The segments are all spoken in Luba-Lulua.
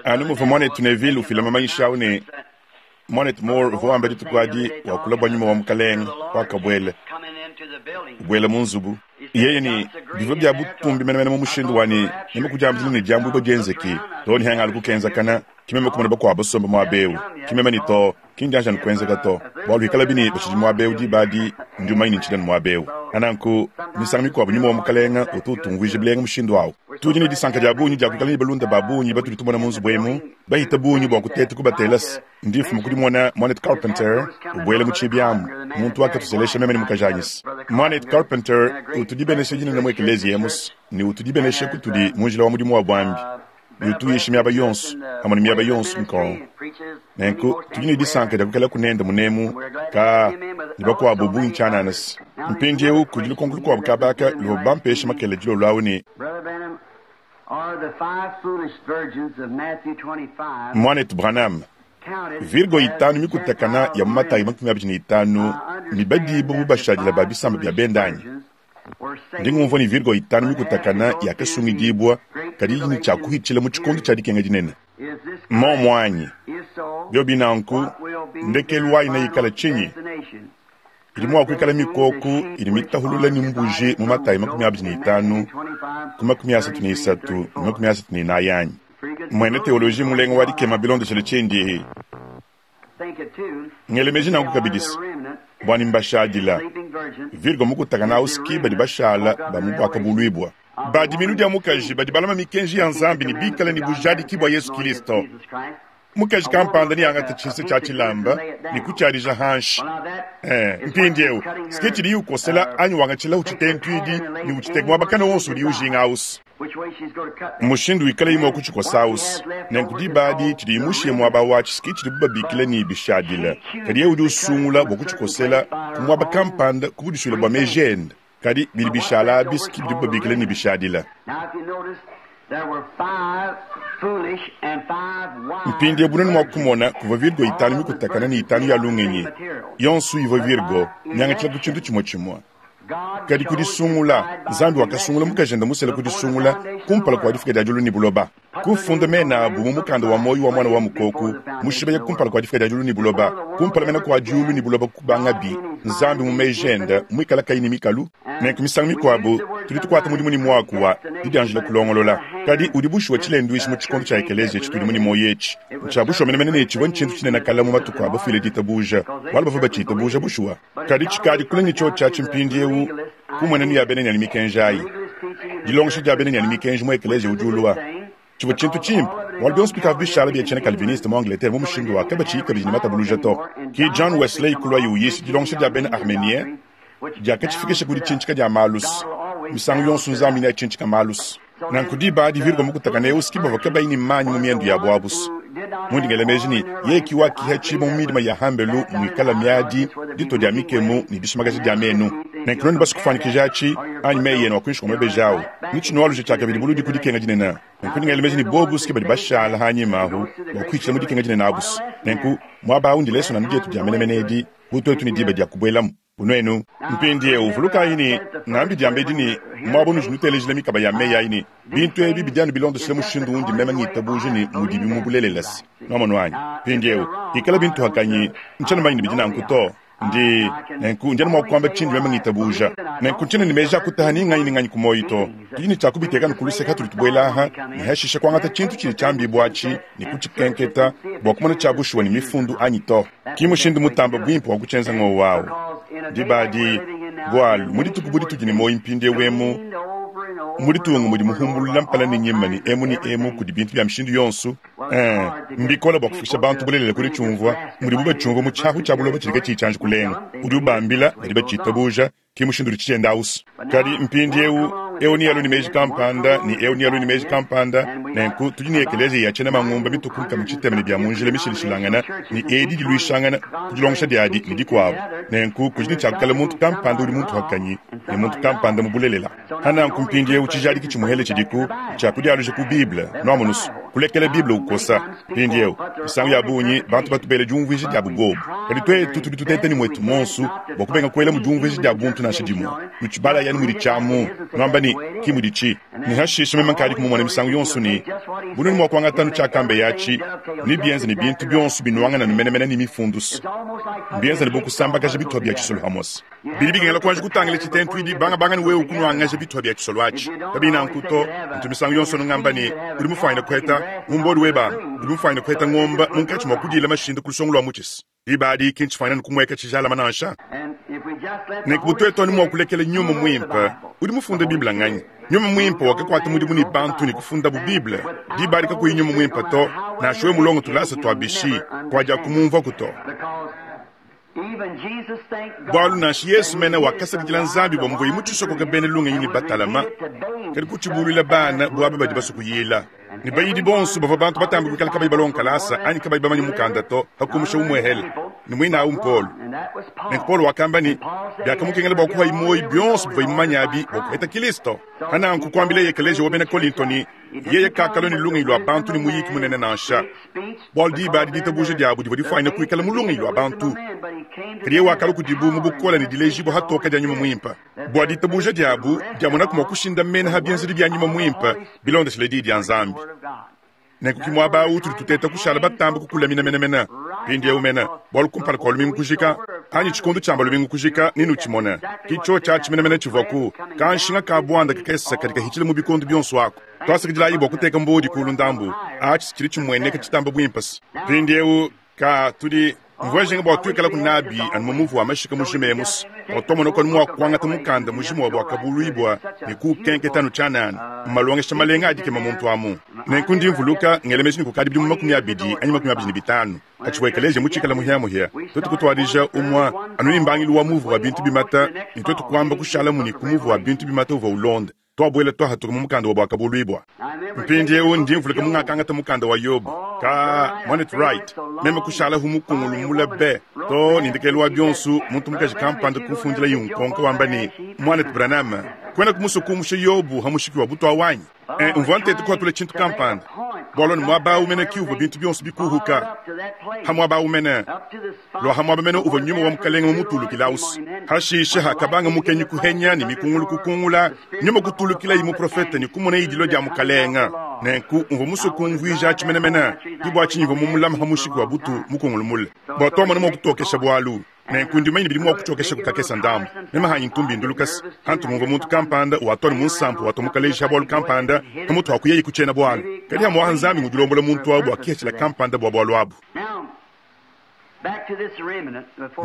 Anu muvua Muanetu Neville ufila mamanyisha au ne Muanetu Moore uvua wamba dituku adi wakula bua Nyuma wa Mukalenge wakabuela ubuela mu nzubu. Yeye ne, Bivua bia butumbi menemene mu mushindu wa ne, meme kudiambila ne diambuibua dienzeki too ne hangalu kukenzakana, ke meme kumona bakuabu basomba muaba eu, ke meme ne too, ki ndianji anu kuenzeka to, bualu hikalabi ne batshidi muaba eu diba adi, ndi mumanye ne ntshidi anu muaba eu. Nanku, misangu mikuabu Nyuma wa Mukalenge utu utumvuija bilenga mushindu au. Tudi ne disanka dia bungi dia kuikala ne balunda ba bungi batudi tumona mu nzubu emu, bahita bungi bua kuteta kubatela se ndi mfuma ku dimona Muanetu Carpenter ubuela mu tshibi amu, muntu wakatuselesha meme ne mukajanyi se. Muanetu Carpenter utu dibenesha dinene mu ekeleziya emu's, ne utu dibenesha kutudi mu njila wa mudimu wa buambi, ne utu uyisha miaba yonso, pamue ne miaba yonso nkong. Nenku tudi ne disanka dia kuikalaku nende munemu, kaa, ne bakuabu bungi tshianana se. Mpindieu kudi lukonko lukuabu kaba aka luvua bampeshe makela dilolo awu ne. Muanetu Branham, Virgo itanu mikutakana ya mu Matayi 25 mibadibue bu bashadile ba bisamba bia bende anyi? Ndi ngumvua ne Virgo itanu mikutakana yakasungidibua, kadi idi ne tshia kuhitshila mu tshikondo tshia dikenga dinene. Mmuomu anyi? Biobi nanku, ndekelu wayi neikale tshinyi? Idi mua kuikala mikoko idi mitahulula ne mbuji mu Matayi 25 ku 33 ne 34 anyi? Muena teoloji mulenga wa dikema bilondeshile tshindi ngela meji nanku kabidi se, bua ne mbashadila Virgo mukutakana au ski badi bashala ba mu Buakabuluibua. Ba diminu dia mukaji badi balama mikenji ya Nzambi ne bikale ne bujadiki bua Yesu Kilisto. Mukaji kampanda neangate tshisa tshia tshilamba ne kutshiadija hanshi. Eh, mpindieu ski tshidiye ukosela anyi wangatshilahu tshitentuidi ne utshiteka muaba kana wonso udiye ujinga ausi. Mushindu wikalayi mua kutshikosa ausi. Nenku diba adi tshidiyi mushiye muaba watshi ski tshidibu babikila ne bishadila, kadi yeye udi usungula bua kutshikosela ku muaba kampanda ku budisuile bua meji ende. Kadi bidi bishala abi ski bidibu babikila ne bishadila. Mpindieu bunene mua kumona kuvua virgo itanu mikutakane ne itanu ya lungenyi, yonso ivua virgo miangatshila ku tshintu tshimue tshimue. Kadi ku disungula, Nzambi wakasungula mukajende musela ku disungula kumpala kua difuka dia diulu ne buloba. Kufunda mena abu mu mukanda wa muoyo wa Muana wa Mukoko mushibeya kumpala kua difuka dia diulu ne buloba, kumpala mena kua diulu ne buloba kubangabi, Nzambi mu meji ende muikale kayi ne mikalu. Nenku misangu mikuabu tudi tukuata mudimu ne muaku wa didianjila kulongolola, kadi udi bushuwa tshilenduishi mu tshikondo tshia ekeleziya tshitudimu ne muoyo etshi. Ntshia bushuwa menemene ne tshivua ntshintu tshinene kale mu matuku a bafuile ditabuja, bualu bavua batshiitabuja bushuwa. Kadi tshikadi kule ne tshiotshi atshi mpindieu ku mmuenenu ya bena ne mikenji ayi. Dilongesha dia bena ne mikenji mu ekeleziya udi ulua tshivua tshintu tshimpe, bualu bionso bikavua bishala bia tshiena Calviniste mu Angleterre mu mushindu wa kabatshiyi kabidi ne matabuluja to. Ke John Wesley kuluaye uyisha dilongesha dia bena Armenien diakatshifikisha ku ditshintshika dia malus. Misangu yonso Nzambi neatshintshika malus. Nanku diba adi Virgo mukutakane eu ski bavua kabayi ne manyi mu miendu yabu abu's. Mundi ngela meji ne, yeye ki wakihatshibua mu midima ya hambelu muikala miadi, ditua dia mikemu ne dishimakaja dia menu. Nenku nuenu basue kufuanyikija atshi, anyi meyi enu a kuinshi kua mabeji au, ne tshinualuja tshiakabidi buludi ku dikenga dinene. Nenku ndi ngela meji ne bobu ski badi bashala hanyima ahu bua kuhitshila mu dikenga dinene abu's. Nenku muaba au ndilesona dietu dia menemene edi bu tuetu ne diba dia kubuelamu. Bu nuenu mpindieu vulukayi ne, ngambi diambedi ne, muaba unudi nutelejila mikaba ya meyi ayi ne, bintu ebi bidi anu bilondeshile mushindu undi meme ngitabuja ne mudibi mu bulelela se. Nwamonu anyi? Mpindieu, pikala bintu hakanyi, ntshiena mumanye ne bidi nanku to. Ndi, nenku ndi anu mua kuamba tshindi meme ngitabuja. Nenku ntshiena ne meji a kutaha ni nganyi ni nganyi ku muoyo to. Tudi ne tshia kubiteka anu ku luseke hatudi tubuela aha, ne hashishe kuangata tshintu tshidi tshiambibua atshi ne kutshikenketa bua kumona tshia bushuwa ne mifundu anyi to. Ki mushindu mutambe buimpe wa kutshienza ng'wowu au. Diba adi, bualu mu dituku bu ditudi ne muoyo mpindieu emu, mu ditunga mudi muhumbulula mpala ne nyima ne emu ne emu kudi bintu bia mishindu yonso, ee, mbikole bua kufikisha bantu bulelela ku ditshiumvua mudibu batshiumvua mu tshiahu tshia buloba tshidi katshiyi tshianji kulenga. Udi ubambila, badi batshitabuja. Ke mushindu udi tshienda ausu. Kadi mpindiewu, eu nealue ne meji kampanda, ne eu nealue ne meji kampanda. Nenku tudi ne ekeleziya ya tshiena mangumba mitue ku nkama tshitema ne bia mu njila mishilashilangane, ne edi diluishangana ku dilongesha diadi ne dikuabu. Nenku kudi ne tshia kuikala muntu kampanda udi muntuakanyi ne muntu kampanda mu bulelela. Pa nanku mpindiewu tshijadiki tshimuhele tshidiku ntshia kudialuja ku Bible. Nuamonu's? Kulekela Bible ukosa. Mpindieu, misangu ya bungi bantu batu bela diumvuija diabu bobu. Kadi tuetu tudi tuteta ne muetu muonso bua kubenga kuelamu diumvuija dia buntu nansha dimue. Nutshibalayi anu mudi tshiamu, nuamba ne, Ki muditshi. Ne hashishe meme nkadi kumumona misangu yonso ne, bu nuenu mua kuangata anu tshiakambeye atshi, nebienze ne bintu bionso binuangane anu menemene ne Mifundu. Mbienze ne bu kusambakaja bitupa bia tshisolo hamose. Bidi bikengela kuanji kutangila tshitentuidi bangabanga ne wewe kunuangaja bitupa bia tshisolo atshi. Kabiyi nanku to, ntu misangu yonso anu ngamba ne, udi mufuanyine kuheta mu mbodi weba, udi mufuanyine kuheta ngomba munkatshi mua kudiila mashinda ku lusongo lua mutshis. Diba adi ki ntshifuanyine anu kumueka tshijalama nansha. Nenku bu tuetu anu mua kulekela Nyuma Muimpe, udi mufunde Bible nganyi? Nyuma Muimpe wakakuata mudimu ne bantu ne kufundabu Bible. Diba adi kakuyi Nyuma Muimpe to, nansha wewe mulonge tulasa tua bishi, kuadiakumumvuaku to. Bualu nansha Yesu mene wakasakidila Nzambi bua muvuaye mutshisokoke bena lungenyi ne batalama, kadi kutshibuluila bana bu aba badi basue kuyila. Ne bayidi bonso bavua bantu batambe kuikala kabayi balonge kalasa anyi kabayi bamanye mukanda to, pa kumusha umuehele, ne muine au m'Paulo. Nenku Paulo wakamba ne, biakamukengela bua kupayi muoyo bionso bivuaye mumanye abi bua kupeta Kristo. Pa nanku kuambileye ekeleziya wa bena Kolinto ne, yeye kakalua ne lungenyi lua bantu ne muyiki munene nansha, bualu diba adi ditabuja diabu divua difuanyine kuikala mu lungenyi lua bantu, kadi yeye wakalua kudibu mu bukole ne dilejibua hatoke dia Nyuma Muimpe, bua ditabuja diabu diamonaku mua kushindamena ha bienzedi bia Nyuma Muimpe bilondeshile Diyi dia Nzambi. Nenku ki muaba awu utudi tuteta kushala batambe kukulamina menemene mpindieu mene, bualu kumpala kua lumingu kujika, anyi tshikondo tshiamba lumingu kujika, nenutshimone. Ki tshiotshi atshi menemene tshivuaku, kanshinga ka buanda kakese kadi kahitshila mu bikondo bionso aku. Tuasakidilayi bua kuteka mbodi kulu ndambu, atshi tshidi tshimueneka tshitamba buimpe. Mpindieu, ka tudi mvua njinga bua tuikalaku nabi anu mu muvu wa mashika mujima emu's, bua tuamonaku anu mua kuangata mukanda mujima wa Buakabuluibua ne kuukenketa anu tshianana. Mmalongesha malenga a dikema muntu amu. Nenku ndi mvuluka, ngela meji ne kukadi bidimu 20 anyi 25, patshivua ekeleziya mutshikale muhiamuhia, tuetu kutuadija umue anu ne mbangilu wa muvu wa bintu bimata, ne tuetu kuamba kushalamu ne ku muvu wa bintu bimata uvua ulonda. Tuabuela tuahatuka mu mukanda wa Buakabuluibua. Mpindieu ndi mvuluka mungakangata mukanda wa Yobo. Ka, Muanetu Wright, meme kushalahu mukungulu mule be, too ne ndekelu wa bionso muntu mukaji kampanda kumfundilaye nkonko wamba ne, Muanetu Branham, kuenaku musue kumusha Yobo ha mushiki wa butu awu anyi? E, mvua nteta kuhatula tshintu kampanda, bualu anu muaba awu mene ki uvua bintu bionso bikuhuka, ha muaba awu mene. Lua ha muaba mene uvua Nyuma wa Mukelenge mumutulukilausu. Hashishe hakabanga mukenyi kuhenya ne mikungulu kukungula, Nyuma kutulukilayi muprofete ne kumonayi dilua dia Mukelenge. Nenku mvua musue kumvuija atshi menemene, ke bua tshinyi mvua mumulame ha mushiki wa butu mukungulu mule, bua tuamona mua kutokesha bualu. Nenku ndi mumanye ne bidi mua kutshiokeshaku kakese ndambu. Meme hanyi ntu mbindulukase hantu ngumvua muntu kampanda watua ne munsampu watua mukaleji ha bualu kampanda pamutu ha kuyaye ku tshiena bualu. Kadi hamuaha Nzambi ngudi ulombola muntu awu bua kiheshila kampanda bua bualu abu.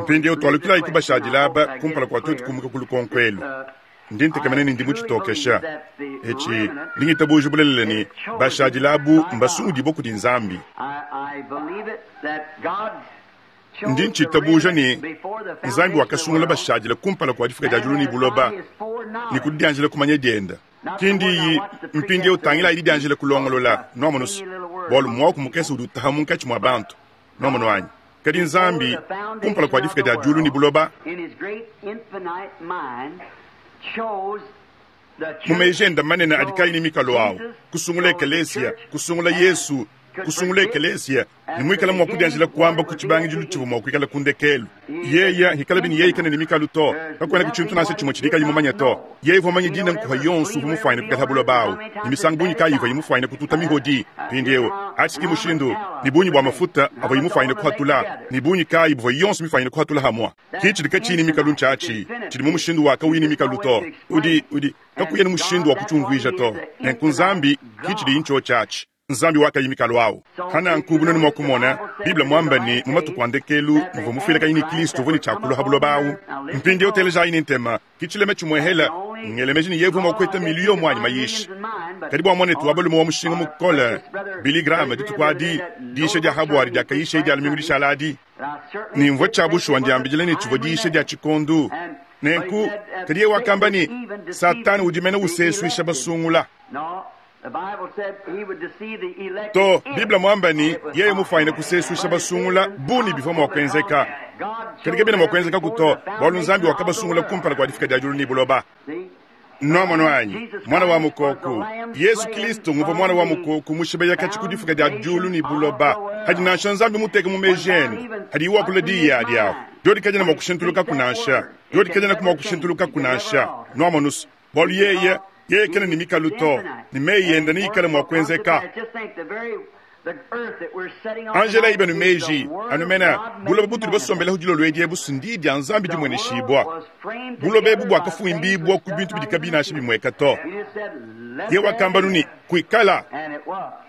Mpindieu tualukilayi ku bashadile aba kumpala kua tuetu kumuka ku lukonko elu. Ndi ntekemena ne ndi mutshitokesha etshi. Ndi ngitabuja bulelela ne, bashadile abu mbasungudibue kudi Nzambi. Ndi ntshitabuja ne, Nzambi wakasungula bashadile kumpala kua difuka dia diulu ne buloba ne ku didianjila kumanya diende. Ki ndiyi mpindieu tangilayi didianjila kulongolola, nuamonu's, bualu muaku mukese udi utaha munkatshi mua bantu. Nuamonu anyi? Kadi Nzambi, kumpala kua difuka dia diulu ne buloba, mu meji ende manene adi kayi ne mikalu awu, kusungula ekeleesiya, kusungula Yesu, kusungula ekeleesiya, ne muikale mua kudianjila kuamba ku tshibangidilu tshivua mua kuikala ku ndekelu. Yeye hikalabi ne yeye kena ne mikalu to, kakuenaku tshintu nansha tshimue tshidi kayi mumanye to. Yeye uvua mumanye dina nkuha yonso uvua mufuanyine kuikala ha buloba awu, ne misangu bungi kayi ivuaye mufuanyine kututa mihodi. Mpindieu, atshi ki mushindu, ne bungi bua mafuta avuaye mufuanyine kuhatula, ne bungi kayi buvua yonso mifuanyine kuhatula hamua. Ki tshidi katshiyi ne mikalu ntshiatshi tshidi mu mushindu wa kawuyi ne mikalu to. Udi, udi, kakuena mushindu wa kutshiumvuija to. Nenku Nzambi ki tshidiyi ntshiotshi atshi. Nzambi wakayi mikalu awu. Pa nanku, bu nuenu mua kumona, Bible muamba ne, mu matuku a ndekelu, muvua mufuilakanyi ne Kilisto uvua ne tshia kulua ha buloba awu. Mpindieu telejayi ne ntema. Ki tshilema tshimuehela, ngela meji ne yevua mua kueta miliyo muanyi mayisha. Kadi bua muanetu wa balume wa mushinga mukole, Billy Graham, dituku adi, diyisha dia habuadi diakayishaye dia lumingu dishala adi, ne mvua tshia bushuwa ndiambidila ne tshivua diyisha dia tshikondu. Nenku, kadi yeye wakamba ne, Satana udi mene usesuisha basungula. To, Bible muamba ne, yeye mufuanyine kusesuisha basungula bu ne bivua mua kuenzeka. Kadi kabiena mua kuenzekaku to, bualu Nzambi wakabasungula kumpala kua difuka dia diulu ne buloba. Nwamonu anyi? Mwana wa mukoku. Yesu Kilisto nguvwa Mwana wa mukoku mushibeya katshi ku difuka dia diulu ne buloba. Hadi nansha Nzambi muteke mu meji ende, hadiye wakula diyi adi ahu, diodi kadiena mua kushintulukaku nansha. Diodi kadienaku mua kushintulukaku nansha. Nwamonu's? Bualu yeye, yeye kena ne mikalu to, ne meyi ende neikale mua kuenzeka. Anjelayi benu meji, anu mena buloba butudi basombelehu dilolo edi ebu s'ndiyi dia Nzambi dimueneshibua. Buloba ebu buakafuimbibua ku bintu bidi kabiyi nansha bimueka to. Yeye wakamba nu ne, Kuikala,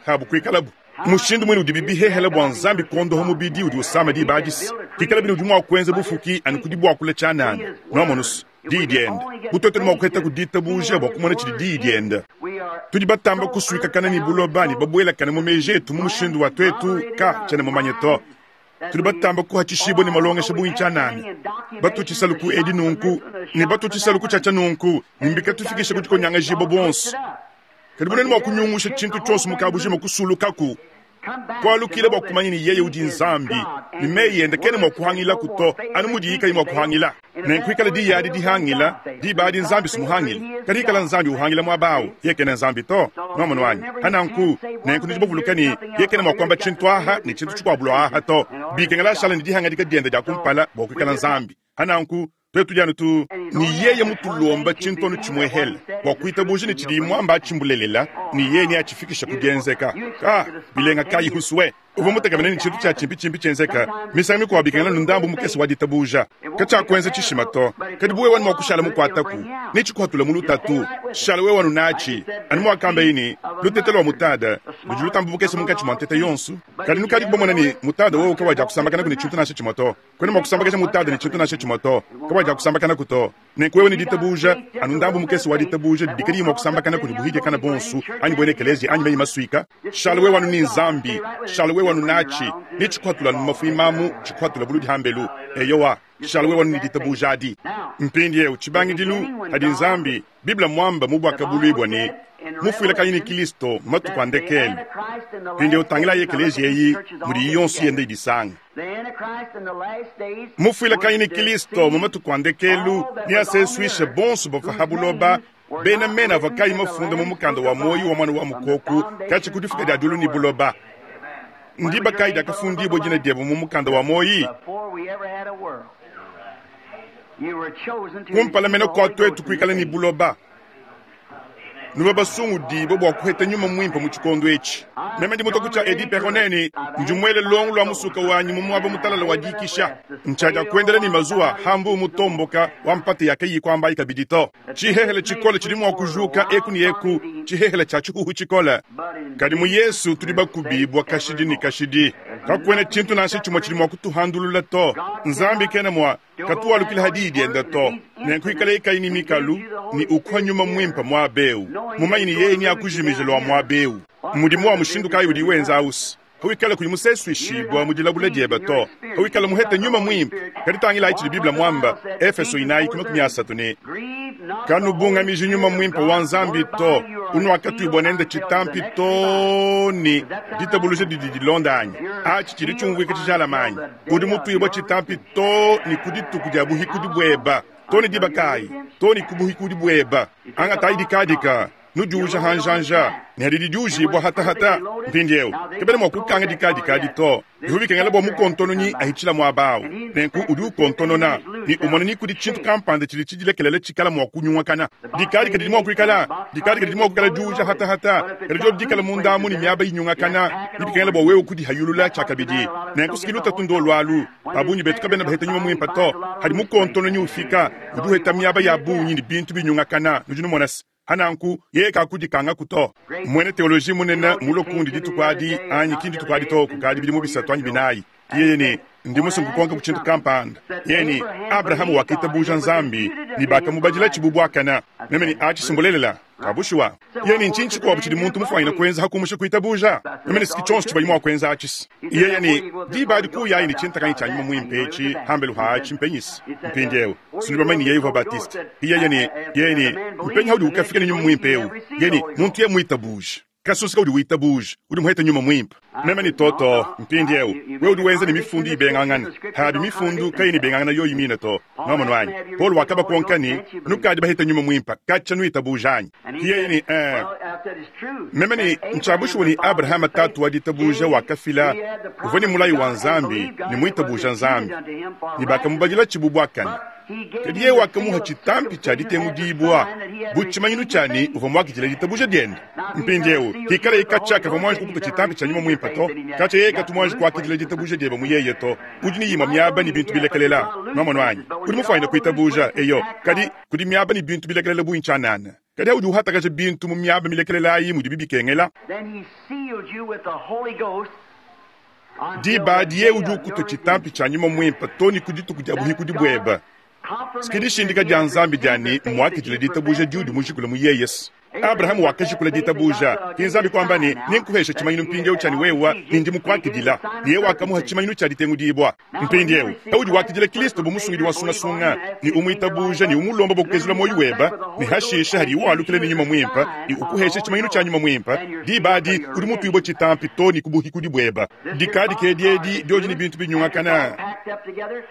habu kuikalabu. Mushindu muine udibi bihehela bua Nzambi kuondoha mubidi udi usama diba adi se, pikalabi ne udi mua kuenza bufuki anu ku dibuakula tshianana. Nuamonu's? Diyi diende. Bu tuetu ne mua kuhetaku ditabuja bua kumona tshidi Diyi diende! Tudi batamba kusuikakana ne buloba ne babuelakane mu meji etu mu mushindu wa tuetu ka tshiena mumanye to. Tudi batamba kuhatshishibua ne malongesha bungi tshianana, batu tshisalu ku edi nunku ne batu tshisalu ku tshiatshia nunku, ne mbikatufikisha ku dikonyangajibua buonso. Kadi bunene mua kunyungusha tshintu tshionso mu kabujima kusulukaku, kualukila bua kumanya ne yeye udi Nzambi, ne meyi ende kena mua kuhangilaku to, anu mudiyi kayi mua kuhangila. Nenku ikala diyi adi dihangila, diba adi Nzambi sumuhangile. Kadi ikala Nzambi uhangila muaba au, yeye kena Nzambi to. Nwamonu anyi? Pa nanku, nenku nudi bavuluka ne yeye kena mua kuamba tshintu aha ne tshintu tshikuabu lua aha to. Bikengela ashala ne dihangadika diende dia kumpala bua kuikala Nzambi. Pa nanku, tuetu tudi anu tu. Ne yeye mutulomba tshintu anu tshimuehele bua kuitabuja ne tshidiye muamba atshi mbulelela, ne yeye neatshifikishe ku dienzeka. Ka, bilenga kayi husue! Uvua mutekemene ne tshintu tshia tshimpitshimpi tshienzeka. Misangu mikuabu bikengela anu ndambu mukese wa ditabuja. Katshiakuenza tshishima to. Kadi bu wewe anu mua kushala mukuataku, netshikuhatule mu lutatu. Shala wewe anu natshi. Anu muakambaye ne, Lutete lua mutada ludi lutamba bukese munkatshi mua ntete yonso. Kadi nukadiku bamone ne, mutada wowu kawadiakusambakanaku ne tshintu nansha tshimue to. Kuena mua kusambakaja mutada ne tshintu nansha tshimue to. Kawadiakusambakanaku to. Nenku wewe ne ditabuja, anu ndambu mukese wa ditabuja didi kadiyi mua kusambakana kudi buhidia bonsu, anyi buena ekeleziya, anyi meyi masuika, shala wewe anu ne Nzambi, shala wewe anu natshi, netshikuhatule anu mu mafuima amu, tshikuhatule buludi hambelu. Eyowa, shala wewe anu ne ditabuja adi. Mpindiewu, tshibangidilu, hadi Nzambi, Bible muamba mu Buakabuluibua ne, Mufuilakanyi ne Kilisto mu matuku a ndekelu. Mpindiewu tangilayi ekeleziya eyi mudiyi yonso yenda idisanga. Mufuilakanyi ne Kilisto mu matuku a ndekelu neasesuishe bonso bavua ha buloba, bena mena avua kayi mafunda mu mukanda wa muoyo wa Muana wa Mukoko katshia ku difuka dia diulu ne buloba. Ndiba kayi diakafundibua dina diebe mu mukanda wa muoyo? Kumpala mene kua tuetu kuikala ne buloba, nuvua basungudibue bua kuheta Nyuma Muimpe mu tshikondo etshi. Meme ndi mutua ku tshia Eddie Perronet ne ndi muele luongo lua musuka wanyi mu muaba mutalala wa dikisha. Ntshiadia kuendela ne mazuwa ha mbuu mutomboka wa mpata ya kayiyi kuambayi kabidi to. Tshihehele tshikole tshidi mua kujuka eku ne eku, tshihehele tshia tshihuhu tshikole. Kadi mu Yesu tudi bakubibua kashidi ne kashidi. Kakuena tshintu nansha tshimue tshidi mua kutuhandulula to. Nzambi kena mua katualukila ha diyi diende to. Nenku ikaleye kayi ne mikalu ne ukuha Nyuma Muimpe muaba eu, mumanye ne yeye neakujimije lua muaba eu. Mudimu wa mushindu kayi udiye wenza ausi? Pawikala kuyi musesuishibua mu dilabula diebe to, pawikala muhete Nyuma Muimpe. Kadi tangilayi tshidi Bible muamba, Efeso 4:30 ne, Kanubungamiji Nyuma Muimpe wa Nzambi to, unuakatuibua nende tshitampi too ne ditabuluja didi dilonda anyi? Atshi tshidi tshiumvuika tshijalame anyi? Udi mutuibua tshitampi too ne ku dituku dia buhikudi bueba. Too ne diba kayi? Too ne ku buhikudi bueba. Angatayi dikadika. Nudiuja ha njanja, ne hadidi diujibua hatahata. Mpindieu kabena mua kukanga dikadika adi to. Bivua bikengela bua mukontononyi ahitshila muaba au. Nenku udi ukontonona ne umona ni kudi tshintu kampanda tshidi tshidilekelele tshikala mua kunyungakana. Dikadika didi mua kuikala dikadika didi mua kuikala diuja hatahata, kadi diodi dikala munda amu ne miaba inyungakana, bidi bikengela bua wewe kudihayulula tshiakabidi. Nenku siki lutatu ndolu alu. Ba bungi betu kabena baheta nyuma muimpe to. Hadi mukontononyi ufika, udi uheta miaba ya bungi ne bintu binyungakana. Nudi numona se, Pa nanku, yeye kakudikangaku to. Muena teoloji munene mulue kundi dituku adi, anyi ki ndituku adi to, kukadi bidimu bisatu anyi binayi. Yeye ne, Ndi musue nkukonka ku tshintu kampanda. Yeye ne, Abrahama wakitabuja Nzambi, ne bakamubadilatshi bu buakane. Meme ne, Atshi si mbulelela? Ka bushuwa. Yeye ne, Ntshinyi tshikuabu tshidi muntu mufuanyine kuenza ha kumusha kuitabuja? Meme ne, Siki tshionso tshivuaye mua kuenza atshi si. Yeye ne, Diba adi kuyayi ne tshintakanyi tshia Nyuma Muimpe etshi pambelu haatshi mpenyisi? Mpindiewu, si nudi bamanye ne yeye uvua Baptiste. Yeye ne, yeye ne, Mpenyi haudi ukafika ne Nyuma Muimpe ewu? Yeye ne, Muntu yeye muitabuje. Kasusu kaudi witabuja, udi muheta Nyuma Muimpe. Meme ne to to, mpindiewu, wewe udi wenza ne Mifundu ibengangana. Habi Mifundu kayena ibengangana yoyi mine to. Nwamonu anyi? Paulo wakabakonka ne, Nukadi baheta Nyuma Muimpe katshia nuitabuja anyi? Ki yeye ne, Ee. Meme ne, Ntshia bushuwa ne Abrahama tatu wa ditabuja wakafila, uvua ne mulayi wa Nzambi ne muitabuja Nzambi, ne bakamubadilatshi bu buakane. Kadi yeye wakamuha tshitampi tshia ditengudibua bu tshimanyinu tshia ne uvua muakidile ditabuja diende. Mpindieu, pikalaye katshia kavua muanji kukupa tshitampi tshia Nyuma Muimpe to, katshia yeye katu muanji kuakidila ditabuja diebe mu yeye to. Udi ne imue miaba ne bintu bilekelela. Nwamonu anyi? Udi mufuanyine kuitabuja, eyo, kadi kudi miaba ne bintu bilekelela bungi tshianana. Kadi audi uhatakaja bintu mu miaba milekelela ayi mudibi bikengela. Diba adi yeye udi ukutua tshitampi tshia Nyuma Muimpe to ne ku dituku dia buhikudi buebe. Ke dishindika dia Nzambi dia ne, mmuakidile ditabuja diudi mujikule mu yeye. Abrahama wakajikula ditabuja. Ke Nzambi kuamba ne, Nenkuheshe tshimanyinu mpindieu tshia ne wewe ne ndi mukuakidila. Ne yeye wakamuha tshimanyinu tshia ditengudibua. Mpindieu, paudi wakidila Kristo bu Musungidi wa nsungasunga, ne umuitabuja ne umulomba bua kukezula muoyo webe, ne hashishe hadiye walukila ne Nyuma Muimpe ne ukuhesha tshimanyinu tshia Nyuma Muimpe, diba adi udi mutuibue tshitampi to ne ku buhikudi buebe. Dikadika edi edi diodi ne bintu binyungakana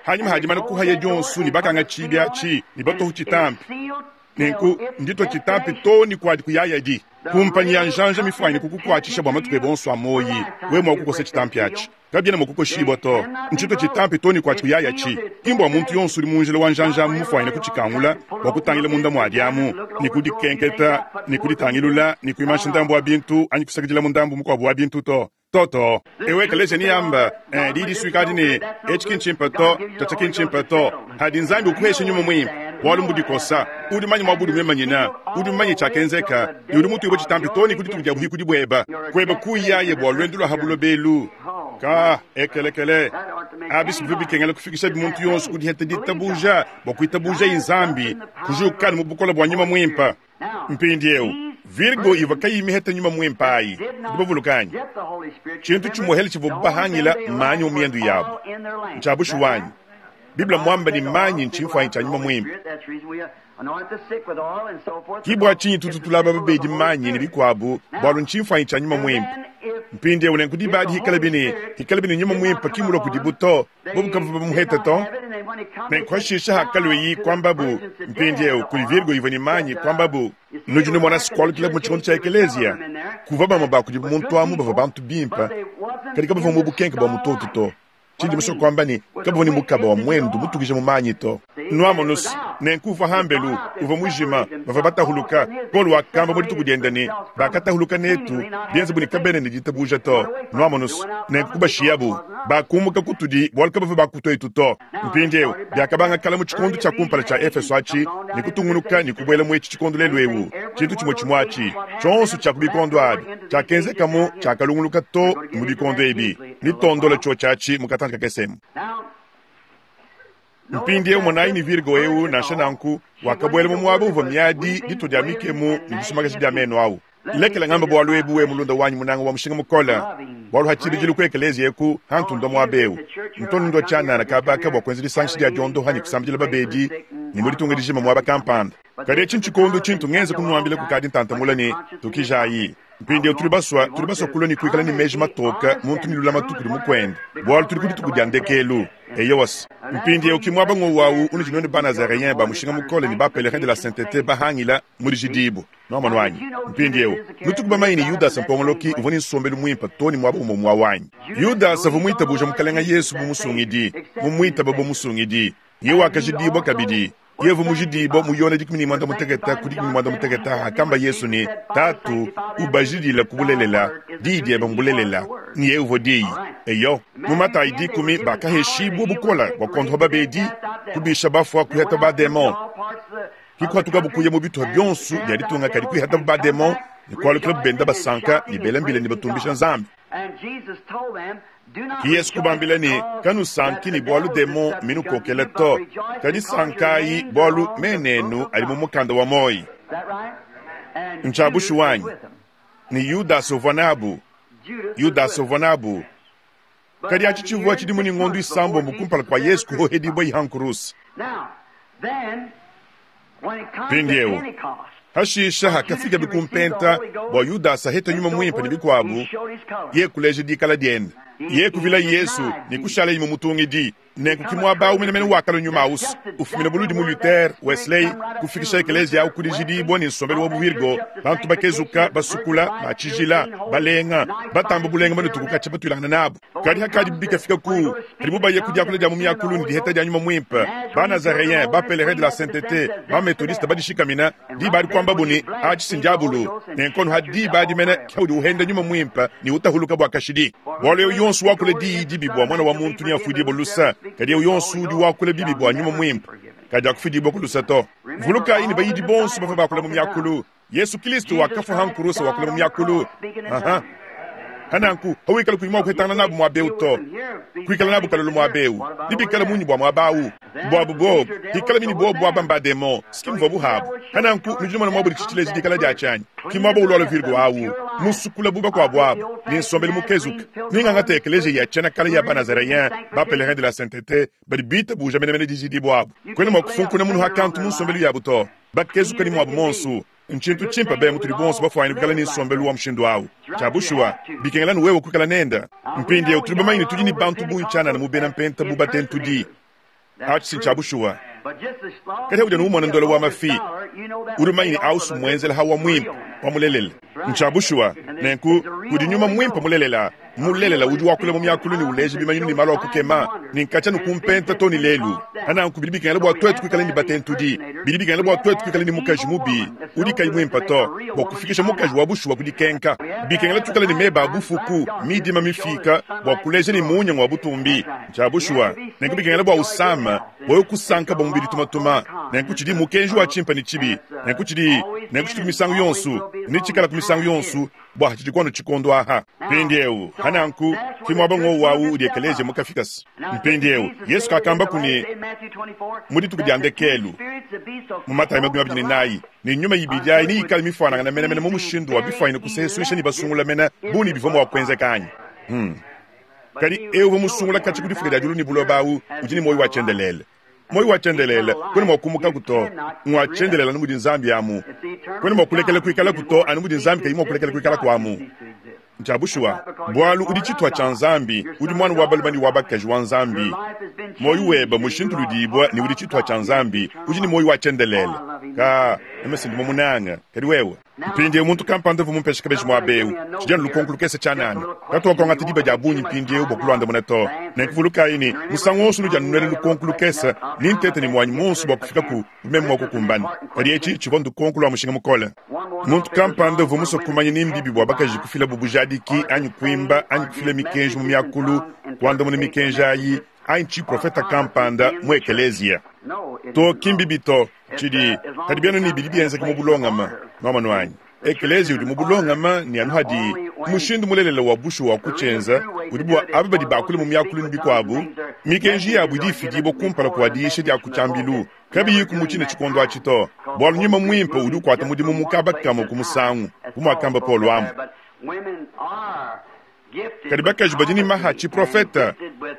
hanyima ha dimana kuhaya dionso ne bakanga tshibi atshi ne batohu tshitampi. Nenku nditua tshitampi too ne kuadi kuyayadi. Kumpanyi ya njanja mifuanyine kukukuatshisha bua matuku ebe onso a muoyi, wewe mua kukosa tshitampi atshi. Kabiena mua kukoshibua to. Ntshitua tshitampi too ne kuatshi kuyayatshi. Ki mbua muntu yonso udi mu njila wa njanja amu mufuanyine kutshikangula bua kutangila munda muadi amu, ne kudikenketa, ne kuditangilula, ne kuimansha ndambu wa bintu anyi kusakidilamu ndambu mukuabu wa bintu to. To, to. Ewe kaleja ni amba, eh, di disuika adi ne, etshi ki ntshimpe to, tshiatshia ki ntshimpe to. Hadi Nzambi ukuhesha Nyuma Muimpe, bualu mbudikosa. Udi mumanye muaba udi muimanyina, udi mumanye tshiakenzeka, ne udi mutuibue tshitampi too ne ku dituku dia buhikudi bueba. Kueba kuyaye bua luendu lua ha buloba elu. Ka, ekelekele. Abi si bivua bikengela kufikishabi muntu yonso ku diheta ditabuja bua kuitabujaye Nzambi, kujuka mu bukole bua Nyuma Muimpe. Mpindieu, Virgo ivua kayiyi mihete nyuma muimpe ayi, nudi bavuluka anyi? Tshintu tshimuehele tshivuabu bahangila mmanyi mu miendu yabu. Ntshia bushuwa anyi? Bible mmuambe ne, manyi ntshimfuanyi tshia nyuma muimpe. Ke bua tshinyi tutu tulaba babedi manyi ne bikuabu, bualu ntshimfuanyi tshia nyuma muimpe. Mpindieu, nenku diba adi hikalabi ne, hikalabi ne nyuma muimpe ki mulue kudibu to, bobu kabavua bamuhete to. Nenku hashishe hakalueyi kuambabu, mpindieu kudi Virgo ivua ne manyi, kuambabu, Nudi numona sikualukila mu tshikondo tshia ekeleziya, kuvua bamue ba kudibu muntu amu bavua bantu bimpe, kadi kabavua mu bukenke bua mutoto to. Tshindi musue kuamba ne, kabavua ne mukaba wa muendu mutukija mu manyi to. Nuamonus, nenku uvua hambelu, uvua mujima, bavua batahuluka. Paulo wakamba mu dituku diende ne, Bakatahuluka netu, bienze bu ne kabena ne ditabuja to. Nuamonus, nenku kubashiyabu. Bakumuka kutudi bualu kabavua ba kutuetu to. Mpindieu, biakabanga kale mu tshikondo tshia kumpala tshia Efeso atshi ne kutungunuka ne kubuela mu etshi tshikondo lelu'eu. Tshintu tshimue tshimue atshi tshionso tshia ku bikondo abi tshiakenzekamu tshiakalunguluka too ne mu bikondo ebi. Netuondole tshiotshi atshi mu katantshi kakese emu. Mpindieu monayi ne Virgo eu, nansha nanku, wakabuela mu muaba uvua miadi, ditua dia mikemu ne disumakaja dia menu au. Lekela ngamba bualu ebu, we mulunda wanyi munanga wa mushinga mukole, bualu ha tshibidilu ku ekeleziya eku hantundua muaba eu, ntu ndua tshianana kaba aka bua kuenza disangisha dia diondoha ne kusambidila babedi ne mu ditunga dijima muaba kampanda. Kadi etshi ntshikondo tshintu ngenza kunuambila kukadi ntanta mule ne, Tukijayi. Mpindieu tudi basua, tudi basua kulua ne kuikala ne meji matoke, muntu ne lulamatu kudi mukuende, bualu tudi ku dituku dia ndekelu. Eyowa-s. Mpindieu ki muaba ngowu au unudi nuenu ba-Nazareens ba mushinga mukole ne ba-Pèlerins de la Sainteté bahangila mu dijidibu. Nwamonu anyi? Mpindiewu, nutuku bamanye ne Yudasa mpongoloki uvua ne nsombelu muimpe too ne muaba umue umue awu anyi? Yudasa uvua muitabuja Mukalenga Yesu bu Musungidi, mumuitaba bu Musungidi. Yeye wakajidibua kabidi. Yeye uvua mujidibua mu Yone 16 ku 16 hakamba Yesu ne, Tatu, ubajidile ku bulelela, diyi diebe mbulelela. Ne yeye uvua Diyi. Eyo. Mu Matayi dikumi bakaheshibua bukole bua kuondopa babedi, kubisha bafua, kuheta bademon. Kikuhatukabu kuya mu bituha bionso bia ditunga, kadi kuihatabu bademon ne kualukilabu benda basanka ne bela mbila ne batumbisha Nzambi. Ke Yesu kubambila ne, Kanusanki ne bualu demon mminukokele to, kadi sankayi bualu mena enu adi mu mukanda wa muoyo. Ntshia bushuwa anyi? Ne Yudasa uvua nabu. Yudasa uvua nabu. Kadi atshi tshivua tshidimu ne ngondo isambombo kumpala kua Yesu kuhohedibua ha nkuruse. Mpindieu, Hashisha hakafikabi ku mpenta bua Yudasa ahete Nyuma Muimpe ne bikuabu, yeye kuleja dikala diende. Yeye kuvila Yesu ne kushalaye mumutungidi. Nenku ki muaba awu menemene wakalua Nyuma awu's, ufumina buludi mu Luther, Wesley, kufikisha ekeleziya awu ku dijidibua ne nsombelu wa bu-virgo, bantu bakezuka, basukula, ba tshijila, balenga, batamba bulenga banutuku katshia batuilangana nabu. Kadi hakadibu bikafika ku padibu baya ku diakula dia mu miakulu ne diheta dia Nyuma Muimpe, ba-Nazareens, ba-Pèlerins de la Sainteté, ba-Methodiste badishikamina, diba adi kuambabu ne, Atshi si ndiabulu. Nenku anu ha diba adi mene ke haudi uhenda Nyuma Muimpe ne utahuluka bua kashidi. Bualu eu yonso wakula diyi dibi bua Muana wa muntu neafuidibue luse, kadi eu yonso udi wakula bibi bua Nyuma Muimpe kadiakufuidibua ku luse to. Vulukayi ne bayidi bonso bavua bakula mu miakulu. Yesu Kilisto wakafua ha nkurusa wakula mu miakulu. Aha. Hananku, hawikala kuyi mua kuhetangana nabu muaba eu to, kuikala nabu kalolo muaba eu, nebikale munyi bua muaba au? Buabu bobu, hikala mini bobu aba mba-demon, si ki mvuabu habu. Hananku, nudi numona muabu ditshi tshileji dikala diatshi anyi? Ki muaba ulualua Virgo au, musukula bu bakuabu abu, ne nsombelu mukezuke. Nengangate ekeleziya ya tshiena kale ya ba-Nazareens, ba-Pèlerins de la Sainteté, badi bitabuja menemene dijidibua abu. Kuena mua kufunkuna munu ha kantu mu nsombelu yabu to. Bakezuka ne muabu muonso. Ntshintu tshimpe be mutudi bonso bafuanyine kuikala ne nsombelu wa mushindu au. Tshia bushuwa, bikengela anu wewe kuikala nende. Mpindieu tudi bamanye ne, tudi ne bantu bungi tshianana mu bena mpenta bu batentudi. Atshi si ntshia bushuwa. Kadi haudi anu umona ndola wa mafi, udi mumanye ne, au si mmuenzela hawa muimpe, wa mulelela. Ntshia bushuwa. Nenku, kudi nyuma muimpe mulelela. Mulelela udi wakula mu miakulu ne uleja bimanyinu ne malu a kukema, ne nkatshia anu ku mpenta too ne lelu. Pa nanku bidi bikengela bua tuetu kuikala ne batentudi. Bidi bikengela bua tuetu kuikala ne mukaji mubi udi kayi muimpe to, bua kufikisha mukaji wa bushuwa ku dikenka. Bikengela tuikale ne meba a bufuku, midima mifiika, bua kuleja ne munya ngua butumbi. Ntshia bushuwa. Nenku bikengela bua usame, bua wewe kusanka bua mubidi tumatuma. Nenku tshidi mukenji wa tshimpe ne tshibi. Nenku tshidi, nenku tshitu ku misangu yonso, ne tshikala ku misangu yonso, bua tshidi kuanu tshikondo aha. Mpindiewu, ha nanku, ki muaba ngowu awu udi ekeleziya mukafikase. Mpindiewu, Yesu kakambaku ne, mu dituku dia ndekelu, mu Matayi 24, ne nyuma ibidi ayi neyikale mifuanangane menemene mu mushindu wa bifuanyine kusesuisha ne basungula mene bu ne bivua mua kuenzeka anyi? Hmm. Kadi eu uvua musungula katshia ku difuka dia diulu ne buloba awu udi ne muoyo wa tshiendelele. Muoyo wa tshiendelele kuena mua kumukaku to, ngua tshiendelele anu mudi Nzambi amu. Kuena mua kulekela kuikalaku to anu mudi Nzambi kayi mua kulekela kuikalaku amu. Ntshia bushuwa, bualu udi tshituha tshia Nzambi, udi muana wa balume ne wa bakaji wa Nzambi. Muoyo webe mmushintuludibue ne udi tshituha tshia Nzambi, udi ne muoyo wa tshiendelele. Ka, meme si ndi mumunange, kadi wewe? Mpindieu muntu kampanda uvua mumpeshe kabeji muaba eu. Tshidi anu lukonko lukese tshianana. Katuakuangata diba dia bungi mpindieu bua kuluandamuna to. Nenku vulukayi ne, musangu wonso unudi anu nuela lukonko lukese, nintete ne muanyi muonso bua kufika ku meme mua kukumbana. Kadi etshi tshivua ndukonko lua mushinga mukole. Muntu kampanda uvua musue kumanya ni mbibi bua bakaji kufilabu bujadiki anyi kuimba anyi kufila mikenji mu miakulu, kuandamuna mikenji ayi, anyi tshiprofete kampanda mu ekeleziya. To, ki mbibi to. Tshidi, kadi bianu ne bidi bienzeka mu bulongame. Nwamonu anyi? Ekeleziya udi mu bulongame, ne anu hadi mushindu mulelela wa bushuwa wa kutshienza udi bua aba badi bakula mu miakulu ne bikuabu, mikenji yabu idi ifidibua kumpala kua diyisha dia ku tshiambilu, kabiyiku mu tshine tshikondo atshi to, bualu Nyuma Muimpe udi ukuata mudimu mu kaba kamue ku musangu, bu muakamba Paulo amu. Kadi bakaji badi ne maha a tshiprofete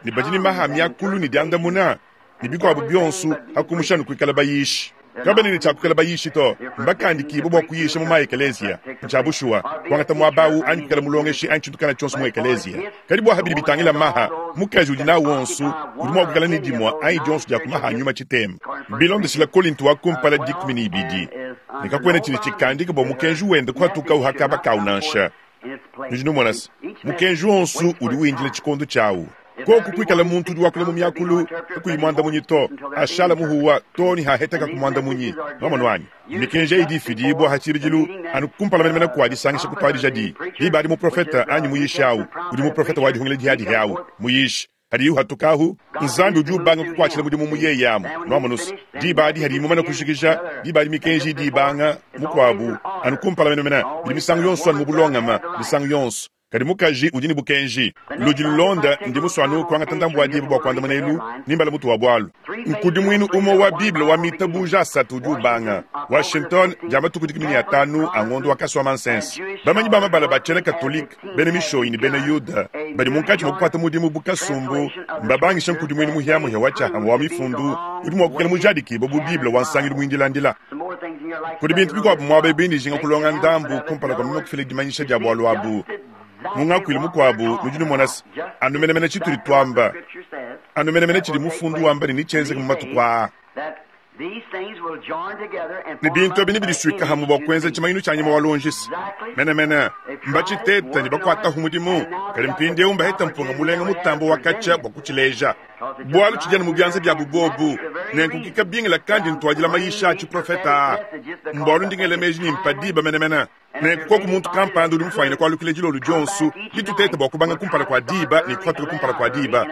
ne badi ne maha a miakulu ne diandamuna ne bikuabu bionso, ha kumusha anu kuikala bayishi. Kabena ne tshia kuikala bayishi to, mbakandikibue bua kuyisha mu ma-ekeleziya. Ntshia bushuwa, kuangata muaba au anyi kuikala mulongeshi anyi tshintu kana tshionso mu ekeleziya. Kadi bua habidi bitangila maha, mukaji udi nawu wonso udi mua kuikala ne dimue anyi dionso dia ku maha a nyuma tshitema. Bilondeshila Kolinto wa kumpala 12, ne kakuena tshidi tshikandika bua mukenji wende kuhatukawu ha kaba kawu nansha. Nudi numona se, mukenji wonso udi windila tshikondo tshiawu. Koku kuikala muntu udi wakula mu miakulu kakuyi muandamunyi to, ashala muhuwa too ne haheteka ku muandamunyi. Nwamonu anyi? Mikenji eyi idi ifidibua ha tshibidilu anu kumpala menemene kua disangisha kutuadijadi. Diba adi muprofete anyi muyishi au udi muprofete wa dihungila dihiadihi au muyishi Hadiye uhatukahu, Nzambi udi ubanga kukuatshila mudimu mu yeye amu. Nwamonu's, diba adi hadiye mumane kujikija, diba adi mikenji idi ibanga mukuabu, anu kumpala menemene, bidi misangu yonso anu mu bulongame, misangu yonso. Kadi mukaji udi ne bukenji. Ludi lulonda, ndi musue anu kuangata ndambu wa diba bua kuandamuna elu, ne mbala mutu wa bualu. Nkudimuinu umue wa Bible wa mitabuja asatu udi ubanga, Washington, dia matuku 15 a ngondo wa Kasuamansense. Bamanyi ba mabala ba tshiena-Katolike, bena Mishoyi ne bena Yuda badi munkatshi mua kukuata mudimu bu kasumbu mbabangishe nkudimuinu muhiamuhia wa tshiahamue wa Mifundu udi mua kuikala mujadikibue bu Bible wa nsangilu muindilandila. Kudi bintu bikuabu muaba eu bindi njinga kulonga ndambu kumpala kua meme kufila dimanyisha dia bualu abu. Mu ngakuilu mukuabu, nudi numona se, anu menemene tshitudi tuamba, anu menemene tshidi Mufundu wamba ne netshienzeke mu matuku aa. Ne bintu abi nebidisuike hamue bua kuenza tshimanyinu tshia nyama wa luonji. Menemene, mbatshitete ne bakuatahu mudimu, kadi mpindieu mbahete mpunga mulenga mutambe wa katshia bua kutshileja, bualu tshidi anu mu bianza biabu bobu. Nenku ki kabingila kandi ntuadila mayisha a tshiprofete aa, mbualu ndi ngela meji ne mpa diba menemene. Nenku koku muntu kampanda udi mufuanyine kualukila dilolo dionso, ditutete bua kubanga kumpala kua diba ne kupatuka kumpala kua diba.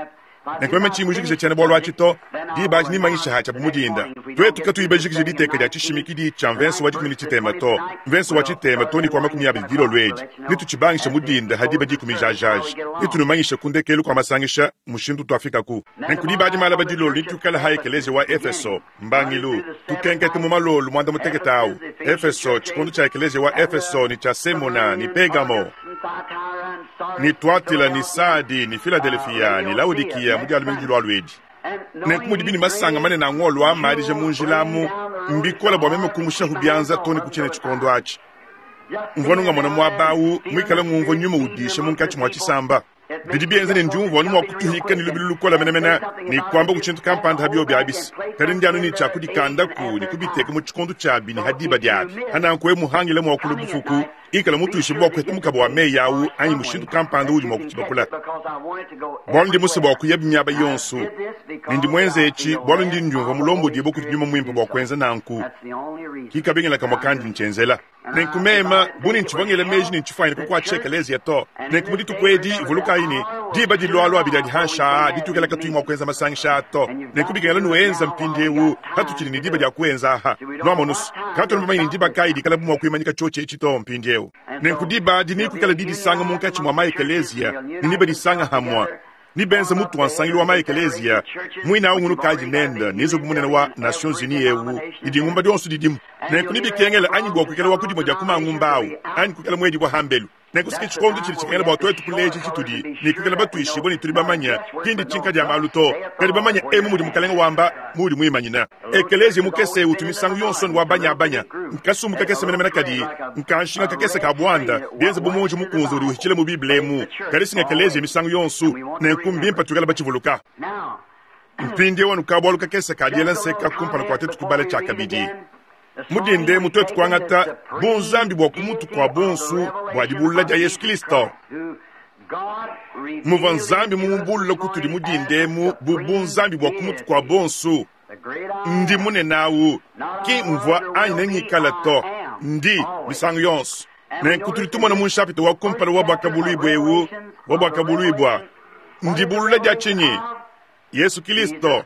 Nenku meme tshiyi mujikije tshiena-bualu atshi to, diba adi nemmanyishe atshi abu mu dinda. Tuetu katuyi bajikije diteka dia tshishimikidi tshia mvense wa 13 to, mvense wa tshitema to ne ku wa 20 dilolo edi, netutshibangishe mu dinda ha diba dikumi jajaja. Netunumanyishe ku ndekelu kua masangisha mushindu utuafikaku. Nenku diba adi malaba dilolo netuikale ha ekeleziya wa Efeso, mbangilu, tukenkete mu malolo muanda-mutekete au, Efeso, tshikondo tshia ekeleziya wa Efeso ne tshia Semuna ne Pegamo, ne Tuatila ne Sadi ne Filadelefia ne Laodikiya mu dia lumingu dilualua edi. Nenku mudibi ne masanga manene a ngolo a madija mu njila amu, mbikole bua meme kumushahu bianza too ne ku tshine tshikondo atshi. Mvua nungamona muaba au muikale ngumvua nyuma udisha munkatshi mua tshisamba. Bidi bienza ne ndiumvua anu mua kutuhika ne lubilu lukole menemene ne kuamba ku tshintu kampanda ha biobi abis, kadi ndi anu ne tshia kudikandaku ne kubiteka mu tshikondo tshiabi ne ha diba diabi. Ha nanku wewe muhangile muakulu bufuku, ikala mutuishibue bua kuheta mukaba wa meyi au anyi mushindu kampanda uudi mua kutshibakula. Bualu ndi musue bua kuyabi miaba yonso, ne ndi muenze etshi bualu ndi ndiumvua mulombodibue kudi Nyuma Muimpe bua kuenza nanku. Ki kabingila kamue kandi ntshienzela. Nenku meme, bu ne ntshivua ngela meji ne ntshifuanyine kukuatshisha ekeleziya to. Nenku mu dituku edi, vulukayi ne, diba dilualua abidi adi hanshi aa dituikala katuyi mua kuenza masangisha aa to. Nenku bikengela nuenza mpindiewu patutshidi ne diba dia kuenza aha. Nuamonu's, katuena bamanye ne ndiba kayi dikalabu mua kuimanyika tshiotshi etshi to mpindiewu. Nenku diba adi nekuikale didisanga munkatshi mua maekeleziya, ne nebadisanga hamue. Nebenze mutu wa nsangilu wa ma-ekeleziya muine au ngunukadi nende ne nzubu munene wa Nations Unies eu ne dingumba dionso didimu. Nenku nebikengele anyi bua kuikala wa ku dimue dia ku mangumba au anyi kuikala muedibua hambelu. Nenku si ke tshikondo tshidi tshikengela bua tuetu kuleja tshitudi ne kuikala batuishibue ne tudi bamanye, ki nditshinka dia malu to, kadi bamanye emu mudi Mukalenge wamba, muudi muimanyine. Ekeleziya mukese utu misangu yonso ne wa banyabanya. Nkasumbu kakese menemene kadi nkanshinga kakese ka buanda, bienze bu muonji mukunze udi uhitshila mu Bible emu. Kadi si ng'ekeleziya misangu yonso, nenku mbimpe tuikale batshivuluka. Mpindieu anu ka-bualu kakese ka diela nseka kumpala kua tuetu kubala tshiakabidi. Mu dinda emu tuetu kuangata bunzambi bua ku mutu kua bonso bua dibulula dia Yesu Kristo. Muvua Nzambi mumubulule kutudi mu dinda emu bu bunzambi bua ku mutu kua bonso. Ndi munene au, ki mvua anyi nengikale to, ndi misangu yonso. Nenku tudi tumona mu nshapita wa kumpala wa Buakabuluibua eu, wa Buakabuluibua, ndibulula dia tshinyi? Yesu Kilisto.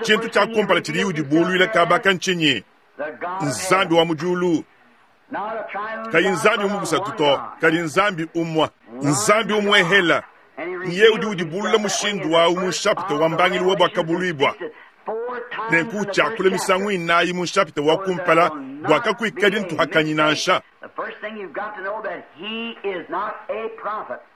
Tshintu tshia kumpala tshidiye udibuluila kaba aka ntshinyi? Nzambi wa mu diulu. Kayi Nzambi mu busatu to, kadi Nzambi umue. Nzambi umuehela. Nyeye udi udibulula mushindu wawu mu nshapita wa mbangilu wa Buakabuluibua. Nenku utshiakula misangu inayi mu nshapita wa kumpala bua kakuikadi ntuhakanyi nansha.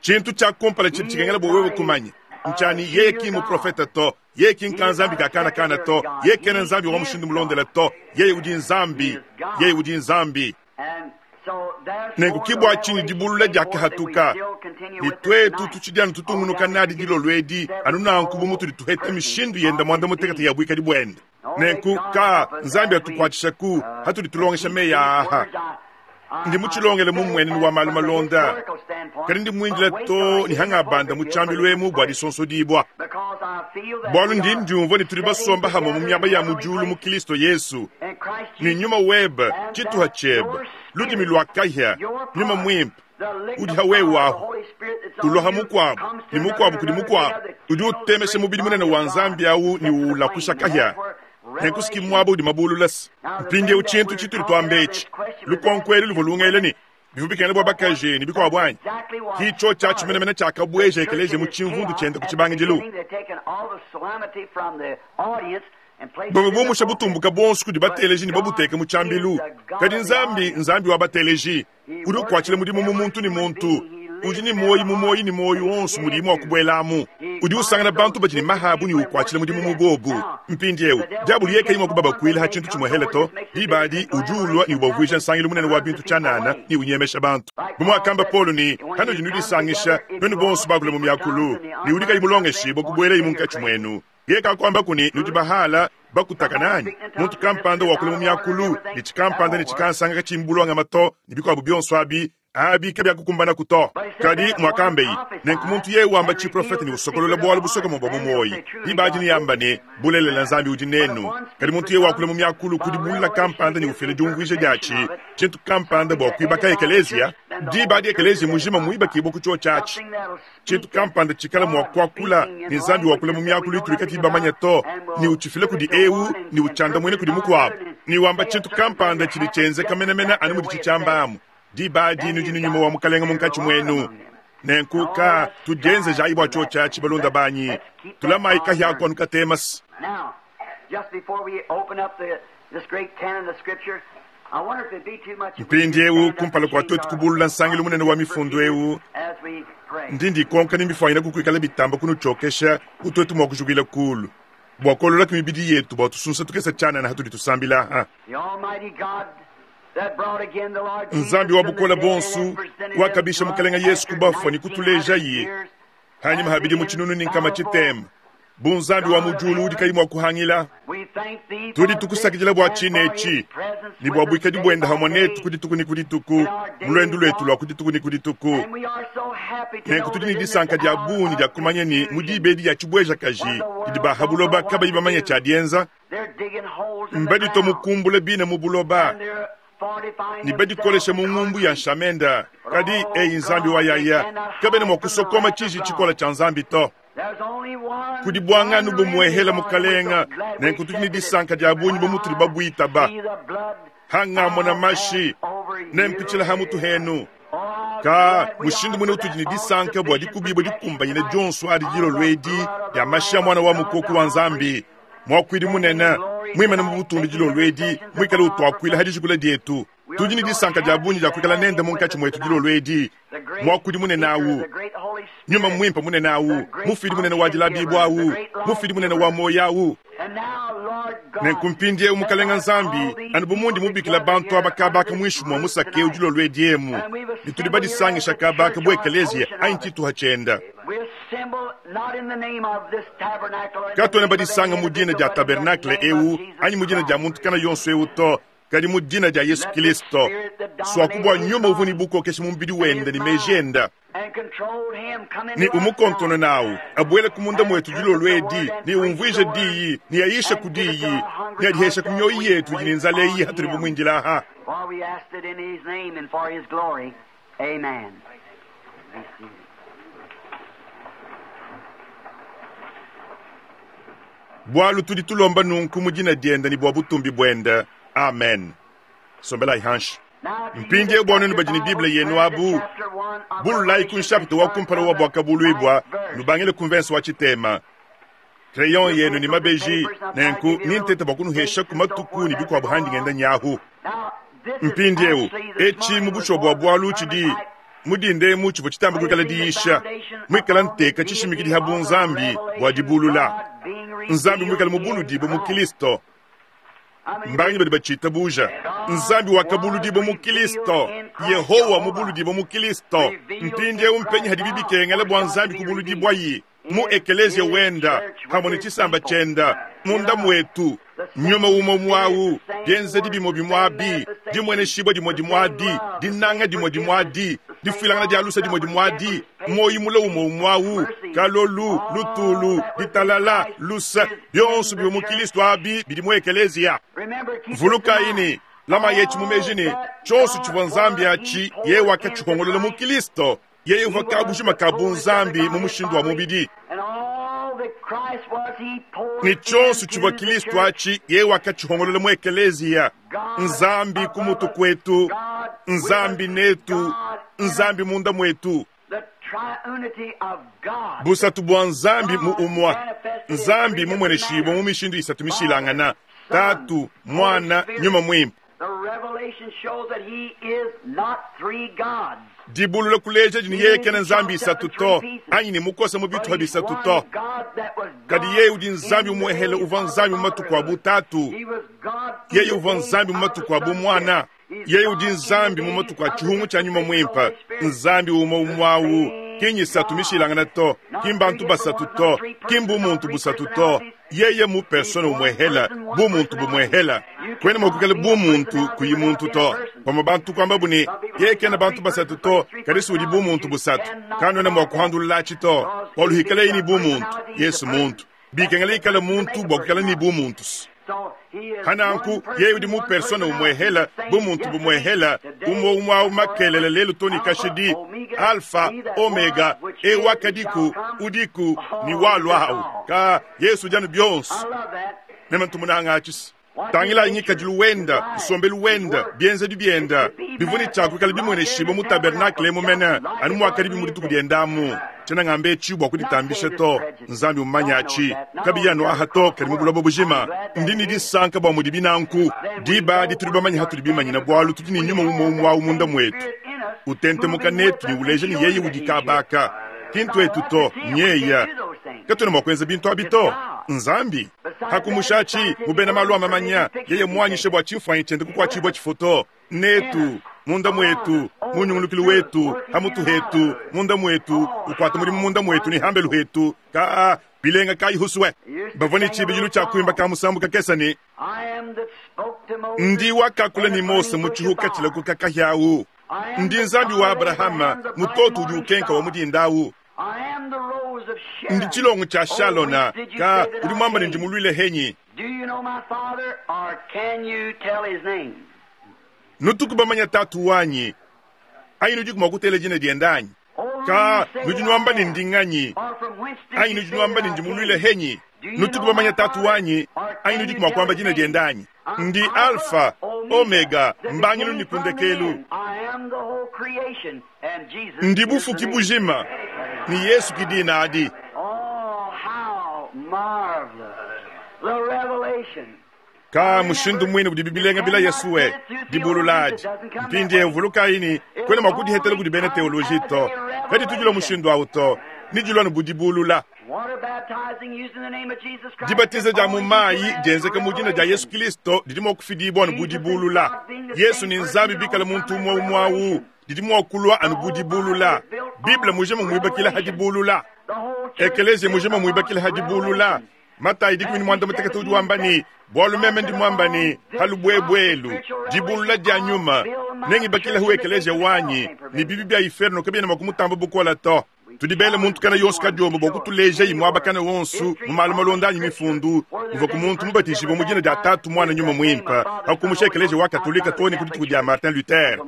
Tshintu tshia kumpala tshidi tshikengela bua wewe kumanya ntshia ne, yeye ki mmuprofete to, yeye ki nkanzambi ka kana kana to, yeye kena Nzambi wa mushindu mulondela to, yeye udi Nzambi, yeye udi Nzambi. Nenku ke bua tshinyi dibulula diakahatuka, ne tuetu tutshidi anu tutungunuka nadi dilolo edi, anu nanku bu mutudi tuheta mishindu yende muanda-mutekete ya buikadi buende. Nenku, ka Nzambi atukuatshishaku hatudi tulongesha meyi aa. Ndi mutshilongele mu mmuenenu wa malu malonda, kadi ndi muindile too ne hangabanda mu tshiambilu emu bua disonsodibua, bualu ndi ndiumvua ne tudi basomba hamue mu miaba ya mu diulu mu Kilisto Yesu, ne nyuma webe, tshituha tshiebe, ludimi lua kahia, Nyuma Muimpe, udi ha wewe ahu, ulua ha mukuabo, ne mukuabo kudi mukuabo, udi utemesha mubidi munene wa Nzambi au ne uulakusha kahia. Nenku si muaba udi mabulula se. Mpindieu tshintu tshitudi tuamba etshi, lukonko elu luvua lungela ne, bivua bikengela bua bakaji ne bikuabu anyi? Ki tshiotshi atshi menemene tshiakabueja ekeleziya mu tshimvundu tshiende ku tshibangidilu. Bavua bumusha butumbuka buonso kudi bateleji ne babuteke mu tshiambilu. Kadi Nzambi, Nzambi wa bateleji, udi ukuatshila mudimu mu muntu ne muntu, udi ne muoyo mu muoyo ne muoyo wonso mudiyi mua kubuelamu. Udi usangana bantu badi ne maha abu ne ukwatshila mudimu mu bobu. Mpindiewu, diabulu yeye kayi mua kubabakuila ha tshintu tshimuehele to. Diba adi udi ulua ne ubavuija nsangilu munene wa bintu tshianana ne unyemesha bantu. Bu muakamba Paulo ne, Panudi nudisangisha, nuenu bonso bakule mu miakulu, ne udi kayi mulongeshibue kubuelaye munkatshi muenu. Yeye kakuambaku ne, nudi bahala bakutakana anyi? Muntu kampanda wakula mu miakulu ne tshikampanda ne tshikansanga katshiyi mu bulongame to, ne bikuabu bionso abi, abi kabiakukumbanaku to. Kadi muakambeyi, nenku muntu yeye wamba tshiprofete ne usokolola bualu busokome bua mu muoyi, diba adi neamba ne, Bulelela Nzambi udi nenu. Kadi muntu yeye wakula mu miakulu ku dibulula kampanda ne ufila diumvuija diatshi, tshintu kampanda bua kuibaka ekeleziya, diba adi ekeleziya mujima muibakibua ku tshiotshi atshi. Tshintu kampanda tshikala mua kuakula ne Nzambi wakula mu miakulu itudi katuyi bamanye to, ne utshifila kudi eu ne utshiandamuina kudi mukuabu, ne wamba tshintu kampanda tshidi tshienzeka menemene anu muditshi tshiamba amu. Diba adi nudi ne Nyuma wa Mukalenge munkatshi muenu. Nenku ka tudienzejayi bua tshiotshi atshi, balunda banyi, tulamayi kahia aku anu katemase. Mpindiewu, kumpala kua tuetu kubulula nsangilu munene wa mifundu eu, ndi ndikonka ne mbifuanyine kuikala bitamba kunutshiokesha bu tuetu mua kujukuila kulu bua kuololaku mibidi yetu bua tusunsa tukese tshianana hatudi tusambila aha. Nzambi wa bukole buonso wakabisha Mukelenge Yesu ku bafua ne kutulejaye hanyima ha bidimu 360 bu Nzambi wa mu diulu udi kayi mua kuhangila. Tudi tukusakidila bua tshine etshi ne bua buikadi buende hamue netu ku dituku ne ku dituku mu luendu luetu lua ku dituku ne ku dituku. Nenku tudi ne disanka dia bungi dia kumanya ne mu diba edi dia tshibuejakaji didi ba ha buloba kabayi bamanye tshia dienza, mbaditua mukumbula bine mu buloba ne badikolesha mu ngumbu ya nshamenda. Kadi eyi Nzambi wa yaya, kabena mua kusokoma tshiji tshikola tshia Nzambi to. Kudi buanganu bumuehela Mukalenga, nenku tudi ne disanka dia bungi bu mutudi babuitaba. Hangamona mashi, nempitshila ha mutu henu. Ka mushindu mune utudi ne disanka bua dikubibua dikumbanyine dionso adi dilolo edi dia mashi a Muana wa Mukoko wa Nzambi, Muakuidi Munene muimane mu butumbi dilolo edi, muikale utuakuila ha dijikula dietu. Tudi ne disanka dia bungi dia kuikala nende munkatshi muetu dilolo edi, Muakuidi Munene au, Nyuma Muimpe munene au, Mufidi munene wa dilabibua au, Mufidi munene wa muoyo au. Nenku mpindieu, Mukalenga Nzambi, anu bu mundi mubikila bantu aba kaba aka muinshi mua musaka eu dilolo edi emu, ne tudi badisangisha kaba aka bu ekeleziya anyi tshituha tshienda. Katuena badisanga mu dina dia tabernakle eu anyi mu dina dia muntu kana yonso eu to, kadi mu dina dia Yesu Kilisto, suaku bua Nyuma uvua ne bukokeshi mu mubidi wende ne meji enda, ne umukonkonone nawu, abuele ku munda muetu dilolo edi, ne umvuije diyi, ne ayishe ku diyi, ne adiheshe ku mioyo yetu idi ne nzala eyi hatudi bumuindila aha. Bualu tudi tulomba nunku mu dina diende ne bua butumbi buende. Amen. Sombelayi hanshi. Mpindieu bua nuenu badi ne Bible yenu abu, bululayi ku nshapita wa kumpala wa Buakabuluibua, nubangile ku mvense wa tshitema. Crayon yenu ne mabeji, nenku nintete bua kunuheshaku matuku ne bikuabu handi ngenda nyahu. Mpindieu, etshi mu bushuwa bua bualu tshidi mu dinda emu tshivua tshitamba kuikala diyisha, muikala nteka tshishimikidi ha bunzambi bua dibulula, Nzambi muikale mubuludibue mu Kilisto. Mbanganyi badi batshitabuja? Nzambi wakabuludibua mu Kilisto, Yehowa mubuludibua mu Kilisto. Mpindieu mpenyi hadibi bikengela bua Nzambi kubuludibuayi? Mu ekeleziya wenda, pamue ne tshisamba tshienda, munda muetu. Nyuma umue umue au, bienzedi bimue bimue abi, dimueneshibua dimue dimue adi, dinanga dimue dimue adi, difuilangana dia luse dimue dimue adi, muoyo mule umue umue au, kalolu, lutulu, ditalala, luse, bionso bivua mu Kilisto abi bidi mu ekeleziya. Vulukayi ne, lamayi etshi mu meji ne, tshionso tshivua Nzambi atshi, yeye wakatshihongolola mu Kilisto. Yeye uvua kabujima ka bunzambi mu mushindu wa mubidi, ne tshionso tshivua Kilisto atshi, yeye wakatshihongolola mu ekeleziya. Nzambi ku mutu kuetu, Nzambi netu, Nzambi munda muetu. Busatu bua Nzambi mu umua. Nzambi mumueneshibue mu mishindu isatu mishilangana, Tatu, Muana, Nyuma Muimpe. Dibulula kuleja di ne yeye kena Nzambi isatu to, anyi ne mukosa mu bituha bisatu to. Kadi yeye udi Nzambi umuehele uvua Nzambi mu matuku a bu Tatu, yeye uvua Nzambi mu matuku a bu Muana, yeye udi Nzambi mu matuku a tshihungu tshia Nyuma Muimpe, Nzambi umue umue awu, ki nyisatu mishilangane to, ki mbantu basatu to, ki mbumuntu busatu to. Yeye mu persona umuehela, bumuntu bumuehela. Kuena mua kuikala bumuntu kuyi muntu to. Bamue bantu kuambabu ne, yeye kena bantu basatu to, kadi si udi bumuntu busatu. Kanuena mua kuhandululatshi to, bualu hikaleye ne bumuntu, Yesu muntu. Bikengela ikale muntu bua kuikala ne bumuntu. Hananku, yeye udi mu persona umuehela, bumuntu bumuehela, umue umue awu makelela lelu to ne kashidi, Alfa, Omega, e wakadiku, udiku, ne walua awu. Ka Yesu udi anu bionso. Meme ntu munanga atshi. Tangilayi ngikadilu wenda, nsombelu wenda, bienzedi bienda, bivua ne tshia kuikala bimueneshibua mu tabernakle emu mene, anu muakadibi mu dituku dienda amu. Tshiena ngamba etshi bua kuditambisha to, Nzambi mmumanye atshi. Kabiyi anu aha to, kadi mu buloba bujima. Ndi ne disanka bua mudibi nanku. Diba adi tudi bamanye hatudi bimanyina, bualu tudi ne Nyuma umue umue awu munda muetu, utentemuka netu ne uleja ne yeye udi kaba aka. Ki ntuetu to, nyeya. Katuena mua kuenza bintu abi to, n'Nzambi. Pa kumusha atshi, mu bena malu a mamanya, yeye muanyishe bua tshimfuanyi tshiende kukuatshibua tshifoto netu, munda muetu, mu nyungulukilu wetu, ha mutu hetu, munda muetu, ukuata mudimu munda muetu ne hambelu hetu, ka bilenga kayi husue. Bavua ne tshibidilu tshia kuimba ka musambu kakese ne, Ndi wakakula ne Mose mu tshihuka tshilakuka kahia au, ndi Nzambi wa Abrahama, mutoto udi ukenka wa mu dinda au. Ndi tshilongo tshia Shalona, ka udi muamba ne ndi muluile henyi. Nutuku bamanya tatu wanyi, anyi nudiku mua kutela dina diende anyi? Ka nudi nuamba ne ndi nganyi, anyi nudi nuamba ne ndi muluile henyi? Nutuku bamanya tatu wanyi, anyi nudiku mua kuamba dina diende anyi? Ndi Alfa, Omega, mbangilu ne ku ndekelu. Ndi bufuki bujima, ne Yesu ki dina adi. Ka mushindu muine udibi bilenga bila Yesuwe, dibulula adi. Mpindieu vulukayi ne, kuena mua kudihetela kudi bena teoloji to. Kaditu dilua mushindu au to, nedilua anu bu dibulula. Dibatiza dia mu mayi dienzeka mu dina dia Yesu Kilisto didi mua kufidibua anu bu dibulula. Yesu ne Nzambi bikale muntu umue umue au, didi mua kulua anu bu dibulula. Bible mujima muibakila ha dibulula. Ekeleziya mujima muibakila ha dibulula. Matayi 16 udi wamba ne, Bualu meme ndi muamba ne, ha lubuebue elu, dibulula dia nyuma, nengibakilehu ekeleziya wanyi, ne bibi bia iferno kabiena mua kumutamba bukole to. Tudi bele muntu kana yonso kadiombo bua kutulejayi muaba kana wonso mu malu malonda anyi mifundu muvua ku muntu mubatijibue mu dina dia Tatu, Muana, Nyuma Muimpe, pa kumusha Ekeleziya wa Katolika too ne ku dituku dia Martin Luther.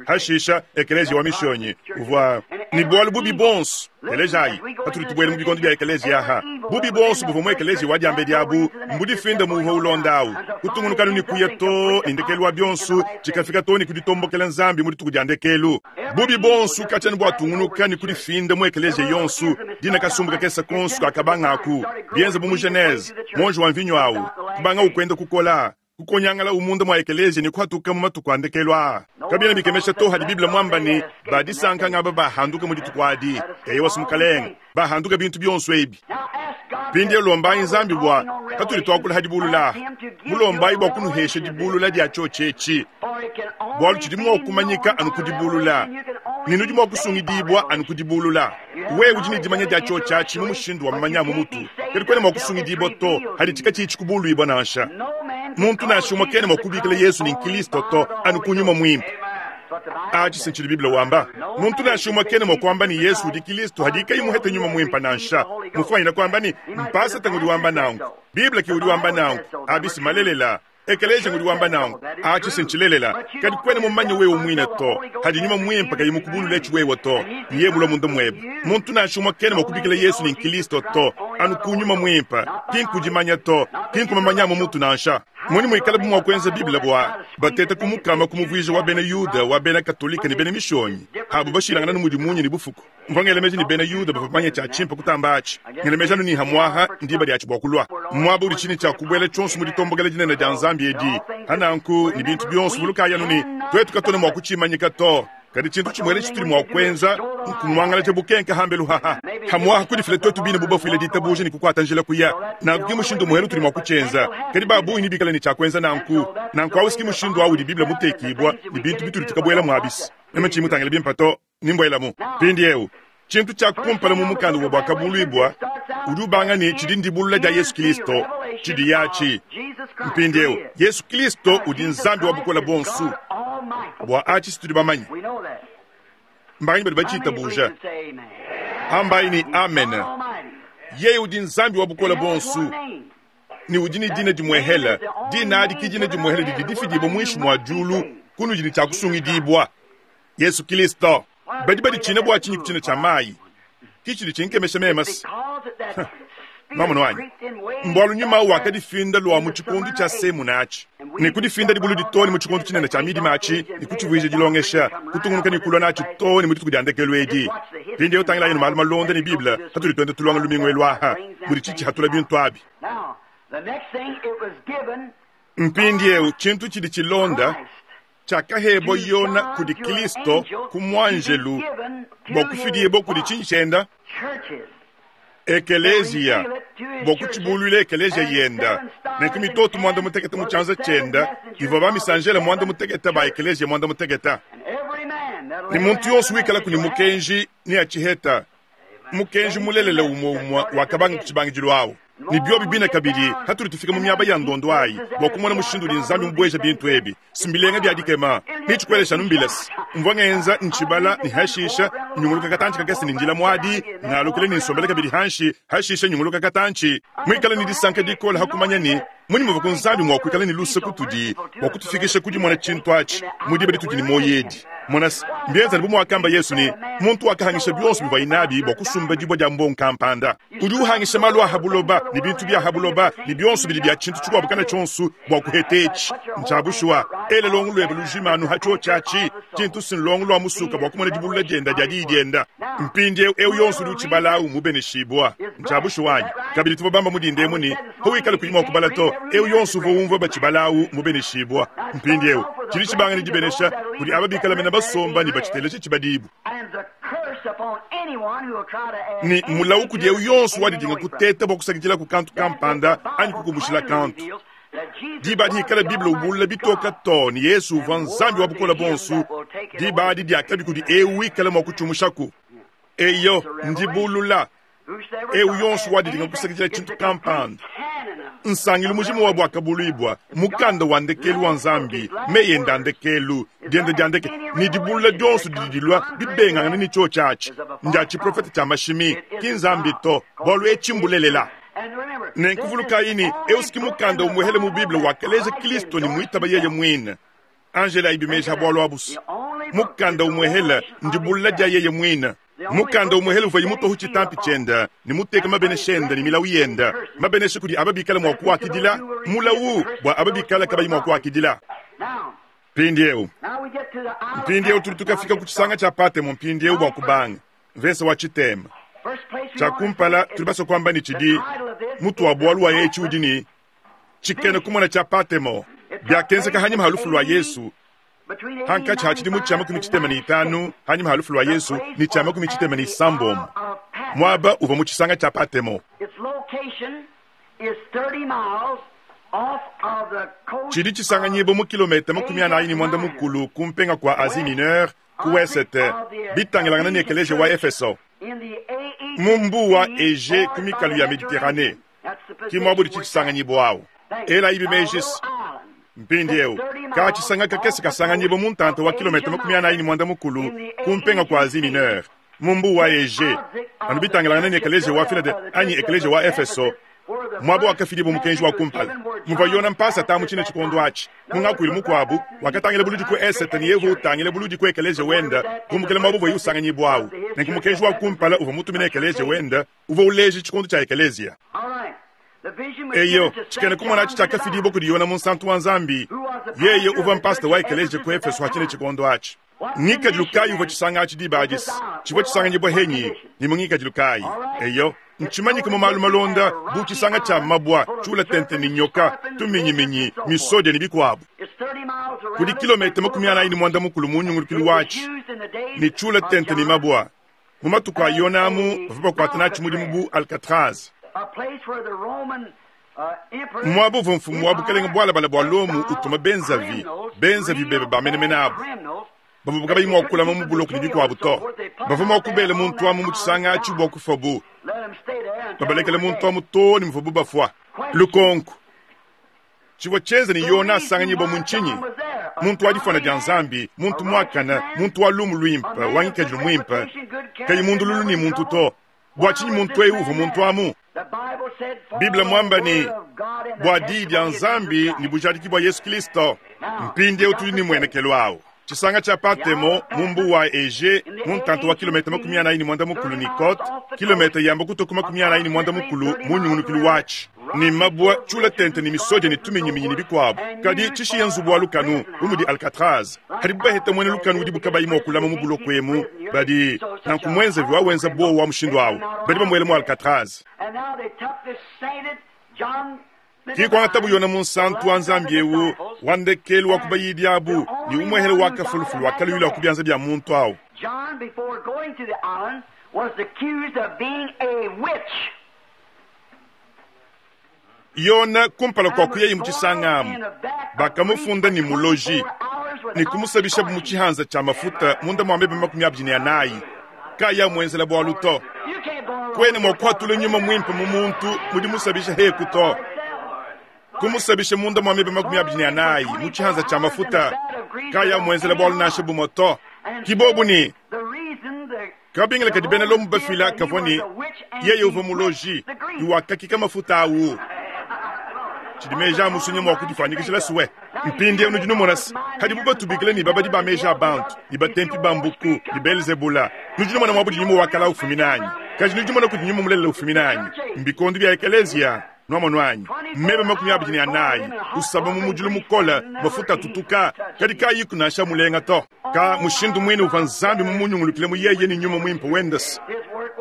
Hashisha, Ekeleziya wa Mishonyi uvua ne bualu bubi buonso. Telejayi, patudi tubuela mu bikondo bia ekeleziya aha, bubi buonso buvua mu ekeleziya wa diambedi abu mbudifinde mu uvua ulonda awu, kutungunuka anu ne kuya too ne ndekelu wa bionso tshikafika too ne ku ditombokela Nzambi mu dituku dia ndekelu. Bubi buonso katshia anu buatungunuka ne kudifinda mu ekeleziya yonso, dina kasumbu kakese konso kakabangaku, bienza bu mu Genese, muonji wa mvinyo awu kubangawu kuenda kukola, kukonyangalawu munda mua ekeleziya ne kuhatuka mu matuku a ndekelu aa. Kabiena bikemesha to hadi Bible muamba ne, Ba disanka ngaba bahanduka mu dituku adi, eyowa Mukalenge, bahanduka bintu bionso ebi. Mpindieu lombayi Nzambi bua katudi tuakula ha dibulula aha, mulombayi bua kunuhesha dibulula dia tshiotshi etshi, bualu tshidi mua kumanyika anu ku dibulula, ne nudi mua kusungidibua anu ku dibulula. Wewe udi ne dimanya dia tshiotshi atshi mu mushindu wa mamanya a mu mutu, kadi kuena mua kusungidibua to haditshi katshiyi tshikubuluibua nansha. Muntu nansha umue kena mua kubikila Yesu ne n'Kilisto to anu ku Nyuma Muimpe. Atshi si ntshidi Bible wamba. Muntu nansha umue kena mua kuamba ne Yesu udi Kilisto hadiye kayi muhete Nyuma Muimpe nansha. Mufuanyine kuamba ne, mpasata ngudi wamba nanku. Bible ke udi wamba nanku. Abi si malelela. Ekeleziya ngudi wamba nanku. Atshi si ntshilelela. Kadi kuena mumanye wewe muine to, hadi Nyuma Muimpe kayi mukubulule etshi wewe to, ne yeye mulua munda muebe. Muntu nansha umue kena mua kubikila Yesu ne n'Kilisto to, anu ku Nyuma Muimpe, ki nku dimanya to, ki nku mamanya a mu mutu nansha. Mmunyi muikalabu mua kuenza Bible bua batete kumukama kumuvuija wa bena Yuda, wa bena Katolike ne bena Mishonyi abu bashilangana ne mudi munya ne bufuku? Mvua ngela meji ne bena Yuda bavua bamanye tshia tshimpe kutamba atshi. Ngela meji anu ne hamuaha ndiba diatshi bua kulua muaba udi tshine tshia kubuela tshionso mu ditombokela dinene dia Nzambi edi. Pa nanku ne bintu bionso, vulukayi anu ne, tuetu katuena mua kutshimanyika to. Kadi tshintu tshimuele tshitudi mua kuenza nkumuangalaja bukenke hambelu haha. Hamuaha kudifila tuetu bine bu bafuile ditabuja ne kukuata njila kuya. Nanku ki mushindu umuele utudi mua kutshienza. Kadi ba bungi nebikale ne tshia kuenza nanku. Nanku au si ki mushindu au udi Bible mutekibua ne bintu bitudi tukabuela muabis. Meme tshiyi mutangile bimpe to, ne mbuelamu. Mpindieu, tshintu tshia kumpala mu mukanda wa Buakabuluibua udi ubanga ne tshidi ndibulula dia Yesu Kristo. Tshidi atshi. Mpindieu, Yesu Kristo udi Nzambi wa Bukole Buonso. Bua atshi si tudi bamanye. Mbanganyi badi batshitabuja? Ambayi ne, Amen. Yeye udi Nzambi wa Bukole Buonso ne udi ne dina dimuehele. Dina adi ki dina dimuehele didi difidibua muinshi mua diulu kunudi ne tshia kusungidibua. Yesu Kristo. Badi baditshina bua tshinyi ku tshina tshia mayi? Ki tshidi tshinkemesha meme se. Nwamonu anyi? Mbualu nyuma au wakadifinda lua mu tshikondo tshia Semuna atshi, ne kudifinda dibuludi too ne mu tshikondo tshinene tshia midima atshi, ne kutshivuija dilongesha, kutungunuka ne kulua natshi too ne mu dituku dia ndekelu edi. Mpindieu tangilayi anu malu malonda ne Bible patudi tuenda tulonga lumingu elu aha, mudi tshitshihatula bintu abi. Mpindieu tshintu tshidi tshilonda, tshiakahebua Yona kudi Kilisto ku muanjelu bua kufidibua kudi tshinyi tshienda? Ekeleziya, bua kutshibuluila ekeleziya yenda. Nenku mitoto muanda mutekete mu tshianza tshienda ivua bamisanjele muanda mutekete ba ekeleziya muanda mutekete. Ne muntu yonso wikalaku ne mukenji neatshiheta, mukenji mulelela umue umue wakabanga ku tshibangidilu awu. Ne biobi bine kabidi, hatudi tufika mu miaba ya ndondo ayi bua kumona mushindu udi Nzambi mubueja bintu ebi, si mbilenga bia dikema. Ne tshikuelesha anu mbilese. Mvua ngenza ntshibala ne hashisha nyunguluka katantshi kakese ne ndila muadi, ngalukila ne nsombela kabidi hanshi, hashisha nyunguluka katantshi. Muikale ne disanka dikole ha kumanya ne, munyi muvua ku Nzambi mua kuikala ne luse kutudi bua kutufikisha ku dimona tshintu atshi mu diba ditudi ne muoyo edi. Mona se, mbienza anu bu muakamba Yesu ne, muntu wakahangisha bionso bivuaye nabi bua kusumba dibue dia mbongo kampanda. Udi uhangisha malu a ha buloba ne bintu bia ha buloba ne bionso bidi bia tshintu tshikuabo kana tshionso bua kuheta etshi. Ntshia bushuwa, ela luongo luebe lujima anu ha tshiotshi atshi, tshintu si nluongo lua musuka bua kumona dibulula dienda dia diyi dienda. Mpindieu eu yonso udi utshibala au mubeneshibua. Ntshia bushuwa anyi? Kabidi tuvua bamba mu dinda emu ne, pawikala kuyi mua kubala to, eu yonso uvua umvua batshibala au mubeneshibua. Mpindieu tshidi tshibanga ne dibenesha kudi aba bikala mene basomba ne batshiteleja tshibadibu. Ne mulawu kudi eu yonso wadidinga kuteta bua kusakidilaku kantu kampanda anyi kukumushila kantu. Diba adi ikala Bible ubulula bitoka too ne Yesu uvua Nzambi wa Bukole Buonso, diba adi diakabi kudi eu wikala mua kutshiumushaku. Eyo, ndibulula. Eu yonso wadidinga kusakidila tshintu kampanda, nsangilu mujima wa Buakabuluibua, mukanda wa ndekelu wa Nzambi, meyi ende a ndekelu, dienda dia ndeke, ne dibulula dionso didi dilua bibengangane ne tshiotshi atshi, ndia tshiprofete tshia mashimi, ki Nzambi to, bualu etshi mbulelela. Nenku vulukayi ne, eu si ki mukanda umuehele mu Bible wakaleja Kristo ne muitaba yeye muine. Angela ibi meji ha bualu abu's. Mukanda umuehele ndibulula dia yeye muine. Mukanda umuehele uvuaye mutua hu tshitampi tshiende ne muteke mabenesha ende ne milawu yende, mabenesha kudi aba bikale mua kuakidila, mulawu bua aba bikale kabayi mua kuakidila. Mpindieu, mpindieu tudi tukafika ku tshisanga tshia Patemo mpindieu bua kubanga mvese wa tshitema. Tshia kumpala tudi basue kuamba ne tshidi mutu wa bualu wa etshi udi ne tshikena kumona tshia Patemo. Biakenzeka hanyima ha lufu lua Yesu, hankatshi ha tshidimu tshia 65 hanyima ha lufu lua Yesu ne tshia 66, muaba uvua mu tshisanga tshia Patemo. Tshidi tshisanganyibua mu kilometa 45 ku mpenga kua Asie Mineure ku wesete, bitangilangana ne ekeleziya wa Efeso, mu mbuu wa Egee ku mikalu ya Mediterranee. Ki muaba udi tshisanganyibua au. Elayibi meji se, mpindieu ka-tshisanga kakese kasanganyibua mu ntanta wa kilometa 45 ku mpenga kua Asie Mineure, mu mbuu wa Egee, anu bitangilangana ne ekeleziya wa Filade anyi ekeleziya wa Efeso, muaba wakafidibua mukenji wa kumpala, muvua Yona mpasata mu tshine tshikondo atshi. Mu ngakuilu mukuabu, wakatangila buludi ku esete ne yevu utangila buludi ku ekeleziya wenda kumbukila muaba uvuaye usanganyibua au. Nenku mukenji wa kumpala uvua mutumina ekeleziya wenda uvua uleja tshikondo tshia ekeleziya. Eyo, tshikena-kumona atshi tshiakafidibua kudi Yona munsantu wa Nzambi, yeye uvua mpasata wa ekeleziya ku Efeso wa tshine tshikondo atshi. Ngikadilu kayi uvua tshisanga atshi diba adi? Tshivua tshisanganyibua henyi ne mu ngikadilu kayi? Eyo, ntshimanyike mu malu malonda bu tshisanga tshia mabua tshiula tente ne nyoka, tuminyiminyi, misodia ne bikuabu. Kudi kilometa 45 mu nyungulukilu watshi, ne tshiula tente ne mabua. Mu matuku a Yona amu, bavua bakuata natshi mudimu bu Alcatraz, muaba uvua mfumu wa bukalenge bualabale bua Lomo utuma benzavi, benzavi bebe ba menemene abu bavua kabayi mua kulama mu buloko ne bikuabu to. Bavua mua kubela muntu amu mu tshisanga atshi bua kufuabu, babalekela muntu amu too ne muvuabu bafua. Lukonko, Tshivua tshienza ne Yona asanganyibua mu ntshinyi? Muntu wa difuana dia Nzambi, muntu muakane, muntu wa lumu luimpe, wa ngikadilu muimpe, kayi mundululu ne muntu to. Bua tshinyi muntu eu uvua muntu amu? Bible muamba ne, bua diyi dia Nzambi ne bujadiki bua Yesu Kristo. Mpindieu tudi ne muenekelu au. Tshisanga tshia Patemo mu mbuu wa Egee, mu ntanta wa kilometa 45 ne cote kilometa yamba kutua ku 45 mu nyungulukilu watshi, ne mabua tshiula tente ne misodia ne tuminyiminyi ne bikuabu, kadi tshishiya nzubu wa lukanu bu mudi Alcatraz. Hadibu baheta muena lukanu udibu kabayi mua kulama mu buloko emu, badi nanku muenzavi wa wenza buowa wa mushindu au, badi bamuela mu Alcatraz. Ke kuangatabu Yona munsantu wa Nzambi eu wa ndekelu wa ku bayidi abu ne umuehele wa kafulufulu wakaluyila ku bianza bia muntu au. Yona kumpala kua kuyaye mu tshisanga amu, bakamufunda ne muloji ne kumusabishabu mu tshihanza tshia mafuta munda mua meba 24 kayi amuenzela bualu to. Kuena mua kuhatula nyuma muimpe mu muntu mu dimusabisha heku to. Kumusabisha munda mua meba 24 mu tshihanza tshia mafuta kayi amuenzela bualu nansha bumue to. Ki bobu ne kabingila kadi bena Lomo bafila kavua ne yeye uvua muloji ne wakakika mafuta awu. Tshidi meji a musunya mua kudifuanyikijila sue. Mpindieu nudi numona se, hadibu batubikila ne babadi ba meji a bantu, ne batempi ba mbuku, ne Belzebula, nudi numona muaba udi nyuma wa kala ufumina anyi? Kadi nudi numona kudi nyuma mulelela ufumina anyi? Mbikondo bia ekeleziya, nuamonu anyi? Meba 24, usaba mu mudilu mukole, mafuta atutuka, kadi kayiku nansha mulenga to. Ka mushindu muine uvua Nzambi mumunyungulukile mu yeye ne nyuma muimpe wende se,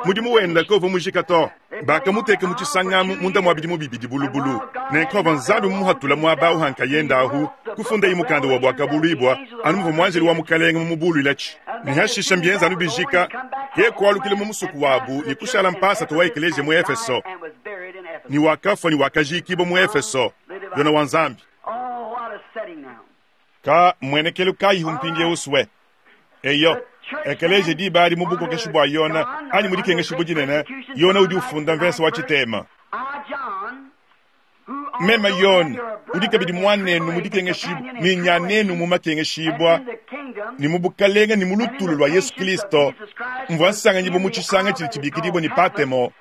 mudimu wende kauvua mujika to. Bakamuteka mu tshisangamu munda mua bidimu bibidi bulubulu. Nenku avua Nzambi mumuhatula muaba au ha nkayende ahu, kufundaye mukanda wa Buakabuluibua anu muvua muanjelu wa Mukalenge mumubuluilatshi. Ne hashisha mbienza anu bijika, yeye kualukila mu musoko wabu ne kushala mpasata wa ekeleziya mu Efeso. Ne wakafua ne wakajiikibua mu Efeso. Yona wa Nzambi. Ka mmuenekelu kayihu mpindieu sue? Eyo, ekeleziya diba adi mu bukokeshi bua Yona anyi mu dikengeshibua dinene, Yona udi ufunda mvese wa tshitema. Meme Yona, udi kabidi muanenu mu dikengeshibua ne nyanenu mu makengeshibua ne mu bukalenge ne mu lutulu lua Yesu Kristo, mvua nsanganyibua mu tshisanga tshidi tshibikidibua ne Patemo,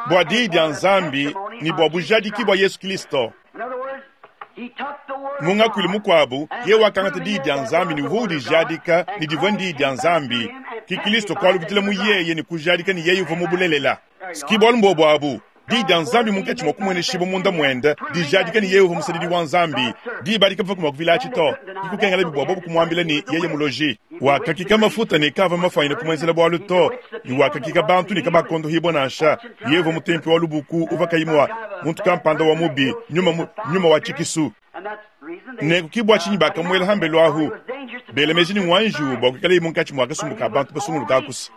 bua diyi dia Nzambi ne bua bujadiki bua Yesu Kristo. Mu ngakuilu mukuabu, yeye wakangata diyi dia Nzambi ne uvua udijadika ne divua ndiyi dia Nzambi, ke Kristo kualukidila mu yeye ne kujadika ne yeye uvua mu bulelela. Ski bualu mbuobu abu, diyi dia Nzambi munkatshi mua kumueneshibua munda muende, dijadika ne yeye uvua musadidi wa Nzambi. Diba adi kavua mua kuvilatshi to, ke kukengelabi bua bobu kumuambila ne yeye muloji. Wakakika mafuta ne kaavua mafuanyine kumuenzela bualu to, ne wakakika bantu ne kabakondohibua nansha. Yeye uvua mutempi wa lubuku uvua kayi mua muntu kampanda wa mubi, nyuma, nyuma wa tshikisu. Nenku ke bua tshinyi bakamuela hambelu ahu, bela meji ne ngua njiwu bua kuikalaye munkatshi mua kasumbu ka bantu basunguluka akusa.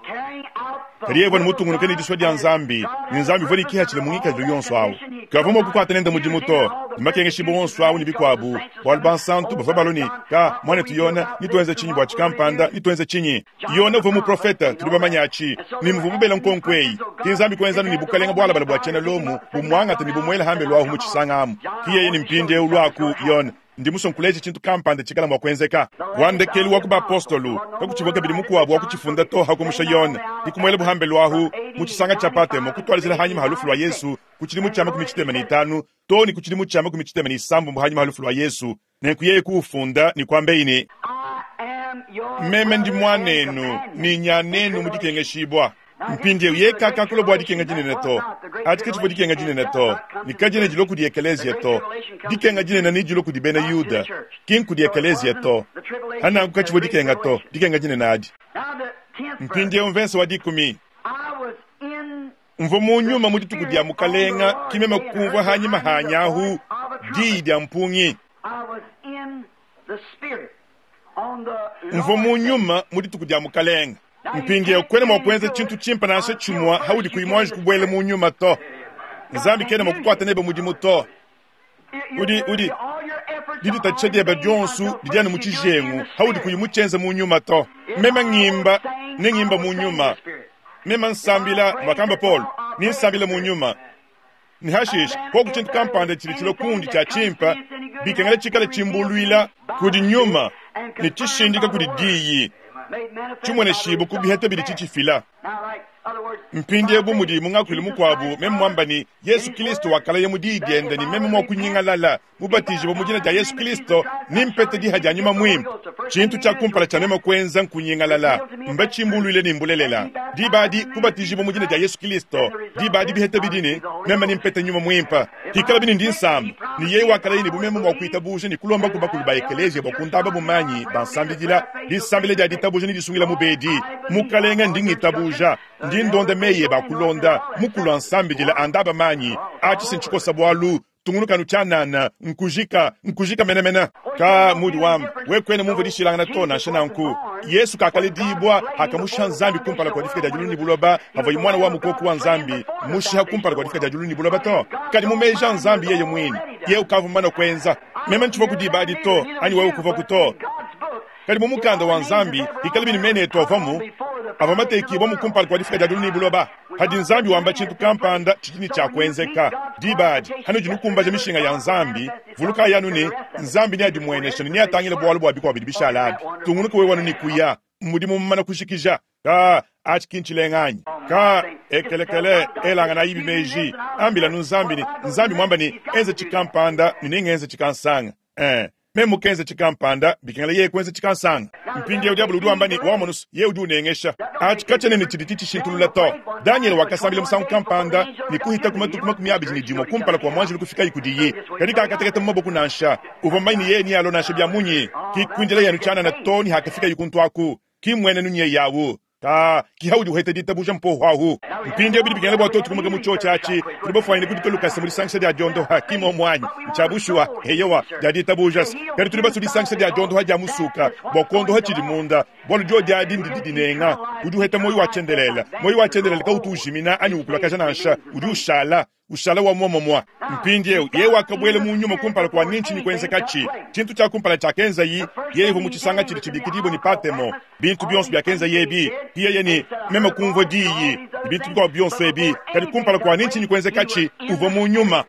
Kadi yeye uvua ne mutungunuke ne disua dia Nzambi, ne Nzambi uvua ne kihatshila mu ngikadilu yonso awu. Kavua mua kukuata nende mudimu to, ne makengeshibua onso awu ne bikuabu, bualu bansantu bavua balua ne, Ka, muanetu Yona, netuenze tshinyi bua tshikampanda? Netuenze tshinyi? Yona uvua muprofete, tudi bamanye atshi, ne muvuabu bela nkonko eyi. Ke Nzambi kuenza anu ne bukalenge bualabale bua tshiena Lomo bumuangate ne bumuele hambelu ahu mu tshisanga amu. Ke yeye ne mpindieu luaku, Yona, ndi musue nkuleje tshintu kampanda tshikala mua kuenzeka. Wa ndekelu wa ku bapostolo, kakutshivua kabidi mukuabu wa kutshifunda to hakumusha Yona. Ke kumuelabu hambelu ahu mu tshisanga tshia Patemo, kutuadijila hanyima ha lufu lua Yesu ku tshidimu tshia 65 too ne ku tshidimu tshia 65 hanyima ha lufu lua Yesu. Nenku yeye kuufunda ne kuambeyi ne, Meme ndi muanenu ne nyanenu mu dikengeshibua. Mpindieu yeye kakakula bua dikenga dinene to. Adi katshivua dikenga dinene to, ne kadiena dilua kudi ekeleziya to. Dikenga dinene nedilue kudi bena Yuda, ki nkudi ekeleziya to. Hananku katshivua dikenga to, dikenga dinene adi. Mpindieu mvensa wa dikumi. Mvua mu nyuma mu dituku dia Mukalenga, ki meme kumvua hanyima hanyi ahu diyi dia mpungi. Mvua mu nyuma mu dituku dia Mukalenge. Mpindieu kuena mua kuenza tshintu tshimpe nansha tshimue haudi kuyi muanji kubuela mu nyuma to. Nzambi kena mua kukuata nebe mudimu to. Udi udi diditatshisha diebe dionso didi anu mu tshijengu haudi kuyi mutshienze mu nyuma to. Meme ngimba ne ngimba mu nyuma. Meme nsambila, muakamba Paulo, ne nsambila mu nyuma. Ne hashishe, koku tshintu kampanda tshidi tshilua kundi tshia tshimpe, bikengela tshikale tshimbuluila kudi nyuma ne tshishindika kudi diyi, tshimueneshibue ku biheta bidi tshitshifila. Mpindieu bu mudi mu ngakuilu mukuabu meme muamba ne, Yesu Kilisto wakalaya mu diyi diende ne meme mua kunyingalala, mubatijibue mu dina dia Yesu Kilisto, nempete diha dia Nyuma Muimpe. Tshintu tshia kumpala tshia meme kuenza nkunyingalala, mbatshimbuluile ne mbulelela. Diba adi, kubatijibua mu dina dia Yesu Kilisto, diba adi biheta bidi ne, meme nempete Nyuma Muimpe. Hikalabi ne ndi nsamba, ne yeye wakalaya ne bu meme mua kuitabuja ne kulomba ku bakulu ba ekeleziya bua kundaba manyi, bansambidila, disambila dia ditabuja ne disungila mubedi. Mukalenge, ndi ngitabuja, ndi ndonda meyi ebe a kulonda, mukulu ansambidila, andaba manyi, atshi si ntshikosa bualu, tungunuka anu tshianana, nkujika, nkujika menemene. Ka mudi wamba, we kuena mumvue dishilangana to. Nansha nanku, Yesu kakaledibua pakamushiha Nzambi kumpala kua difika dia diulu ne buloba, pavuaye Muana wa mukoko wa Nzambi mushiha kumpala kua difika dia diulu ne buloba to. Kadi mu meji a Nzambi yeye muine, yeye ukavua mumane kuenza. Meme ntshivua diba adi to, anyi wewe kuvuaku to. Kadi mu mukanda wa Nzambi, ikalabi ne mena etu avuamu, avua matekibua kumpala kua difika dia diulu ne buloba. Padi Nzambi wamba tshintu kampanda tshidi ne tshia kuenzeka, diba adi hanudi nukumbaja mishinga ya Nzambi, vulukayi anu ne, Nzambi neadimueneshe ne neatangile bualu bua bikuabu bidi bishala abi. Tungunuka wewe anu ne kuya, mudimu mumana kujikija. Ka atshi ki ntshilenga anyi? Ka ekelekele, elanganayi meji, ambilanu Nzambi ne, Nzambi muamba ne, enza tshikampanda ne nengenze tshikansanga. Eh, meme mukenza tshikampanda, bikengela yeye kuenza tshikansanga. Mpindieu diabolo udi wamba ne, wamonu, yeye udi unengesha. Atshi katshiena ne tshidi tshitshishintulula to. Danyele wakasambila musangu kampanda ne kuhita ku matuku 21 kumpala kua muanjelu kufikaye kudiye, kadi kakateketa mu maboko nansha. Uvua mumanye ne yeye nealue nansha bia munyi. Ki kuindila yenu tshianana to ne hakafikaye kuntu aku. Ki mmuenenu nyeye awu. Ka ki haudi uheta ditabuja mpoho ahu. Mpindieu bidi bikengela bua tuetu kumuka mu tshiotshi atshi. Tudi bafuanyine kudika lukasa mu disangisha dia diondoha, ki mmuomu anyi? Ntshia bushuwa, eyowa, dia ditabuja. Kadi tudi basue disangisha dia diondoha dia musuka bua kuondoha tshidi munda, bualu diodi adi ndidi dinenga. Udi uheta muoyo wa tshiendelele. Muoyo wa tshiendelele kautu ujimina anyi ukulakaja nansha, udi ushala ushala wa muomumue. Mpindieu yeye wakabuela mu nyuma kumpala kua ne ntshinyi kuenzekatshi? Tshintu tshia kumpala tshiakenzayi, yeye uvua mu tshisanga tshidi tshibikidibue ne Patemo. Bintu bionso biakenzaye ebi, yeye ne meme kumvua diyi, ne bintu bikuabu bionso ebi, kadi kumpala kua ne ntshinyi kuenzekatshi, uvua mu nyuma.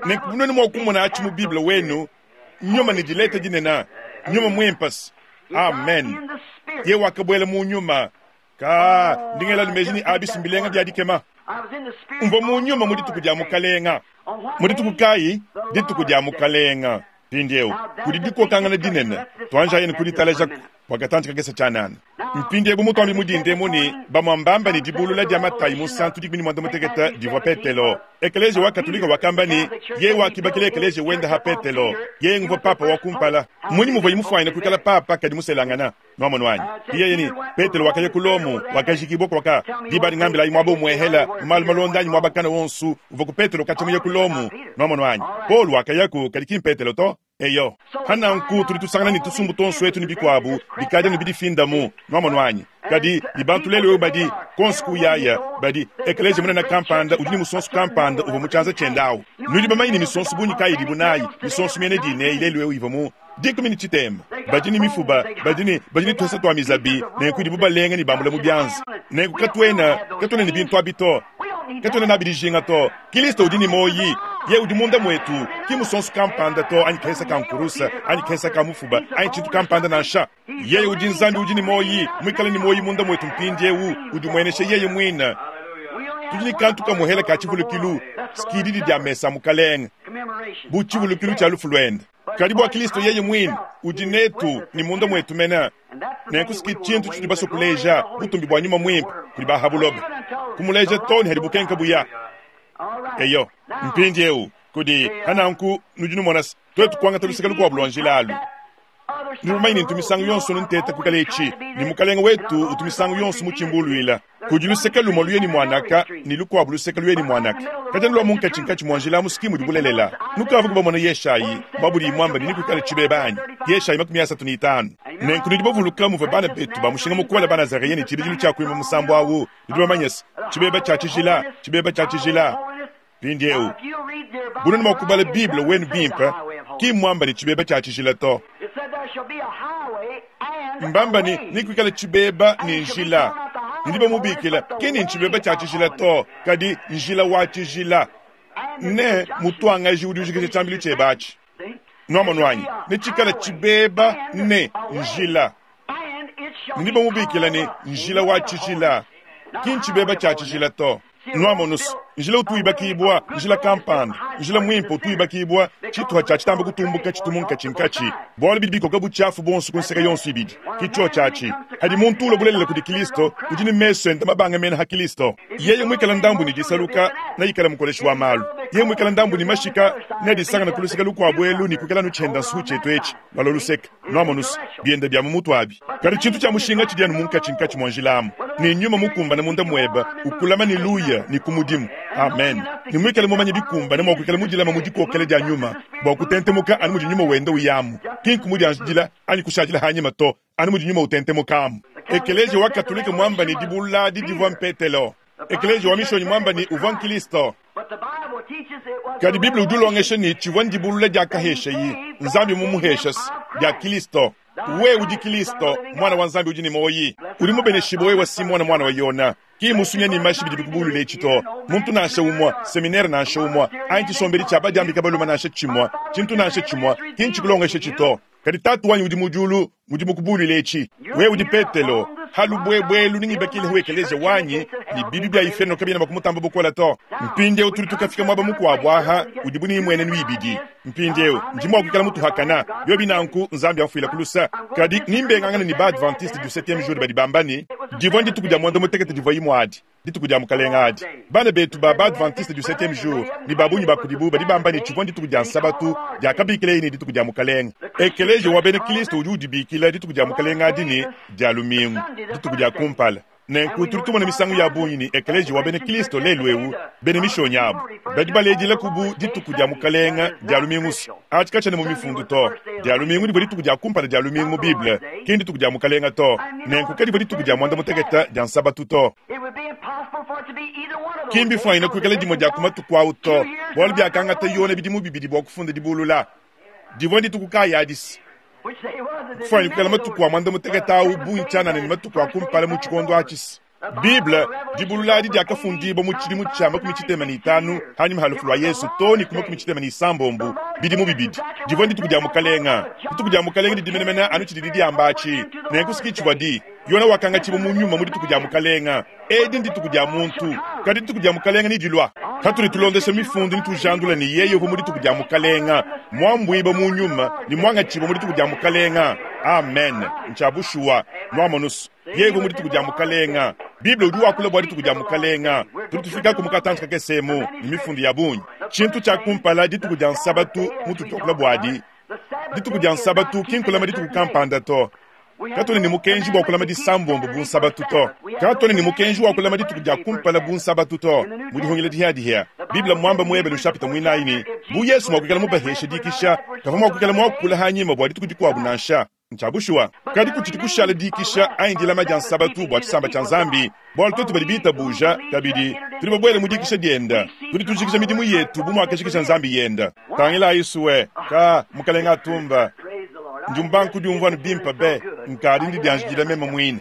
Nenku nuenu mua kumona atshi mu Bible wenu, nyuma ne dileta dinene, nyuma muimpe. Amen. Yeye wakabuela mu nyuma. Ka ndi ngela meji ne abi si mbilenga bia dikema. Mvua mu nyuma mu dituku dia Mukalenga. Mu dituku kayi? Dituku dia Mukalenga. Mpindieu kudi dikokangana dinene, tuanjayi ne kuditalajaku bua katantshi kakese tshianana. Mpindieu bu mutuambi mu dinda emu ne bamue mbamba ne dibulula dia Matayi munsantu 16 divua Petelo. Ekeleziya wa Katolika wakamba ne, yeye wakibakila ekeleziya wende ha Petelo, yeye nguvua papa wa kumpala. Mmunyi muvuaye mufuanyine kuikala papa kadi muselangana? Nwamonu anyi? Yeye ne, Petelo wakaya ku Lomo, wakajikibua kwaka. Diba adi ngambilayi muaba umuehela, mu malu malonda anyi muaba kana wonso uvua ku Petelo katshia muye ku Lomo. Nwamonu anyi? Paulo wakayaku, kadi ki m'Petelo to. Eyo. Pa nanku tudi tusangana ne tusumbu tuonso etu ne bikuabu bikadi anu bidifindamu. Nwamonu anyi? Kadi ne bantu lelu eu badi konso kuyaya, badi ekeleziya munene kampanda udi ne musonso kampanda uvua mu tshianza tshiende awu. Nudi bamanye ne misonso bungi kayi idibu nayi? Misonso miena dina eyi lelu eu ivua mu 13. Badi ne mifuba, badi ne, badi ne tuasa tua mizabi, nenku idibu balenga ne bambula mu bianza. Nenku katuena, katuena ne bintu abi to. Katuena nabi dijinga to. Kilisto udi ne muoyi. Yeye udi munda muetu, ki musonso kampanda to, anyi kahesa ka nkurusa, anyi kahesa ka mufuba, anyi tshintu kampanda nansha. Yeye udi Nzambi udi ne muoyi, muikale ne muoyi munda muetu mpindieu, udimuenesha yeye muine. Tudi ne kantu kamuhela ka tshivulukilu, skididi dia mesa a Mukalenge, bu tshivulukilu tshia lufu luende. Kadi bua Kilisto yeye muine udi netu ne munda muetu mene, nenku ski tshintu tshitudi basue kuleja butumbi bua Nyuma Muimpe kudi ba ha buloba, kumuleja to ne hadi bukenka buya. Eyo, mpindieu kudi hananku nudi numona se tuetu kuangata luseke lukuabu lua njila alu. Nudi bamanye ne ntu misangu yonso nteta kuikala etshi, ne Mukalenge wetu utu misangu yonso mutshimbuluila. Kudi luseke lumue luye ne muanaka, ne lukuabu luseke luye ne muanaka. Kadi anu lua munkatshinkatshi mua njila amu ski mudi bulelela. Nukavuku bamone Yeshayi, bua budiyi muambe ne nekuikale tshibeba anyi? Yeshayi 35. Nenku nudi bavuluka muvua bana betu ba mushinga mukole Banazareyen ne tshibidilu tshia kuimba musambu awu, nudi bamanye se, Tshibeba tshia tshijila, tshibeba tshia tshijila. Mpindieu, bu nuenu mua kubala Bible wenu bimpe, ki mmuamba ne tshibeba tshia tshijila to. Mbamba ne nekuikale tshibeba ne njila. Ndi bamubikila ki ne ntshibeba tshia tshijila to, kadi njila wa tshijila. Ne mutuangaji udi ujikija tshiambilu tshiebe atshi. Nuamonu anyi? Netshikale tshibeba ne njila. Ndi bamubikila ne njila wa tshijila, ki ntshibeba tshia tshijila to. Nuamonus, njila utu wibakibua, njila kampanda, njila muimpe utu wibakibua, tshituha tshia tshitamba kutumbuka tshitu munkatshinkatshi, bualu bidi bikoka butshiafu buonso ku nseke yonso ibidi. Ki tshiotshi atshi. Hadi muntu ulua bulelela kudi Kilisto, udi ne mesu ende mabanga mena ha Kilisto. Yeye muikale ndambu ne disaluka, neikale mukoleshi wa malu. Yeye muikale ndambu ne mashika, neadisangane ku luseke lukuabu elu ne kuikala anu tshienda nsuhu tshietu etshi, lualua luseke. Nuamonus, bienda bia mu mutu abi. Kadi tshintu tshia mushinga tshidi anu munkatshinkatshi mua njila amu, ne nyuma mukumbane munda muebe, ukulama ne luya ne ku mudimu. Amen. Ne muikale mumanye bikumbane mua kuikala mudilama mu dikokela dia nyuma, bua kutentemuka anu mudi nyuma wenda uyamu, ki nkumudianjidila anyi kushadila hanyima to, anu mudi nyuma utentemuka amu. Ekeleziya wa Katolike muamba ne dibulula adi divua m'Petelo. Ekeleziya wa Mishonyi muamba ne uvua n'Kilisto. Kadi Bible udi ulongesha ne tshivua ndibulula diakaheshayi Nzambi mumuheshas dia Kilisto. Wewe udi Kilisto, Muana wa Nzambi udi ne muoyi. Udi mubeneshibue wewe Simona muana wa Yona. Ki musunya ne mashi bidi bikubulula etshi to. Muntu nansha umue, seminere nansha umue, anyi tshisombedi tshia badiambika balume nansha tshimue, tshintu nansha tshimue, ki ntshikulongeshetshi to. Kadi Tatu wanyi udi mu diulu ngudi mukubuluile etshi. Wewe udi Petelo, ha lubuebue elu nengibakilehu ekeleziya wanyi, ne bibi bia iferno kabiena mua kumutamba bukole to. Mpindieu tudi tukafika muaba mukuabu aha udibu ne mmuenenu ibidi. Mpindieu ndi mua kuikala mutuhakana, biobi nanku Nzambi amfuile ku lusa. Kadi nimbengangane ne ba-Adventiste du Septieme Jour badi bamba ne, divua ndituku dia muanda mutekete divua imue adi. Dituku dia Mukalenge adi. Bana betu ba ba-Adventiste du Septieme Jour ne ba bungi ba kudibu badi bamba ne, tshivua ndituku dia Nsabatu diakabikileye ne, dituku dia Mukalenge. Ekeleziya wa bena Kristo udi udibikila dituku dia Mukalenge adi ne, Dia lumingu, dituku dia kumpala. Nenku tudi tumona misangu ya bungi ne, ekeleziya wa bena Kristo lelu'eu, bena mishonyi abu, badi baledilaku bu dituku dia Mukalenge, Dia lumingu. Atshi katshiena mu Mifundu to. Dia lumingu divua dituku dia kumpala dia lumingu mu Bible, ki ndituku dia Mukalenge to. Nenku kadivua dituku dia muanda-mutekete dia Nsabatu to. Ki mbifuanyine kuikala dimue dia ku matuku au to, bualu biakangata Yone bidimu bibidi bua kufunda dibulula. Divua ndituku kayi adi? Kufuanyine kuikala matuku a muanda-mutekete au bungi tshianana ne matuku a kumpala mu tshikondo atshi. Bible, dibulula adi diakafundibua mu tshidimu tshia 65 hanyima ha lufu lua Yesu too ne ku 66 bidimu bibidi. Divua ndituku dia Mukalenge. Dituku dia Mukalenge didi menemene anu tshididi diamba atshi. Nenku si tshivua di. Yona wakangatshibua mu nyuma mu dituku dia Mukalenge. Edi ndituku dia muntu, kadi dituku dia Mukalenge nedilua. Patudi tulondesha mifundu ne tujandula ne yeye uvua mu dituku dia Mukalenge, muambuibua mu nyuma ne muangatshibua mu dituku dia Mukalenge. Amen. Ntshia bushuwa. Nuamonus. Yeye uvua mu dituku dia Mukalenge. Bible udi wakula bua dituku dia Mukalenge. Tudi tufikaku mu katantshi kakese emu ne mifundu ya bungi. Tshintu tshia kumpala, dituku dia Nsabatu mutudi tuakula buadi. Dituku dia Nsabatu ki nkulama dituku kampanda to. Katuena ne mukenji bua kulama disambombo bu Nsabatu to. Katuena ne mukenji wa kulama dituku dia kumpala bu Nsabatu to. Mu Dihungila Dihiadihia, Bible mmuamba mu Ebelu nshapita muinayi ne, bu Yesu mua kuikala mubaheshe dikisha, kavua mua kuikala muakule hanyima bua dituku dikuabu nansha. Ntshia bushuwa, kadi kutshidi kushala dikisha anyi dilama dia Nsabatu bua tshisamba tshia Nzambi, bualu tuetu badi bitabuja kabidi tudi babuele mu dikisha diende, tudi tujikija midimu yetu bu muakajikija Nzambi yende. Tangilayi sue, ka Mukalenge atumba, ndi mubanga kudiumvua anu bimpe be, nkadi ndidianjidila meme muine.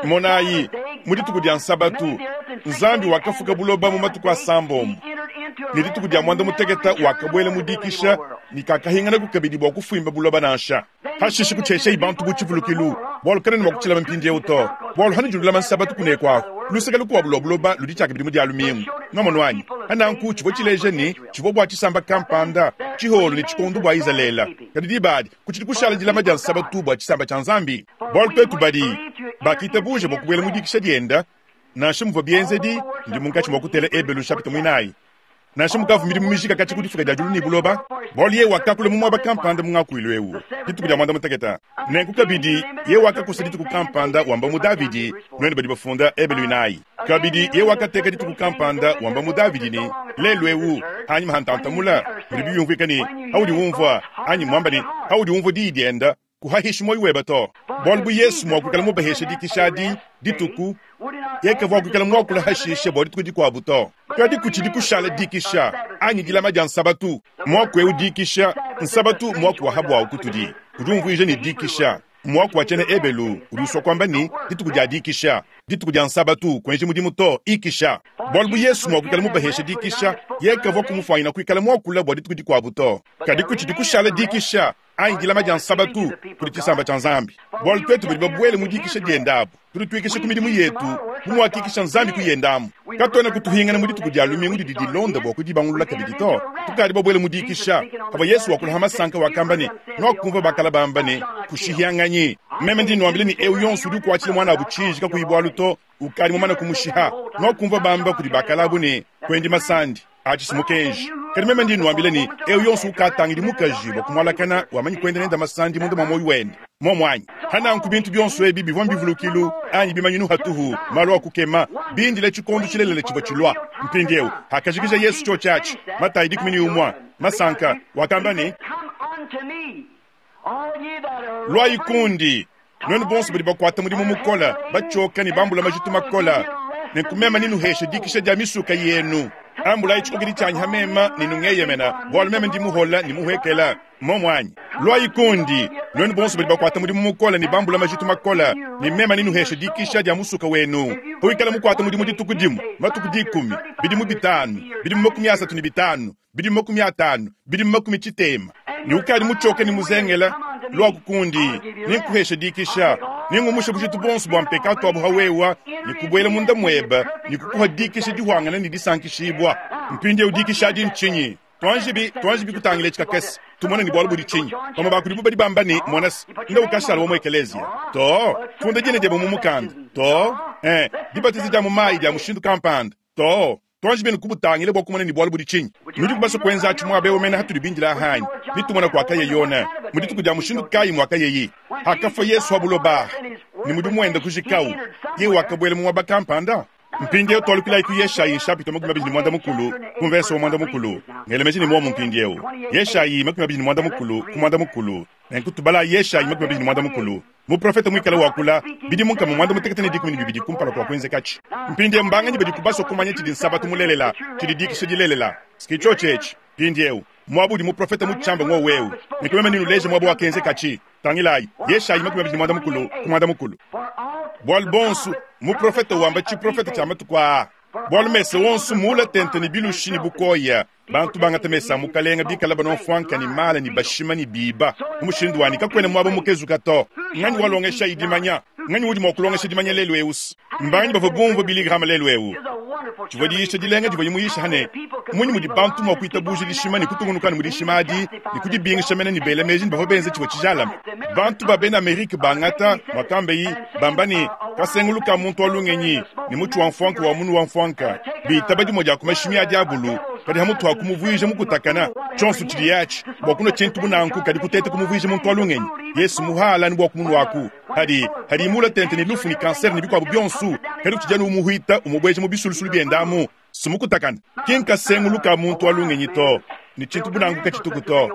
Monayi, mu dituku dia Nsabatu, Nzambi wakafuka buloba mu matuku asambombo, ne dituku dia muanda mutekete wakabuela mu dikisha ne kakahinganaku kabidi bua kufuimba buloba nansha. Hashishe kutsheshayi bantu bu tshivulukilu, bualu kanena mua kutshilama mpindieu to, bualu hanudi nulama Nsabatu kuneku aku, luseke lukuabu lua buloba ludi tshiakabidi mu Dia lumingu. Nwamonu anyi? Pa nanku tshivua tshileja ne, tshivua bua tshisamba kampanda, tshiholo ne tshikondo bua Izalele. Kadi diba adi, kutshidi kushala dilama dia Nsabatu bua tshisamba tshia Nzambi. Bualu tuetu badi bakitabuja bua kubuela mu dikisha diende, nansha muvua bienzedi, ndi munkatshi mua kutela Ebelu nshapita muinayi. Nansha mukavua midimu mijika katshia ku difuka dia diulu ne buloba, bualu yeye wakakula mu muaba kampanda mu ngakuilu eu dituku dia muanda-mutekete. Nenku kabidi, yeye wakakosa dituku kampanda wamba mu Davidi, nuenu badi bafunda Ebelu inayi. Kabidi, yeye wakateka dituku kampanda wamba mu Davidi ne, Lelu eu, anyima ha ntantamula, mudibi biumvuika ne, Haudi umvua, anyi muamba ne, Haudi umvua diyi dienda, kuhahishi muoyo webe to. Bualu bu Yesu mua kuikala mubaheshe dikisha adi dituku, yeye kavua kuikala muakula hashishe bua dituku dikuabu to. Kadi kutshidi kushala dikisha anyi dilama dia nsabatu. Muaku eu dikisha, nsabatu muaku wa ha buawu kutudi, udi umvuija ne dikisha. Muaku wa tshiena Ebelu udi usua kuamba ne dituku dia dikisha, dituku dia nsabatu, kuenji mudimu to, ikisha. Bualu bu Yesu mua kuikala mubaheshe dikisha, yeye kavua kumufuanyina kuikala muakula bua dituku dikuabu to. Kadi kutshidi kushala dikisha anyi dilama dia nsabatu kudi tshisamba tshia Nzambi, bualu tuetu badi babuele mu dikisha diende abu, tudi tuikisha ku midimu yetu bu muakikisha Nzambi ku yende amu. Katuena kutuhingana mu dituku dia lumingu didi dilonda bua kudibangulula kabidi to. Tukadi babuele mu dikisha. Pavua Yesu wakula ha masanka wakamba ne, Nuakumvua bakala bamba ne, Kushihianganyi. Meme ndi nuambila ne, eu yonso udi ukuatshila muanabu tshiji kakuyi bualu to, ukadi mumane kumushiha. Nuakumvua bamba kudi bakala abu ne, Kuendi masandi. Atshi si mukenji. Kadi meme ndi nnuambila ne, eu yonso ukatangidi mukaji bua kumualakana wamanyi kuenda nende masandi munda mua muoyo wende. Muomu anyi? Hananku bintu bionso ebi bivua mbivulukilu anyi bimanyinu hatuhu, malu a kukema, bindile tshikondo tshilelela tshivua tshilua. Mpindieu, hakajikija Yesu tshiotshi atshi, Matayi 11, masanka, wakamba ne, Luayi kundi, nuenu bonso badi bakuata mudimu mukole, batshioka ne bambula majitu makole, nenku meme nenuheshe dikisha dia misuka yenu. Ambulayi tshikokedi tshianyi ha meme ne nungeyemena, bualu meme ndi muhola ne muhuekela. Momu anyi? Luayi kundi, nuenu bonso badi bakuata mudimu mukole ne bambula majitu makole, ne meme nenuheshe dikisha dia musuka wenu. Pawikala mukuate mudimu dituku dimue, matuku dikumi, bidimu bitanu, bidimu 35, bidimu 50, bidimu 60, ne ukadi mutshioke ne muzengela, luaku kundi, nenkuheshe dikisha. Nengumushe bujitu buonso bua mpekatu abu ha wewa, ne kubuela munda muebe, ne kukuha dikisha dihuangane ne disankishibua. Mpindieu dikisha adi ntshinyi? Tuanjibi, tuanjibi kutangila etshi kakese, tumone ne bualu budi tshinyi. Bamue ba kudibu badi bamba ne, Mona se, nda ukashala wa mu ekeleziya. To, funda dina diebe mu mukanda. To, eh, dibatiza dia mu mayi dia mushindu kampanda. To, tuanji benu kubutangila bua kumona ne bualu budi tshinyi. Nudiku basue kuenza atshi muaba eu mene hatudi bindila hanyi, ne tumona kuakaya Yona, mu dituku dia mushindu kayi muakayeyi. Hakafua Yesu ha buloba, ne mudimu wende kujikawu, yeye wakabuela mu muaba kampanda. Mpindieu tualukilayi ku Yeshayi nshapita 25 ku mvese wa 10. Ngela meji ne muomu mpindieu. Yeshayi 25 ku 10. Nenku tubalayi Yeshayi 25. Muprofete muikale wakula bidimu 612 kumpala kua kuenzekatshi. Mpindieu mbanganyi badiku basue kumanya tshidi Nsabatu mulelela, tshidi dikisha dilelela? Ski tshiotshi etshi. Mpindieu, muaba udi muprofete mutshiambe ngowu eu. Nenku meme nenuleje muaba wakenzekatshi. Tangilayi, Yeshayi 25 ku 10. Bualu bonso, muprofete wamba tshiprofete tshia matuku aa, bualu mesa wonso muula tente ne bilushi ne bukoya, bantu bangata mesa a mukalenge bikala banua mfuanka ne mala ne bashima ne biba, mu mushindu wa ne kakuena muaba mukezuka to. Nganyi walongeshayi dimanya? Nganyi udi mua kulongesha dimanya lelu eu? Mbanganyi bavua bumvue Billy Graham lelu eu? Tshivua diyisha dilenga divuaye muyisha ne, Mmunyi mudi bantu mua kuitabuja dishima ne kutungunuka ne mu dishima adi ne kudibingisha mene ne bela meji ne bavua benza tshivua tshijalame? Bantu ba bena Amerike bangata muakambeyi bamba ne, kasengulu ka muntu wa lungenyi ne mutshi wa mfuanka wa munu wa mfuanka bitaba dimue dia ku mashimi a diabulu kadi hamutu ha kumuvuija mukutakana tshionso tshidiye atshi bua kunua tshintu bu nanku kadi kuteta kumuvuija muntu wa lungenyi. Yesu muhala anu bua kumunuaku hadi hadi mula tente ne lufu ne kanser ne bikuabu bionso, kadi utshidi anu umuhuita umubueja mu bisulusulu biende amu sumukutakana. Ki nkasengulu ka muntu wa lungenyi to, ne tshintu bu nanku katshituku to.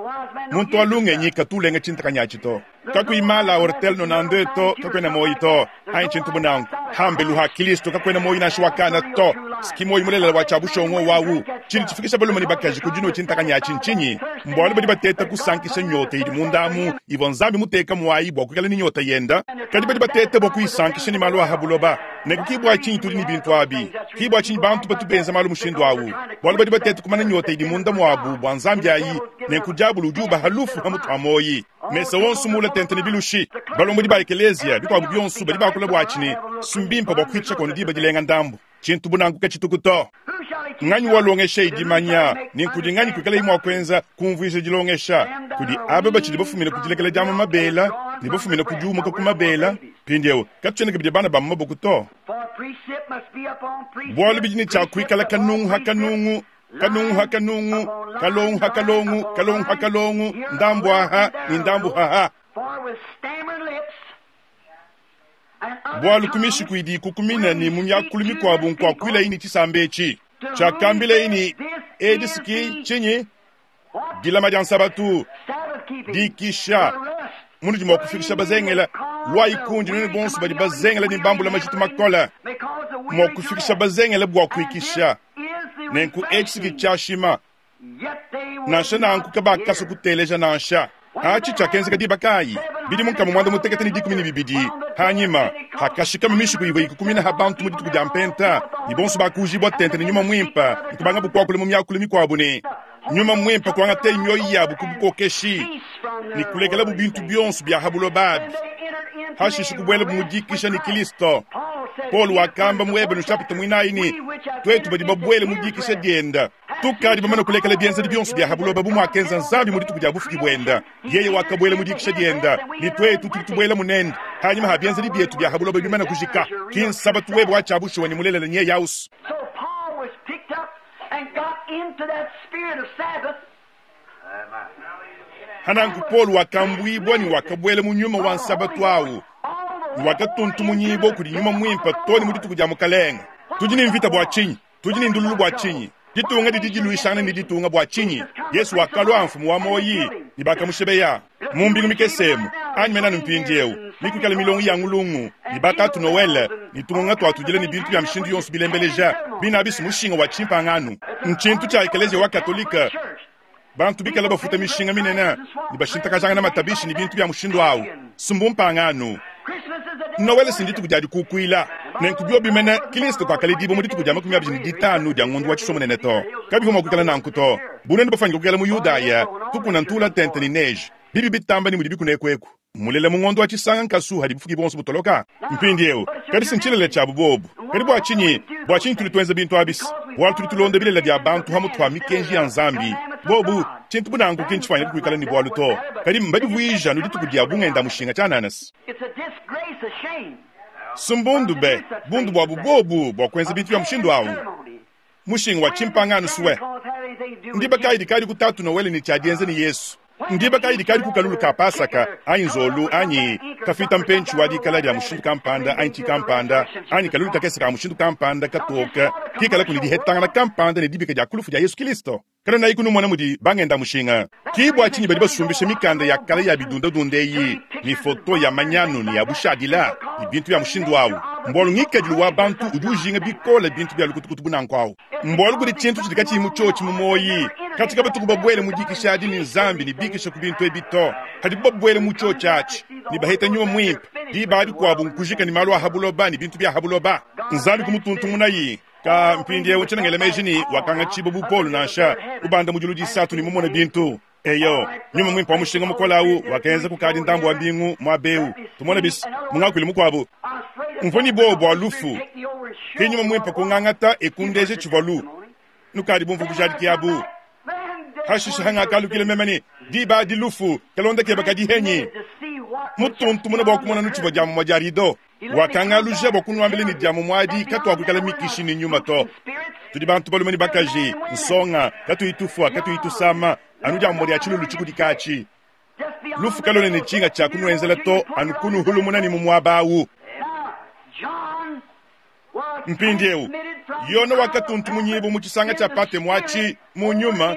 Muntu wa lungenyi katu ulenga tshintakanyi atshi to. Kakuyi mala a ortel nonande to, kakuena muoyi to, anyi tshintu bu nanku. Hambelu ha Kilisto kakuena muoyi nansha wa kana to. Ski muoyi mulelela wa tshia bushongo wawu. Tshidi tshifikisha balume ne bakaji ku dinua tshintakanyi atshi ntshinyi? Mbualu badi bateta kusankisha nyota idi munda amu ivua Nzambi muteka muayi bua kuikala ne nyota yenda. Kadi badi bateta bua kuyisankisha ne malu a ha buloba. Nenku ki bua tshinyi tudi ne bintu abi. Ki bua tshinyi bantu batu benza malu mushindu awu. Bualu badi bateta kumana nyota idi munda muabu bua Nzambi ayi. Nenku diabolo udi ubaha lufu pa mutu ha muoyi. Mesa wonso muula tente ne bilushi. Balombodi ba ekeleziya, bikuabu bionso, badi bakula buatshi ne, Si mbimpe bua kuhitshisha kono diba dilenga ndambu. Tshintu bu nanku katshituku to. Nganyi walongeshayi dimanya, ne nkudi nganyi kuikalayi mua kuenza kumvuija dilongesha? Kudi aba batshidi bafumina ku dilekela diamua mabela ne bafumina ku diumuka ku mabela. Mpindieu katutshiena kabidi bana ba mu maboko to. Bualu bidi ne tshia kuikala kanungu ha kanungu. Kanungu ha kanungu, kalongu ha kalongu, kalongu ha kalongu, ndambu aha ne ndambu aha. Bualu ku mishiku idi ikukumina ne mu miakulu mikuabu nkuakuilayi ne tshisamba etshi. Tshiakambilayi ne, Edi ki tshinyi? Dilama dia Nsabatu, dikisha, munudi mua kufikisha bazengela. Luayi kundi nuenu bonso badi bazengela ne bambula majitu makole, mua kufikisha bazengela bua kuikisha. Nenku etshi ki tshiashima. Nansha nanku kabakasua kuteleja nansha. Atshi tshiakenzeka diba kayi? Bidimu nkama muanda mutekete ne 12 hanyima, hakashikama mishiku ivua ikukumina ha bantu mu dituku dia Mpenta, ne bonso bakuujibua tente ne Nyuma Muimpe, ne kubangabu kuakula mu miakulu mikuabu ne Nyuma Muimpe kuangateye mioyo yabu ku bukokeshi ne kulekelabu bintu bionso bia ha buloba abi, hashishe kubuelabu mu dikisha ne Kristo. Paulo wakamba mu Ebelu nshapita muinayi ne, tuetu badi babuele mu dikisha diende, tukadi bamane kulekela bienzedi bionso bia ha buloba bu muakenza Nzambi mu dituku dia bufuki buende. Yeye wakabuela mu dikisha diende, ne tuetu tudi tubuelamu nende hanyima ha bienzedi bietu bia ha buloba bimane kujika. Ki nsabatu webe wa tshia bushuwa ne mulelela nyeye ausu. So Paul was picked up and got into that spirit of Sabbath. Hananku Paulo wakambuibua ne wakabuela mu nyuma wa nsabatu au, ne wakatuntumunyibua kudi Nyuma Muimpe too ne mu dituku dia Mukalenge. Tudi ne mvita bua tshinyi? Tudi ne ndululu bua tshinyi? Ditunga didi diluishangana ne ditunga bua tshinyi? Yesu wakalua mfumu wa muoyi ne bakamushebeya mu mbingu mikese emu, anyi mena anu mpindieu, nikuikala milongo ya ngulungu ne batatu Noele ne tungonga tua tudila ne bintu bia mishindu yonso bilembeleja, bina bisi mushinga wa tshimpangano. Ntshintu tshia Ekeleziya wa Katolike. Bantu bikala bafuta mishinga minene ne bashintakajangana matabishi ne bintu bia mushindu au, sumbu mpangano. Noele si ndituku dia dikukuila. Nenku biobi mene Kristo kakaledibua mu dituku dia 25 dia ngondo wa Tshisua-munene to. Kabivua mua kuikala nanku to. Bu nuenu bafuanyike kuikala mu Yudaya, tukuna ntula tente ne neige, bibi bitamba ne mudi bikuna ekueku. Mmulela mu ngondo wa Tshisanga nkasu hadi bufuki buonso butoloka. Mpindieu, kadi si ntshilele tshiabu bobu. Kadi bua tshinyi? Bua tshinyi tudi tuenza bintu abi? Bualu tudi tulonda bilele bia bantu pamutu pa mikenji ya Nzambi. Bobu, tshintu bu nanku ki ntshifuanyike kuikala ne bualu to. Kadi mbadivuije anu dituku dia bungenda-mushinga tshianana. It's a disgrace, a shame. Si mbundu be, bundu buabu bobu bua kuenza bintu bia mushindu au. Mushinga wa tshimpangano sue. Ndiba kayi dikadi ku Tatu Noele ne tshia dienza ne Yesu? Ndiba kayi dikadi ku kalulu ka Pasaka, anyi nzolu, anyi kafita mpentshi wa dikala dia mushindu kampanda, anyi tshikampanda, anyi kalulu kakese ka mushindu kampanda katoke kikalaku ne dihetangana kampanda ne dibika dia ku lufu dia Yesu Kilisto? Kanuenayiku numona mudi bangenda-mushinga? Ki bua tshinyi badi basumbisha mikanda ya kale ya bidundadunda eyi, ne foto ya manyanu ne ya bushadila, ne bintu bia mushindu au. Mbualu ngikadilu wa bantu udi ujinga bikole bintu bia lukutukutu bu nanku au. Mbualu kudi tshintu tshidi katshiyi mu tshiotshi mu muoyi. Katshia kabatuku babuele mu dikisha adi ne Nzambi ne bikisha ku bintu ebi to. Padibu babuele mu tshiotshi atshi ne baheta Nyuma Muimpe, diba adi kuabu nkujika ne malu a ha buloba ne bintu bia ha buloba. Nzambi kumutuntumunayi. Ka mpindieu tshiena ngela meji ne wakangatshibua bu Paulo nansha, kubanda mu diulu disatu ne mumone bintu. Eyo, nyuma muimpe wa mushinga mukole au wakenza kukadi ndambu wa mbingu muaba eu. Tumone bis, mu ngakuilu mukuabu. Mvua ne buowa bua lufu, ke nyuma muimpe kungangata e kundeja tshivua lu. Nukadi bumvue bujadiki abu. Hashishe hangakalukila meme ne, diba adi lufu, kalonda kebe kadi henyi? Mutuntumuna bua kumona nutshivua dia mumue dia rido. Wakangaluja bua kunuambila ne dia mumue adi katuakuikala mikishi ne nyuma to. Tudi bantu balume ne bakaji, nsonga, katuyi tufua, katuyi tusama, anu dia mumue dia tshilulu tshikudika atshi. Lufu kaluena ne tshinga tshia kunuenzela to, anu kunuhulumuna ne mu muaba au. Mpindieu, Yone wakatuntumunyibua mu tshisanga tshia Patemo atshi mu nyuma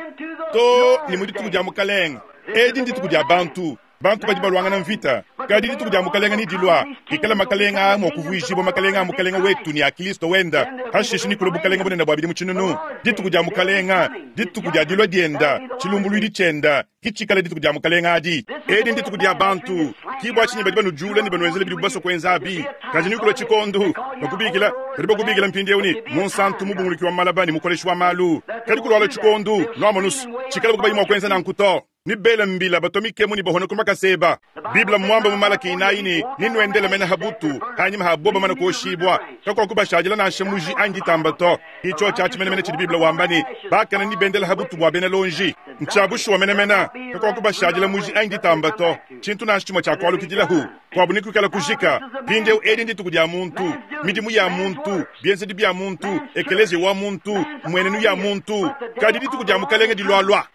to ne mu dituku dia Mukalenge. Edi ndituku dia bantu. Bantu badi baluangana mvita, kadi dituku dia Mukalenge nedilua, pikala makalenge aa mua kuvuijibua makalenge a Mukalenge wetu ne a Kristo wende, pashishe nekulue bukalenge bunene bua bidimu tshinunu. Dituku dia Mukalenge, dituku dia dilua diende, tshilumbuluidi tshiende, ke tshikala dituku dia Mukalenge adi. Edi ndituku dia bantu, ke bua tshinyi badi banujula ne banuenzela bidibu basue kuenza abi. Kadi nekulue tshikondo, bakubikila, badi bakubikila mpindieu ne, Munsantu, Mubunguluki wa malaba ne Mukoleshi wa malu. Kadi kulualua tshikondo, nuamonu's, tshikalabu kabayi mua kuenza nanku to. Ne bela mbila, batua mikemu ne bahona ku makasa eba. Bible mmuambe mu Malaki inayi ne, Nenuendele mene ha butu, hanyima ha bobo bamane kuoshibua, kakuakubashadila nansha muji anyi ditamba to. Ke tshiotshi atshi menemene tshidi Bible wamba ne, Bakane nebendele ha butu bua bena lonji. Ntshia bushuwa menemene, kakuakubashadila muji anyi ditamba to, tshintu nansha tshimue tshia kualukidilahu kuabu ne kuikala kujika. Mpindieu edi ndituku dia muntu, midimu ya muntu, bienzedi bia muntu, ekeleziya wa muntu, mmuenenu ya muntu, kadi dituku dia Mukalenge dilualua.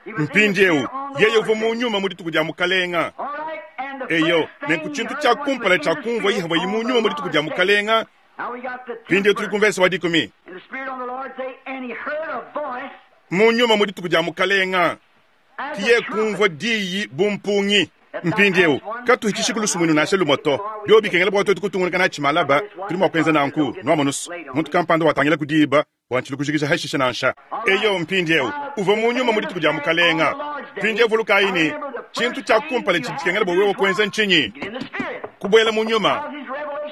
Mpindieu, yeye uvua mu nyuma mu dituku dia Mukalenge. Eyo, nenku tshintu tshia kumpala tshia kumvua yehowa mu nyuma mu dituku dia Mukalenge. Mpindieu tudi ku mvese wa dikumi. Mu nyuma mu dituku dia Mukalenge, kiye kumvua diyi bu mpungi. Mpindieu, katuhitshishi ku lusumuinu nansha lumue to. Biobi bikengela bua tuetu kutungunuka natshi malaba, tudi mua kuenza nanku. Nuamonu's, muntu kampanda watangila ku diba bua ntshilu kujikija hashishe nansha. Eyo, mpindieu, uvua mu nyuma mu dituku dia Mukalenge. Mpindieu vulukayi ne, tshintu tshia kumpala tshidi tshikengela bua wewe kuenza ntshinyi? Kubuela mu nyuma.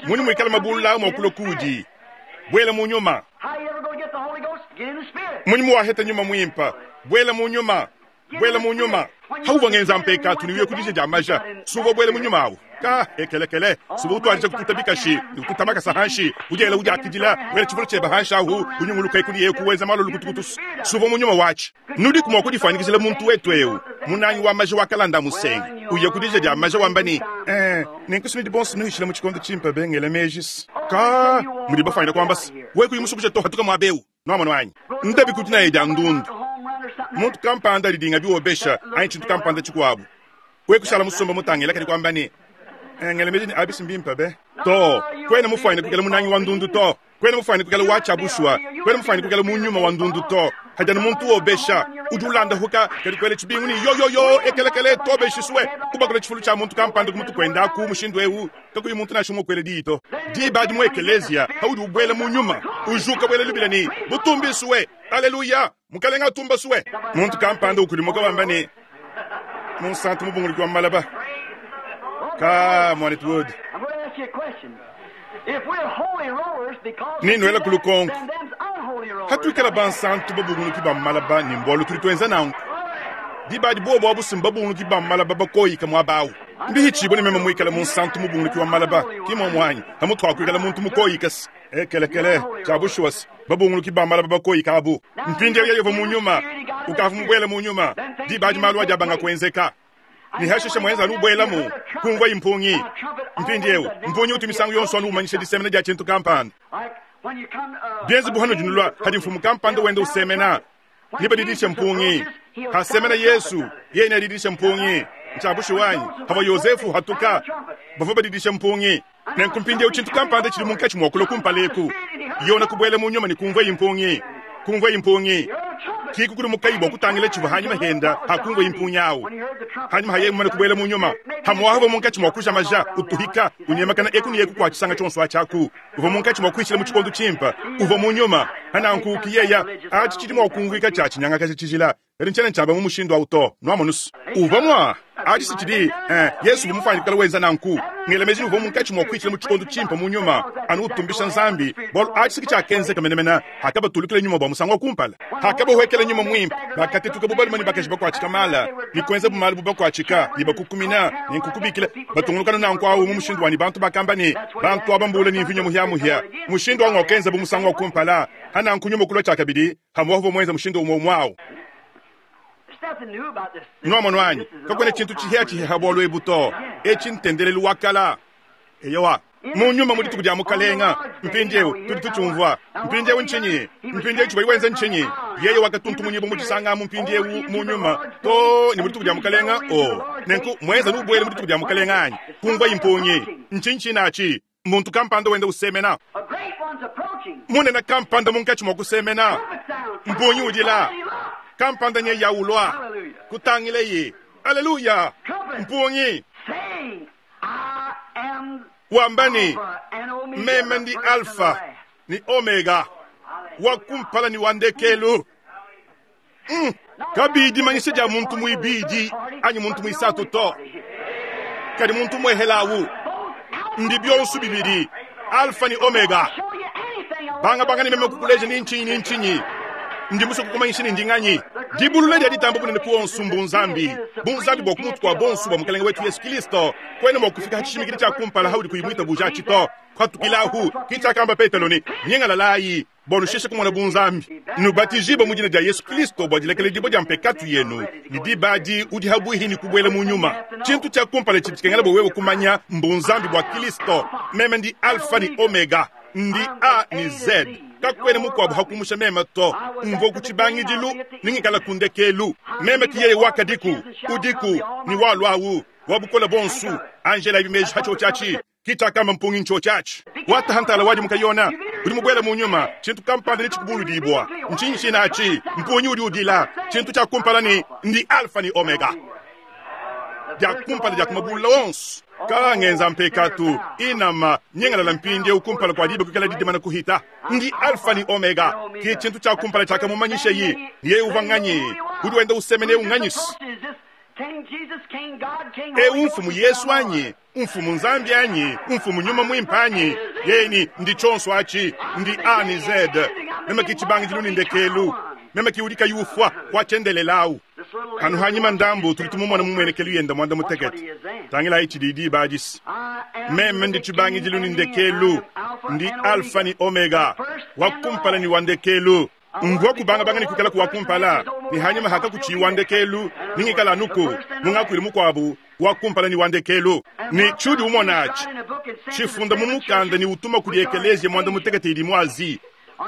Munyi muikala mabulula mua kulua kuudi? Buela mu nyuma. Munyi muwaheta nyuma muimpe? Buela mu nyuma. Buela mu nyuma. Hauvua ngenza mpekatu ne uye ku dija dia maja, si uvua buela mu nyuma awu? Ka ekelekele, si uvua utuadija kututa bikashi ne kututa makasa hanshi, udiela udiakidila, wela tshifulu tshiebe hanshi ahu, unyunguluka eku ne eku, wenza malu lukutukutu, si uvua mu nyuma watshi? Nudiku mua kudifuanyikijila muntu wetu eu, munangi wa maja wa kalanda musenga, uya ku dija dia maja wamba ne, Eh, nenku si nudi bonso nuhishila mu tshikondo tshimpe be, ngela meji se, ka mudi bafuanyine kuamba se, wewe kuyi musue kuja to, hatuka muaba eu. Nuamonu anyi? Ndabi ku dinaya dia ndundu. Muntu kampanda didinga biwobesha anyi tshintu kampanda tshikuabu. Wewe kushala musomba mutangila kadi kuamba ne, Eh, ngela meji ne abisi mbimpe be. To, kuena mufuanyine kuikala munangi wa ndundu to. Kuena mufuanyine kuikala wa tshia bushuwa. Kuena mufuanyine kuikala mu nyuma wa ndundu to. Hadi anu muntu wobesha, udi ulandahuka kadi kuela tshibingu ne yo yo yo ekelekele tobeshisue kubakula tshifulu tshia muntu kampanda ku mutu kuendaku mushindu eu kakuyi muntu nansha umue kuela diyi to. Diba adi mu ekeleziya paudi ubuela mu nyuma, ujuka buela lubila ne, Butumbisue! Aleluya! Mukalenge atumbasue! Muntu kampanda ukudimuka wamba ne, Munsantu mubunguluki wa malaba. Ka, muanetu Wood. Nenuela ku lukonko, Hatuikala bansantu babunguluki ba malaba ne mbualu tudi tuenza nanku? Diba adi buobu abu si mbabunguluki ba malaba bakoyika muaba awu. Mbihitshibue ne meme muikale munsantu mubunguluki wa malaba, ki muomu anyi? Pamutu ha kuikala muntu mukoyika se ekelekele, tshia bushuwa se babunguluki ba malaba bakoyika abu. Mpindieu yeye uvua mu nyuma, ukavua mubuele mu nyuma. Diba adi malu adi abanga kuenzeka. Ne hashishe muenza anu ubuelamu, kumvuayi mpungi. Mpindieu, mpungi utu misangu yonso anu umanyisha disemena dia tshintu kampanda. Bienze bu hanudi nulua hadi mfumu kampanda wenda usemena, nebadidishe mpungi. Hasemena Yesu, yeye neadidishe mpungi. Ntshia bushuwa anyi? Pavua Yozefu uhatuka, bavua badidishe mpungi. Nenku mpindieu tshintu kampanda tshidi munkatshi mua kulua kumpala eku. Yona kubuela mu nyuma ne kumvuaye mpungi. Kumvuaye mpungi. Ki kukudimukaye bua kutangila tshivua hanyima henda hakumvuaye mpungi awu. Hanyima ha yeye mumane kubuela mu nyuma, hamuaha uvua munkatshi mua kuja maja, utuhika, unyemakana eku ne eku kua tshisanga tshionso atshi aku. Uvua munkatshi mua kuhitshila mu tshikondo tshimpe. Uvua mu nyuma. Pananku ki yeya atshi tshidi mua kumvuika tshia tshinyangakaja tshijila. Kadi ntshiena ntshiamba mu mushindu au to. Nuamonu's? Uvua mua. Atshi si tshidi, eh, Yesu uvua mufuanyike kuikala wenza nanku. Ngela meji ne uvua munkatshi mua kuhitshila mu tshikondo tshimpe mu nyuma, anu utumbisha Nzambi, bualu atshi si ke tshiakenzeka menemene hakabatulukila nyuma bua musangu wa kumpala. Hakabahuekela nyuma muimpe, bakatetuka bu balume ne bakaji bakuatshika mala, ne kuenzabu malu bu bakuatshika, ne bakukumina, ne nkukubikila, batungunuka anu nanku au mu mushindu wa ne bantu bakamba ne, Bantu aba mbuule ne mvinyo muhia-muhia. Mushindu au ng'wakenzabu musangu wa kumpala. Hananku nyuma kulua tshiakabidi, hamua uvua muenza mushindu umue umue au. Nuamonu anyi? Kakuena tshintu tshihiatshihia ha bualu ebu to. Etshi ntendelelu wa kala. Eyowa, mu nyuma mu dituku dia Mukalenga. Mpindieu tudi tutshiumvua. Mpindieu ntshinyi? Mpindieu tshivuaye wenza ntshinyi? Yeye wakatuntumunyibua mu tshisanga amu mpindieu mu nyuma to ne mu dituku dia Mukalenga. O, nenku muenza nubuele mu dituku dia Mukalenga anyi? Kumvuayi mpungi. Ntshinyi tshinatshi? Muntu kampanda wenda usemena. Munene kampanda munkatshi mua kusemena. Mpungi udila. Kampanda nyeya ulua. Kutangileye. Aleluya! Mpungi. Wamba ne, Meme ndi Alfa ne Omega, wa kumpala ne wa ndekelu. Kabiyi dimanyisha dia muntu muibidi anyi muntu muisatu to, kadi muntu muehela awu ndi bionso bibidi, Alfa ne Omega. Bangabanga ne meme kukuleja ni ntshinyi ni ntshinyi, ndi musue kukumanyisha ne ndi nganyi. Dibulula dia ditamba bunene ku onso mbunzambi, bunzambi bua ku mutu kua bonso bua Mukalenge wetu Yesu Kilisto. Kuena mua kufika ha tshishimikidi tshia kumpala haudi kuyi muitabuja atshi to. Patukilahu, ki tshiakamba Petelo ne, Nyingalalayi. Bua nusheshe kumona bunzambi. Nubatijibue mu dina dia Yesu Kristo bua dilekeledibua dia mpekatu yenu, ne diba adi udi habuihi ne kubuela mu nyuma. Tshintu tshia kumpala tshidi tshikengela bua wewe kumanya mbunzambi bua Kristo. Meme ndi Alfa ne Omega, ndi A ne Z. Kakuena mukuabu hakumusha meme to. Mvua ku tshibangidilu ne ngikala ku ndekelu. Meme ki yeye wakadiku, udiku, ne waluawu, wa bukole buonso. Angela ibimeji hatshiotshi ki tshiakamba mpungi ntshiotshi atshi. Wataha ntala wadimuka Yona, udi mubuele mu nyuma, tshintu kampanda netshikubuludibua. Ntshinyi tshina atshi? Mpungi udi udila. Tshintu tshia kumpala ni ndi Alfa ni Omega. Dia kumpala dia kumabulula onso. Ka ngenza mpekatu, inama, nyengalala mpindieu kumpala kua diba kuikala didimana kuhita. Ndi Alfa ni Omega. Ki tshintu tshia kumpala tshiakamumanyisha yi. Yeye uvua nganyi? Udi wenda usemene unganyisi. Eu mfumu Yesu anyi? Mfumu Nzambi anyi? Mfumu nyuma mwimpe anyi? Yeni ndi tshionso atshi, ndi A ni Z. Meme ki tshibangidilu ni ndekelu. Meme ki udi kayi ufua watshiendelelawu. Anu hanyima ndambu tudi tumumona mu muenekelu yenda muanda mutekete. Tangilayi tshidi diba adisi. Meme ndi tshibangidilu ni ndekelu, ndi Alfa ni Omega, wa kumpala ni wa ndekelu. Mvua kubangabanga ni kuikala ku wa kumpala, ni hanyima hakakutshiyi wa ndekelu, ni ngikala anuku, mungakuilu mukuabu, wa kumpala ni wa ndekelu. Ni tshiudi umona atshi, tshifunda mu mukanda ni utuma kudi ekeleziya muanda mutekete idi mu Azi,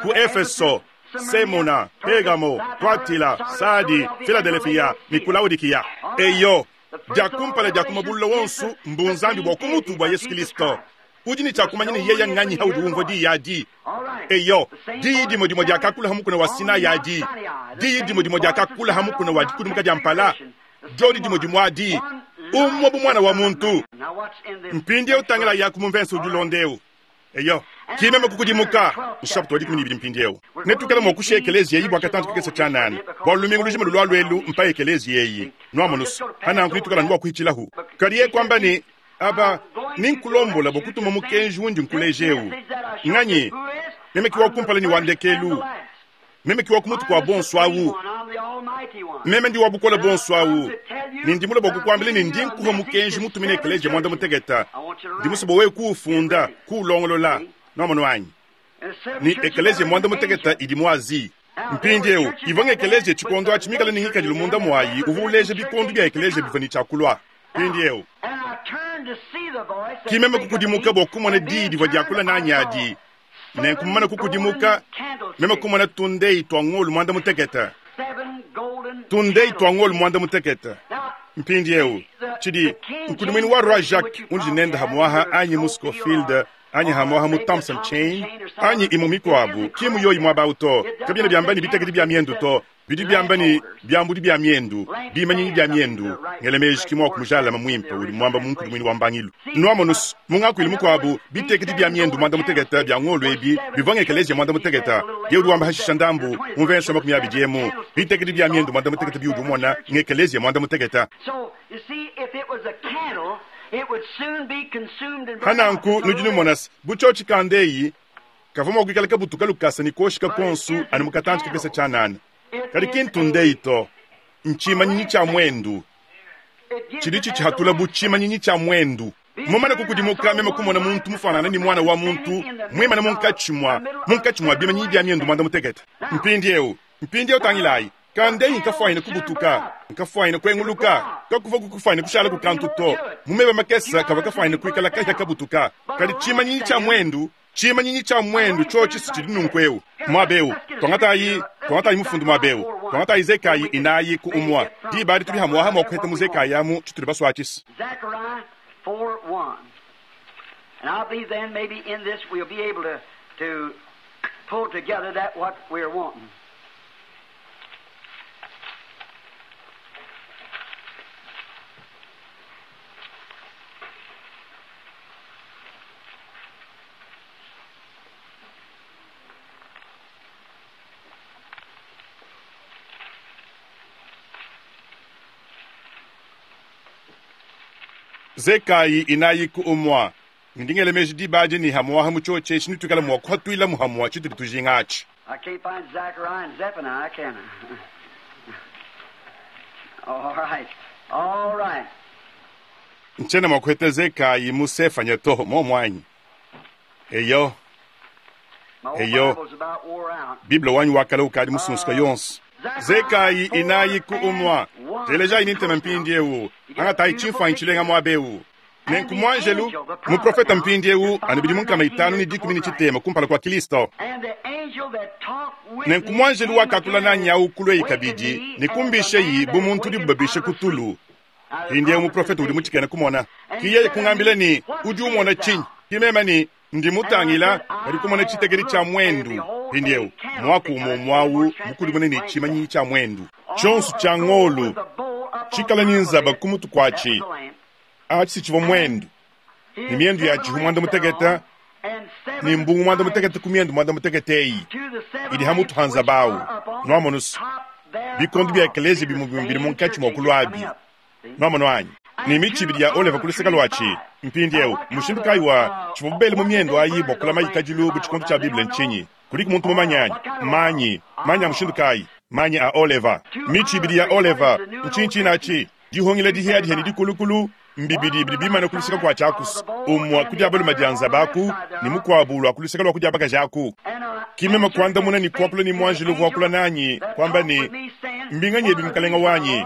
ku Efeso, Semuna, Pergamo, Tuatila, Sadi, Filadelefia ni ku Laodikiya. Eyo, dia kumpala dia kumabulula wonso mbunzambi bua kumutu bua Yesu Kristo. Udi ne tshiakumanya ne yeye nganyi haudi umvua diyi adi. Eyo, diyi dimue dimue diakakula ha mukuna wa Sinai adi, diyi dimue dimue diakakula ha mukuna wa dikudimuka dia mpala, diodi dimue dimue adi, umue bu mwana wa muntu. Mpindieu tangila yaku mu mvese udi ulonda eu. Eyo, ki meme kukudimuka. Nshapita wa 12 mpindieu. Netuikale mua kushiya ekeleziya eyi bua katantu kakese tshianana, bua lumingu lujima lulua luelu mpa ekeleziya eyi. Nuamonusu, pananku netuikale anu bua kuhitshilahu. Kadi yeye kuamba ne, Aba, ninkulombola bua kutuma mukenji undi nkuleja eu. Nganyi? Meme ki wa kumpala ne wa ndekelu. Meme ki wa ku mutu kua bonso awu. Meme ndi wa bukole bonso awu. Ne ndi mule bua kukuambila ne ndi nkuha mukenji mutumine ekeleziya muanda mutekete. Ndi musue bua wewe kuufunda, kuulongolola. Nuamonu anyi? Ni ekeleziya muanda mutekete idi mu Azi. Mpindieu, ivua ngekeleziya tshikondo atshi mikale ne ngikadilu munda muayi uvua uleja bikondo bia ekeleziya bivua ne tshiakulua. Mpindieu, ki meme kukudimuka bua kumona diyi divua diakula nanyi adi. Nenku mumane kukudimuka, meme kumona tundeyi tua ngolu muanda mutekete. Tundeyi tua ngolu muanda mutekete. Mpindieu, tshidi nkudimuinu wa Roi Jacques undi nende hamuaha anyi mu Scofield anyi hamuaha mu Thompson Chain anyi imue mikuabu, ki mu yoyi muaba awu to. Kabiena biamba ne bitekedi bia miendu to. Bidi biamba ne biambudi bia miendu, bimanyinyi bia miendu, ngele meji ki muaku mujalame muimpe udi muamba mu nkudimuinu wa mbangilu. Nuamonus, mu ngakuilu mukuabu, bitekedi bia miendu muanda mutekete bia ngolu ebi bivua ngekeleziya muanda mutekete. Yeye udi wamba hashisha ndambu mu mvese wa 20 emu, bitekedi bia miendu muanda mutekete biudi umona ngekeleziya muanda mutekete. Pananku nudi numona se, bu tshiotshi kandeyi, kavua mua kuikala kabutuka lukasa ne kuoshika konsu anu mu katantshi kakese tshianana. Kadi ki ntundeyi to, ntshimanyinyi tshia muendu tshidi tshitshihatula bu tshimanyinyi tshia muendu. Mumane kukudimuka, meme kumona muntu mufuanangane ne muana wa muntu muimane munkatshi mua munkatshi mua bimanyinyi bia miendu muanda mutekete. Mpindieu, mpindieu tangilayi, kandeyi nkafuanyine kubutuka, nkafuanyine kuenguluka, kakuvua kukufuanyine kushala ku kantu to. Mu meba makese kavua kafuanyine kuikala kahia kabutuka. Kadi tshimanyinyi tshia muendu, tshimanyinyi tshia muendu tshiotshi si tshidi nunku eu. Muaba eu, tuangatayi, tuangatayi mufundu muaba eu. Tuangatayi zekayi inayi ku umua. Diba adi tudi hamuaha mua kuheta mu zekayi amu tshitudi basuatshisa. Zechariah 4:1. And I believe then maybe in this we'll be able to pull together that what we're wanting. Zekayi inayi ku umua. Ndi ngela meji diba adi ne hamuaha mu tshiotshi etshi netuikale mua kuhatuilamu hamua tshitudi tujinga atshi. I can't find Zechariah and Zephaniah, can I? All right. All right. Ntshiena mua kuheta Zekayi mu Sefanya to, muomu anyi? Eyo. Eyo, Bible wanyi wa kale ukadi musunsuka yonso. Zekayi inayi ku umua. Telejayi ne ntema mpindiewu. Angatayi tshimfuanyi tshilenga muaba eu. Nenku muanjelu, muprofete mpindiewu, anu bidimu nkama itanu ne dikumi ne tshitema kumpala kua Kilisto. Nenku muanjelu wakakula nanyi awu kulueyi kabidi ne kumbisheyi bu muntu udibu babishe ku tulu. Mpindiewu muprofete udi mu tshikena kumona. Ki yeye kungambila ne, Udi umona tshinyi? Ki meme ne, Ndi mutangila, kadi kumona tshitekedi tshia muendu. Mpindiewu, muaku umue umue awu mukudimune ne tshimanyinyi tshia muendu. Tshionsu tshia ngolu, tshikala ne nzaba ku mutu kuatshi. Atshi si tshivua muendu, ne miendu yatshi muanda mutekete, ne mbungu muanda mutekete ku miendu muanda mutekete eyi idi ha mutu ha nzaba awu. Nuamonu's, bikondo bia ekeleziya bimue bimue bidi munkatshi mua kuluabi. Nuamonu anyi? Ne mitshi ibidi ya oleva ku luseke luatshi. Mpindieu, mmushindu kayi wa tshivuabu bele mu miendu ayi bua kulama kadilu bu tshikondo tshia Bible ntshinyi? Kudiku muntu mumanye anyi? Manyi. Manyi a mushindu kayi? Manyi a oleva. Mitshi ibidi ya oleva. Ntshinyi tshine atshi? Dihungila dihiadihia ne dikulukulu mbibidi bidi bimane ku luseke kua tshiakusu, umue ku dia balume dia nzaba aku ne mukuabu lua ku luseke lua ku dia bakaji aku. Ki meme kuandamuna ne kuakula ne muanjelu uvua wakula nanyi, kuamba ne, Mbinganyi ebi, mukalenge wanyi?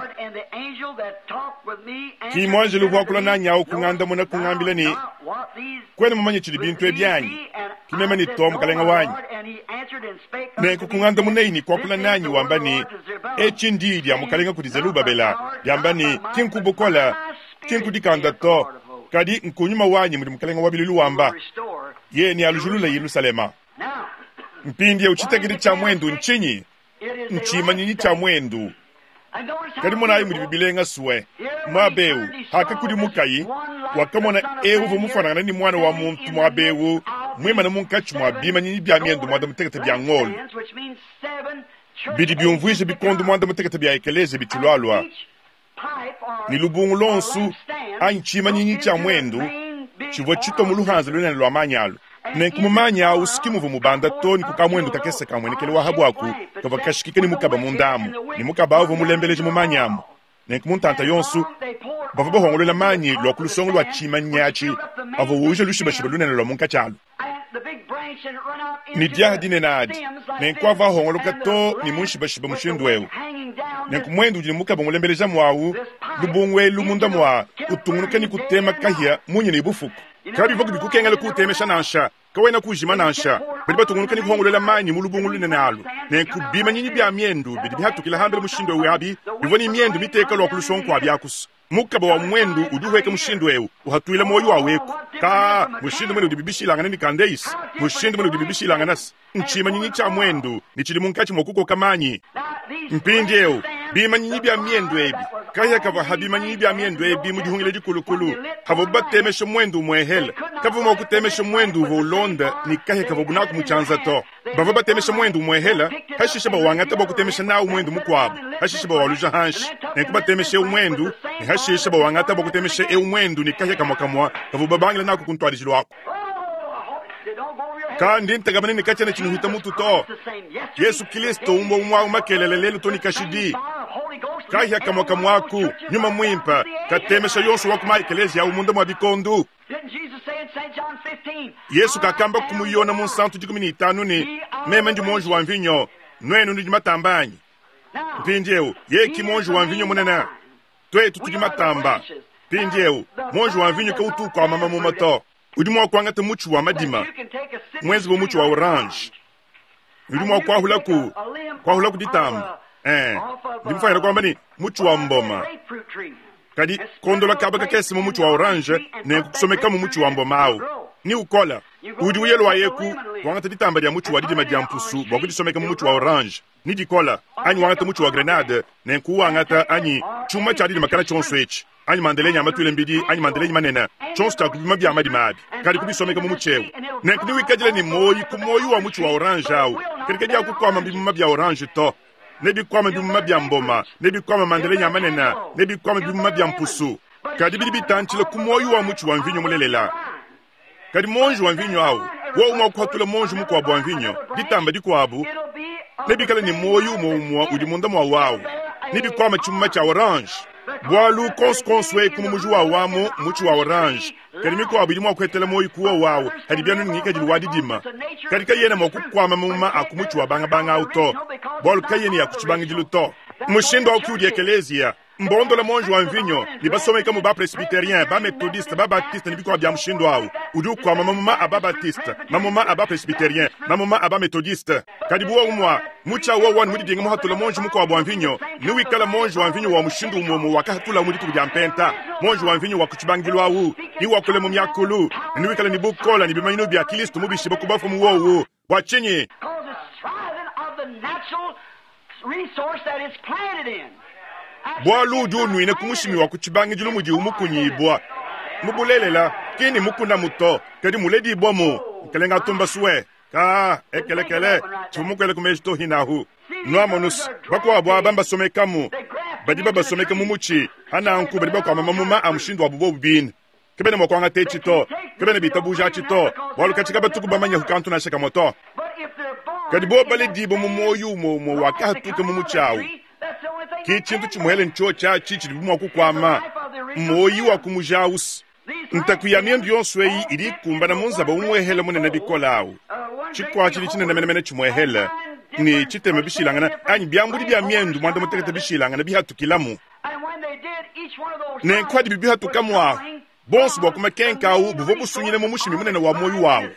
Ki muanjelu uvua wakula nanyi au kungandamuna kungambila ne, Kuena mumanye tshidi bintu ebi anyi? Ki meme ne, Too, mukalenge wanyi. Nenku kungandamunayi ne kuakula nanyi wamba ne, Etshi ndiyi dia Mukalenga kudi Zelubabela, diamba ne, Ki nku bukole, ki nku dikanda to, kadi nku nyuma wanyi mudi Mukalenga wa biluilu wamba. Yeye nealujulule Yelushalema. Mpindieu tshitekedi tshia muendu ntshinyi? Ntshimanyinyi tshia muendu. Kadi monayi mudibi bilenga sue! Muaba eu, pakakudimukayi, wakamona eu uvua mufuanangane ne muana wa muntu muaba eu muimane munkatshi mua bimanyinyi bia miendu muanda-mutekete bia ngolo, bidi biumvuija bikondo muanda-mutekete bia ekeleziya bitshilualua, ne lubungu luonso anyi tshimanyinyi tshia muendu tshivua tshitua mu luhanza lunene lua manyi alu. Nenku mu manyi awu si muvua mubanda to ne ku kamuendu kakese ka muenekelu wa habuaku kavua kashikike ne mukaba munda amu, ne mukaba awu uvua mulembeleja mu manyi amu. Nenku mu ntanta yonso bavua bahongolola manyi lua ku lusongo lua tshimanyi atshi avua uuja lushibashiba lunene lua munkatshi alu. Ne diaha dinene adi, nenku avua ahongoloka to ne mu nshibashiba mushindu eu. Nenku muendu udi ne mukaba mulembelejamu awu, lubungu elu munda mua utungunuka ne kutema kahia munya ne bufuku. Kabivua bikukengela kuutemesha nansha, kawena kuujima nansha. Badi batungunuka ne kuhongoluela manyi mu lubungu lunene alu. Nenku bimanyinyi bia miendu bidi bihatukila hambele mushindu eu abi bivua ne miendu miteka lua ku lusongo kua biakusu. Mukaba wa muendu udi uhueka mushindu eu, uhatuila muoyo wawu eku. Ka mushindu mene udibi bishilangane ne kandeis, mushindu mene udibi bishilangane ntshimanyinyi tshia muendu ne tshidi munkatshi mua kukoka manyi. Mpindieu bimanyinyi bia miendu ebi, kahia kavua ha bimanyinyi bia miendu ebi mu dihungila dikulukulu, havuabu batemesha muendu umuehele, kavua mua kutemesha muendu uvua ulonda ne kahia kavuabu naku mu tshianza to. Bavua batemesha muendu umuehele, hashishe bawangata bua kutemesha nawu muendu mukuabu, hashishe bawaluja hanshi. Nenku batemesha eu muendu ne hashishe bawangata bua kutemesha eu muendu ne kahia kamue kamue kavuabu babangila naku ku ntuadijilu aku. Ka ndi ntekemena ne katshiena tshinuhita mutu to. Yesu Kilisto umue umue awu makelele lelu to ne kashidi. Kahia kamue kamue aku, Nyuma Muimpe, katemesha yonso wa ku ma-ekeleziya awu munda mua bikondu. Yesu kakamba ku mu Yona Munsantu 15 ne, Meme ndi muonji wa mvinyo, nuenu nudi matamba anyi. Mpindieu, yeye ki muonji wa mvinyo munene. Tuetu tudi matamba. Mpindieu, muonji wa mvinyo kautu ukuama mamuma to. Udi mua kuangata mutshi wa madima muenze bu mutshi wa orange, udi mua kuahulaku kuahulaku ditamba. Eh, ndi mufuanyike kuamba ne mutshi wa mboma, kadi kondola kaba kakese mu mutshi wa orange ne kusomekamu mutshi wa mboma awu ni ukola. Udi uya luayeku wangata ditamba dia mutshi wa didima dia mpusu bua kudisomeka mu mutshi wa orange ni dikola, anyi wangata mutshi wa grenade ne nkuwangata, anyi tshiuma tshia didima kana tshionso etshi, anyi mandelenyi a matuile mbidi, anyi mandelenyi manene, tshionso tshia kubima bia madima abi, kadi kubisomeka mu mutshi eu. Nenku newikadile ne muoyi ku muoyi wa mutshi wa orange au, kadi kadiakukuama bimuma bia orange to. Nebikuame bimuma bia mboma, nebikuame mandelenyi a manene, nebikuame bimuma bia mpusu. Kadi bidi bitantshila ku muoyi wa mutshi wa mvinyo mulelela. Kadi muonji wa mvinyo au wowu mua kuhatula muonji mukuabu wa mvinyo, ditamba dikuabu, nebikale ne muoyo umue umue udi munda mua wawu, nebikuame tshimuma tshia orange. Bualu konsu konsu eku mu muji wawu amu mutshi wa orange, kadi mikuabu idi mua kuhetela muoyo ku wowu awu hadibi anu ne ngikadilu wa didima. Kadi kayena mua kukuama mamuma a ku mutshi wa bangabanga awu to, bualu kayena ya ku tshibangidilu to. Mushindu awu ki udi ekeleziya. Mbondola muonji wa mvinyo ne basomekamu ba-presbyterien, ba-methodiste, ba-baptiste ne bikuabu bia mushindu awu. Udi ukuama mamuma a ba-baptiste, mamuma a ba-presbyterien, mamuma a ba-methodiste. Kadi bu wowu mua mutshi awu wowu anu mudidinge muhatula muonji mukuabu wa mvinyo, newikale muonji wa mvinyo wa mushindu umue umue wakahatulawu mu dituku dia Mpenta, muonji wa mvinyo wa ku tshibangidilu awu, newakule mu miakulu, ne newikale ne bukole ne bimanyinu bia Kilisto mubishibue ku bafue mu wowu. Bua tshinyi? Bualu udi unuina ku mushimi wa ku tshibangidilu mudiwu mukunyibua. Mu bulelela, ki ni mukunamu to, kadi muledibuamu. Mukelenge atumba sue. Kaa, ekelekele, tshivua mukuele ku meji to hinahu. Nuamonus, bakuabu aba mbasomekamu, badi babasomeka mu mutshi, hananku badi bakuama mamuma a mushindu wabu bobu bine. Kabena mua kuangata etshi to, kabena bitabuja atshi to, bualu katshi kabatuku bamanyaku kantu nansha kamue to. Kadi bobu baledibue mu muoyo umue umue wakahatuka mu mutshi awu, ki tshintu tshimuele ntshiotshi atshi tshidibu mua kukuama, mmuoyi wa ku muji awu. Ntaku ya miendu yonso eyi idi ikumbana mu nzaba umuehele munene bikole awu, tshikuatshidi tshinene menemene tshimuehele ne tshitema bishilangane anyi biambudi bia miendu muanda mutekete bishilangane bihatukilamu. Nenku hadibi bihatukamu ahu, bonso bua ku makenka au buvua busunyine mu mushimi munene wa muoyo wawu.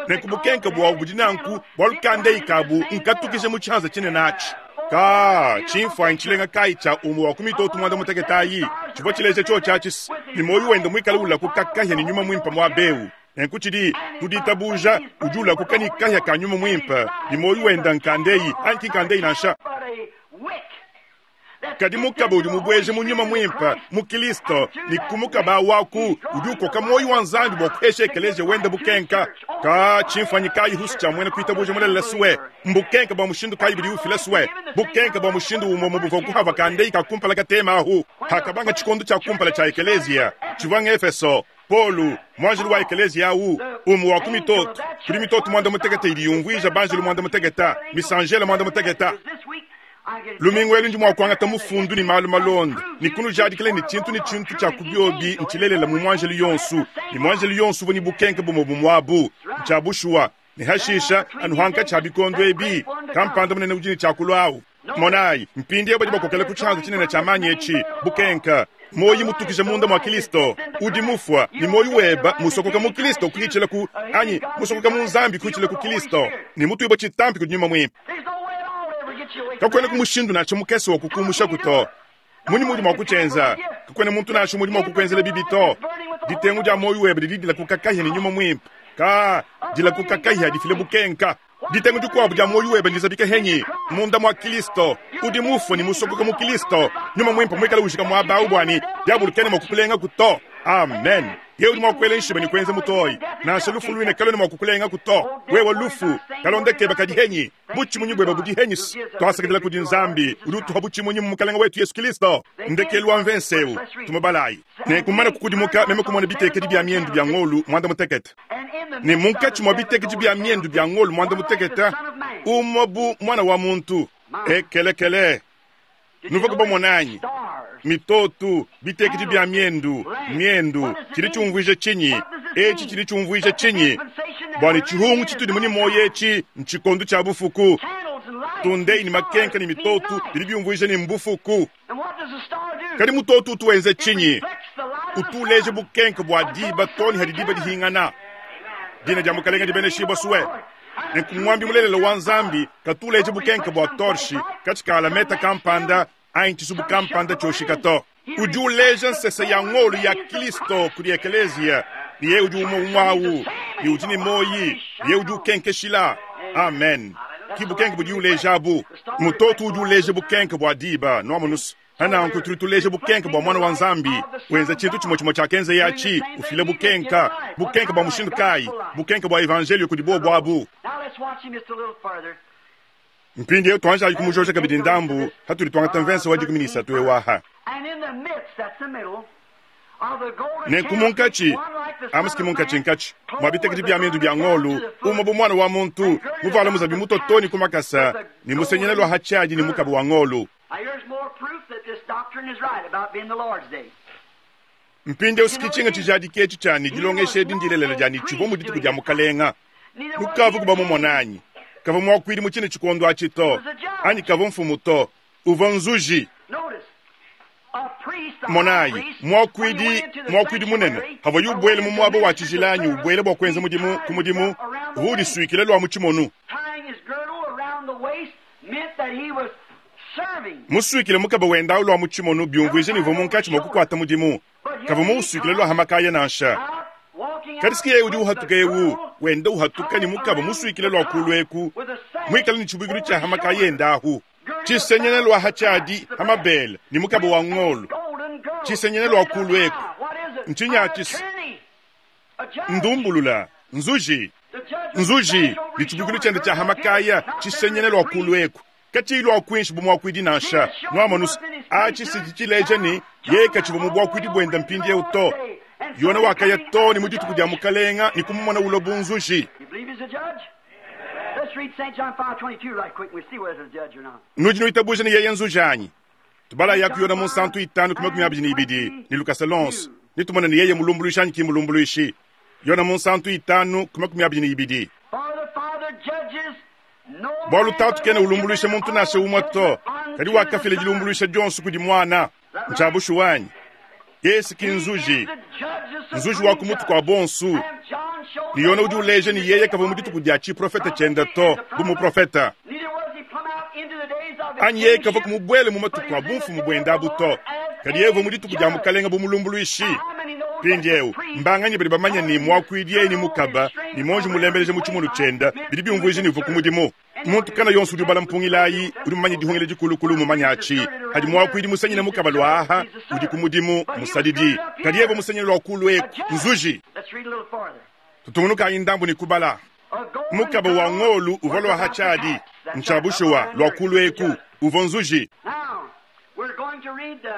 Nenku bukenka buawu budi nanku bualu kandeyi kabu nkatukije mu tshianza tshinene atshi. Ka tshimfuanyi tshilenga kayi tshia umue wa ku mitoto muanda mutekete ayi tshivua tshileja tshiotshi atshi ne muoyo wende muikale ulakuka kahia ne nyuma muimpe muaba eu. Nenku tshidi ku ditabuja udi ulakuka ne kahia ka nyuma muimpe ne muoyo wende nkandeyi anyi ki nkandeyi nansha. Kadi mukaba udi mubueje mu nyuma muimpe mu Kristo ne ku mukaba waku udi ukoka muoyo wa Nzambi bua kuhesha ekeleziya wende bukenka. Ka tshimfuanyi kayi husu tshia muena kuitabuja mulelela sue? Mbukenka bua mushindu kayi budi ufila sue? Bukenka bua mushindu umue mu buvua kuhava kandeyi ka kumpala katema ahu hakabanga tshikondo tshia kumpala tshia ekeleziya tshivua ng'Efeso. Paulo, muanjelu wa ekeleziya au, umue wa ku mitoto, kudi mitoto muanda mutekete idi yumvuija banjelu muanda mutekete, misanjela muanda mutekete. Lumingu elu ndi mua kuangata mufundu ne malu malonda ne kunujadikila ne tshintu ne tshintu tshia ku biobi ntshilelela mu muanjelu yonsu, ne muanjelu yonsu uvua ne bukenke bumue bumue abu. Ntshia bushuwa. Ne hashisha, anu hankatshi ha bikondo ebi, kampanda munene udi ne tshia kulua au. Monayi, mpindieu badi bakokela ku tshianza tshinene tshia manyi etshi, bukenka, muoyo mutukija munda mua Kristo. Udi mufua, ne muoyo weba musokoka mu Kristo kuhitshila ku, anyi musokoka mu Nzambi kuhitshila ku Kristo, ne mutuibua tshitampi kudi Nyuma Muimpe. Kakuenaku mushindu nansha mukese wa kukumushaku to. Munyi muudi mua kutshienza? Kakuena muntu nansha umue udi mua kukuenzela bibi to. Ditengu dia muoyo webe didi dilakuka kahia ne nyuma muimpe. Ka dilakuka kahia difile bukenka. Ditengu dikuabu dia muoyo webe ndizabika henyi? Munda mua Kristo. Udi mufue ne musokoka mu Kristo. Nyuma muimpe muikale ujika muaba au bua ne diabolo kena mua kukulengaku to. Amen. Yeye udi mua kuela nshiba ne kuenza mutoyi. Nansha lufu luine kaluena mua kukulengaku to. Wewe lufu, kalonda kebe kadi henyi? Butshimunyi buebe budi henyi? Tuasakidila kudi Nzambi udi utuha butshimunyi mu Mukalenge wetu Yesu Kristo. Ndekelu wa mvense eu, tumubalayi. Nenku mmane kukudimuka, meme kumona bitekedi bia miendu bia ngolu muanda mutekete, ne munkatshi mua bitekedi bia miendu bia ngolu muanda mutekete umue bu muana wa muntu. Ekelekele! Nuvua bamone anyi? Mitoto, bitekedi bia miendu, miendu, tshidi tshiumvuija tshinyi? Etshi tshidi tshiumvuija tshinyi? Bua ne tshihungu tshitudi mu ne muoyo etshi ntshikondo tshia bufuku. Tundeyi ne makenka ne mitoto bidi biumvuija ne mbufuku. Kadi mutoto utu wenza tshinyi? Utu uleja bukenke bua diba too ne hadi diba dihingana. Dina dia Mukalenge dibeneshibua sue. Nenku muambi mulelela wa Nzambi katu uleja bukenke bua torshi katshi ka alameta kampanda anyi tshisubu kampanda tshioshika to. Udi uleja nsese ya ngolu ya Kristo kudi ekeleziya, ne yeye udi umue umue au, ne udi ne muoyi, ne yeye udi ukenkeshila. Amen. Ki bukenke budi uleja abu. Mutoto udi uleja bukenke bua diba, nuamonus. Pananku tudi tuleja bukenka bua Muana wa Nzambi, wenza tshintu tshimue tshimue tshiakenzeye atshi, ufila bukenka. Bukenka bua mushindu kayi? Bukenka bua Evanjeliyo kudi bobu abu. Mpindieu tuanjayi kumujoja kabidi ndambu hatudi tuangata mvensa wa 13 eu aha. Nenku munkatshi, amuski munkatshinkatshi mua bitekedi bia miendu bia ngolu, umue bu muana wa muntu, muvuala muzabi mutue too ne ku makasa, ne musenyena lua ha tshiadi ne mukaba wa ngolu. Mpindieu si tshinga tshijadiki etshi tshia ne, dilongesha edi ndilelela dia ne, tshivua mu dituku dia Mukalenga. Nukavuku bamumona anyi? Kavua muakuidi mu tshine tshikondo atshi to, anyi kavua mfumu to. Uvua nzuji. Monayi, muakuidi, muakuidi munene, pavuaye ubuela mu muaba wa tshijila anyi ubuela bua kuenza mudimu ku mudimu, uvua udisuikila lua mu tshimonu. Musuikile mukaba wende au lua mu tshimonu biumvuija ne, uvua munkatshi mua kukuata mudimu. Kavua muusuikile lua ha makaya nansha. Kadi si yeye udi uhatuka eu, wenda uhatuka ne mukaba musuikile lua kulu eku, muikale ne tshibuikilu tshia ha makaya ende ahu, tshisenyene lua ha tshiadi ha mabele ne mukaba wa ngolo, tshisenyene lua kulu eku. Ntshinyi atshi? Ndumbulula, nzuji, nzuji ne tshibuikilu tshiende tshia ha makaya, tshisenyene lua kulu eku. Katshiyi lua kuinshi bu muakuidi nansha. Nuamonu-se, atshi si tshileja ne, yeye katshivua mu buakuidi buende mpindieu to. Yona wakaya too ne mu dituku dia Mukalenga ne kumumona ulua bu nzuji. Nudi nuitabuja ne yeye nzuji anyi? Tubalayaku Yona Munsantu 5:22 ne lukasa luonso, ne tumone ne yeye mulumbuluishi anyi ki mulumbuluishi. Yona Munsantu 5:22. Bualu Tatu kena ulumbuluisha muntu nansha umue to, kadi wakafila dilumbuluisha dionso kudi Muana. Ntshia bushuwa anyi? Yesu ki nzuji, nzuji wa ku mutu kua bonso. Ne Yona udi uleja ne yeye kavua mu dituku dia tshiprofete tshiende to bu muprofete, anyi yeye kavua kumubuele mu matuku a bumfumu buende abu to, kadi yeye uvua mu dituku dia Mukalenge bu mulumbuluishi. Mpindieu, mbanganyi badi bamanye ne, muakuidi yeye ne mukaba ne muonji mulembeleja mu tshimono tshiende bidi biumvuija ne, uvua ku mudimu? Muntu kana yonso udi ubala mpungila ayi udi mumanye dihungila dikulukulu mumanye atshi. Hadi muakuidi musanyine mukaba lua aha, udi ku mudimu, musadidi. Kadi yeye musanyine lua kulu eku, nzuji. Tutungunukayi ndambu ne kubala. Mukaba wa ngolu uvua lua ha tshiadi, ntshia bushuwa, lua kulu eku, uvua nzuji.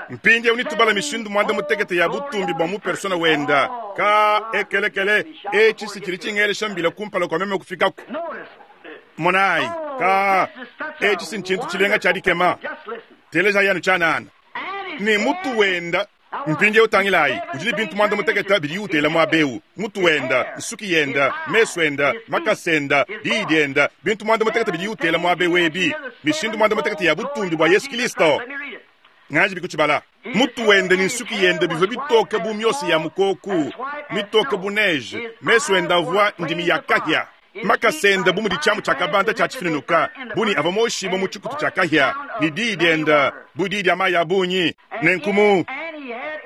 Mpindieu netubala mishindu muanda-mutekete ya butumbi bua mu persona wenda. Ka ekelekele, etshi si tshidi tshingelesha mbila kumpala kua meme kufikaku. Monayi, ka etshi si ntshintu tshilenga tshia dikema. Telejayi anu tshianana. Ne mutu wenda. Mpindieu tangilayi, udi ne bintu muanda-mutekete bidiye utela muaba eu, mutu wenda, nsuki yenda, mesu enda, makasa enda, diyi dienda, bintu muanda-mutekete bidiye utela muaba eu ebi, mishindu muanda-mutekete ya butumbi bua Yesu Kristo. Nganji bikutshibala. Mutu wende ne nsuki yende bivua bitoke bu miosa ya mukoku, mitoke bu neige, mesu ende avua ndimi ya kahia, makasa ende bu mudi tshiamu tshia kabanda tshia tshifinunuka, bu ne avua moshibue mu tshikutu tshia kahia, ne diyi diende bu diyi dia mayi a bungi. Nenku mu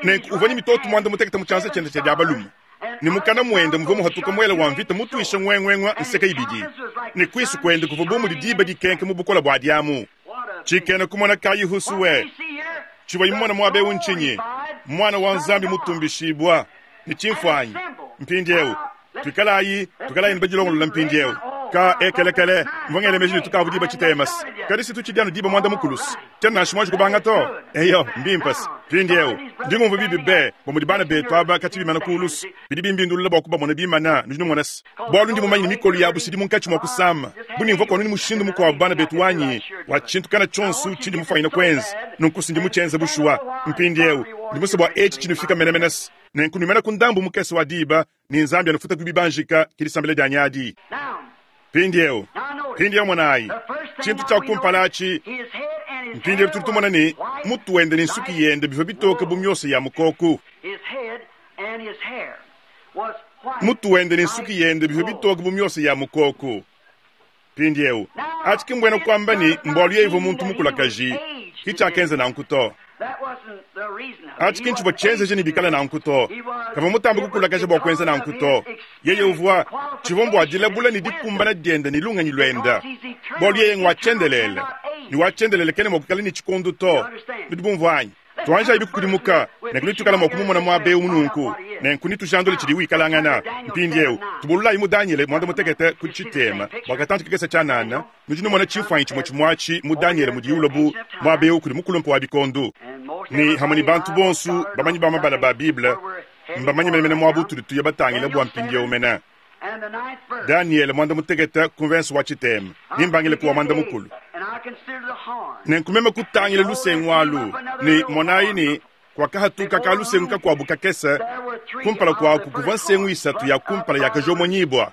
nenku uvua ne mitoto muanda-mutekete mu tshianza tshiende tshia dia balume, ne mukana muende muvua muhatuka muele wa mvita mutuisha nguenguengua nseke ibidi, ne kuisu kuende kuvua bu mudi diba dikenka mu bukole bua diamu. Tshikena kumona kayi husue tshivua mumona muaba eu ntshinyi? Muana wa Nzambi mutumbishibua ne tshimfuanyi. Mpindieu tuikalayi tuikalayi ne badilongolola mpindieu. Ka ekelekele mvua ngela meji ne tukavu diba tshitemas, kadi si tutshidi anu diba muanda mukulusi. Tshiena nansha muanji kubanga to. Eyo, mbimpe-se. Mpindieu ndi ngumvua bibi be bua mudi bana betu aba katshi bimana kulusu. Bidi bimbindulula bua kubamona bimana, nudi numona se, bualu ndi mumanye ne mikolo yabu sidi munkatshi mua kusama. Bu ne mvua kuanu ne mushindu mukuabu bana betu wanyi wa tshintu kana tshionso tshindi mufuanyine kuenza, nunku si ndi mutshienze bushuwa. Mpindieu ndi musue bua etshi tshinufika menemene se, nenku nuimana ku ndambu mukese wa diba ne Nzambi anufuta ku bibanjika, ke disambila dianyi adi. Mpindieu, mpindieu monayi, tshintu tshia kumpala atshi, mpindieu tudi tumona ne, mutu wende ne nsuki yende bivua bitoke bu miosa ya mukoku. Mutu wende ne nsuki yende bivua bitoke bu miosa ya mukoku. Mpindieu, atshi ki mbuena kuamba ne, mbualu yeye uvua muntu mukulakaji, ki tshiakenza nanku to. Atshi ki ntshivua tshienzeje ne bikale nanku to. Kavua mutambe kukulakaja bua kuenza nanku to. Yeye uvua, tshivua mbua dilabula ne dikumbana diende ne lungenyi luende, bualu yeye ngua tshiendelele, ne wa tshiendelele kena mua kuikala ne tshikondo to. Nudi bumvua anyi? Tuanjayi bikukudimuka, nenku netuikale mua kumumona muaba eu nunku, nenku netujandule tshidi wikalangana. Mpindieu, tubululayi mu Danyele muanda-mutekete ku tshitema bua katantshi kakese tshianana. Nudi numona tshimfuanyi tshimue tshimue atshi mu Danyele mudiye ulua bu muaba eu kudi mukulumpe wa bikondo. Ne hamue ne bantu bonso bamanyi ba mabala ba Bible mbamanye menemene muaba utudi tuya batangile bua mpindieu mene. Danyele muanda-mutekete ku mvense wa tshitema, ne mbangile ku wa muanda-mukulu. Nenku meme kutangila lusengu alu, ne monayi ne, kuakahatuka kalusengu kakuabu kakese, kumpala kuaku kuvua nsengu isatu ya kumpala yakajomonyibua.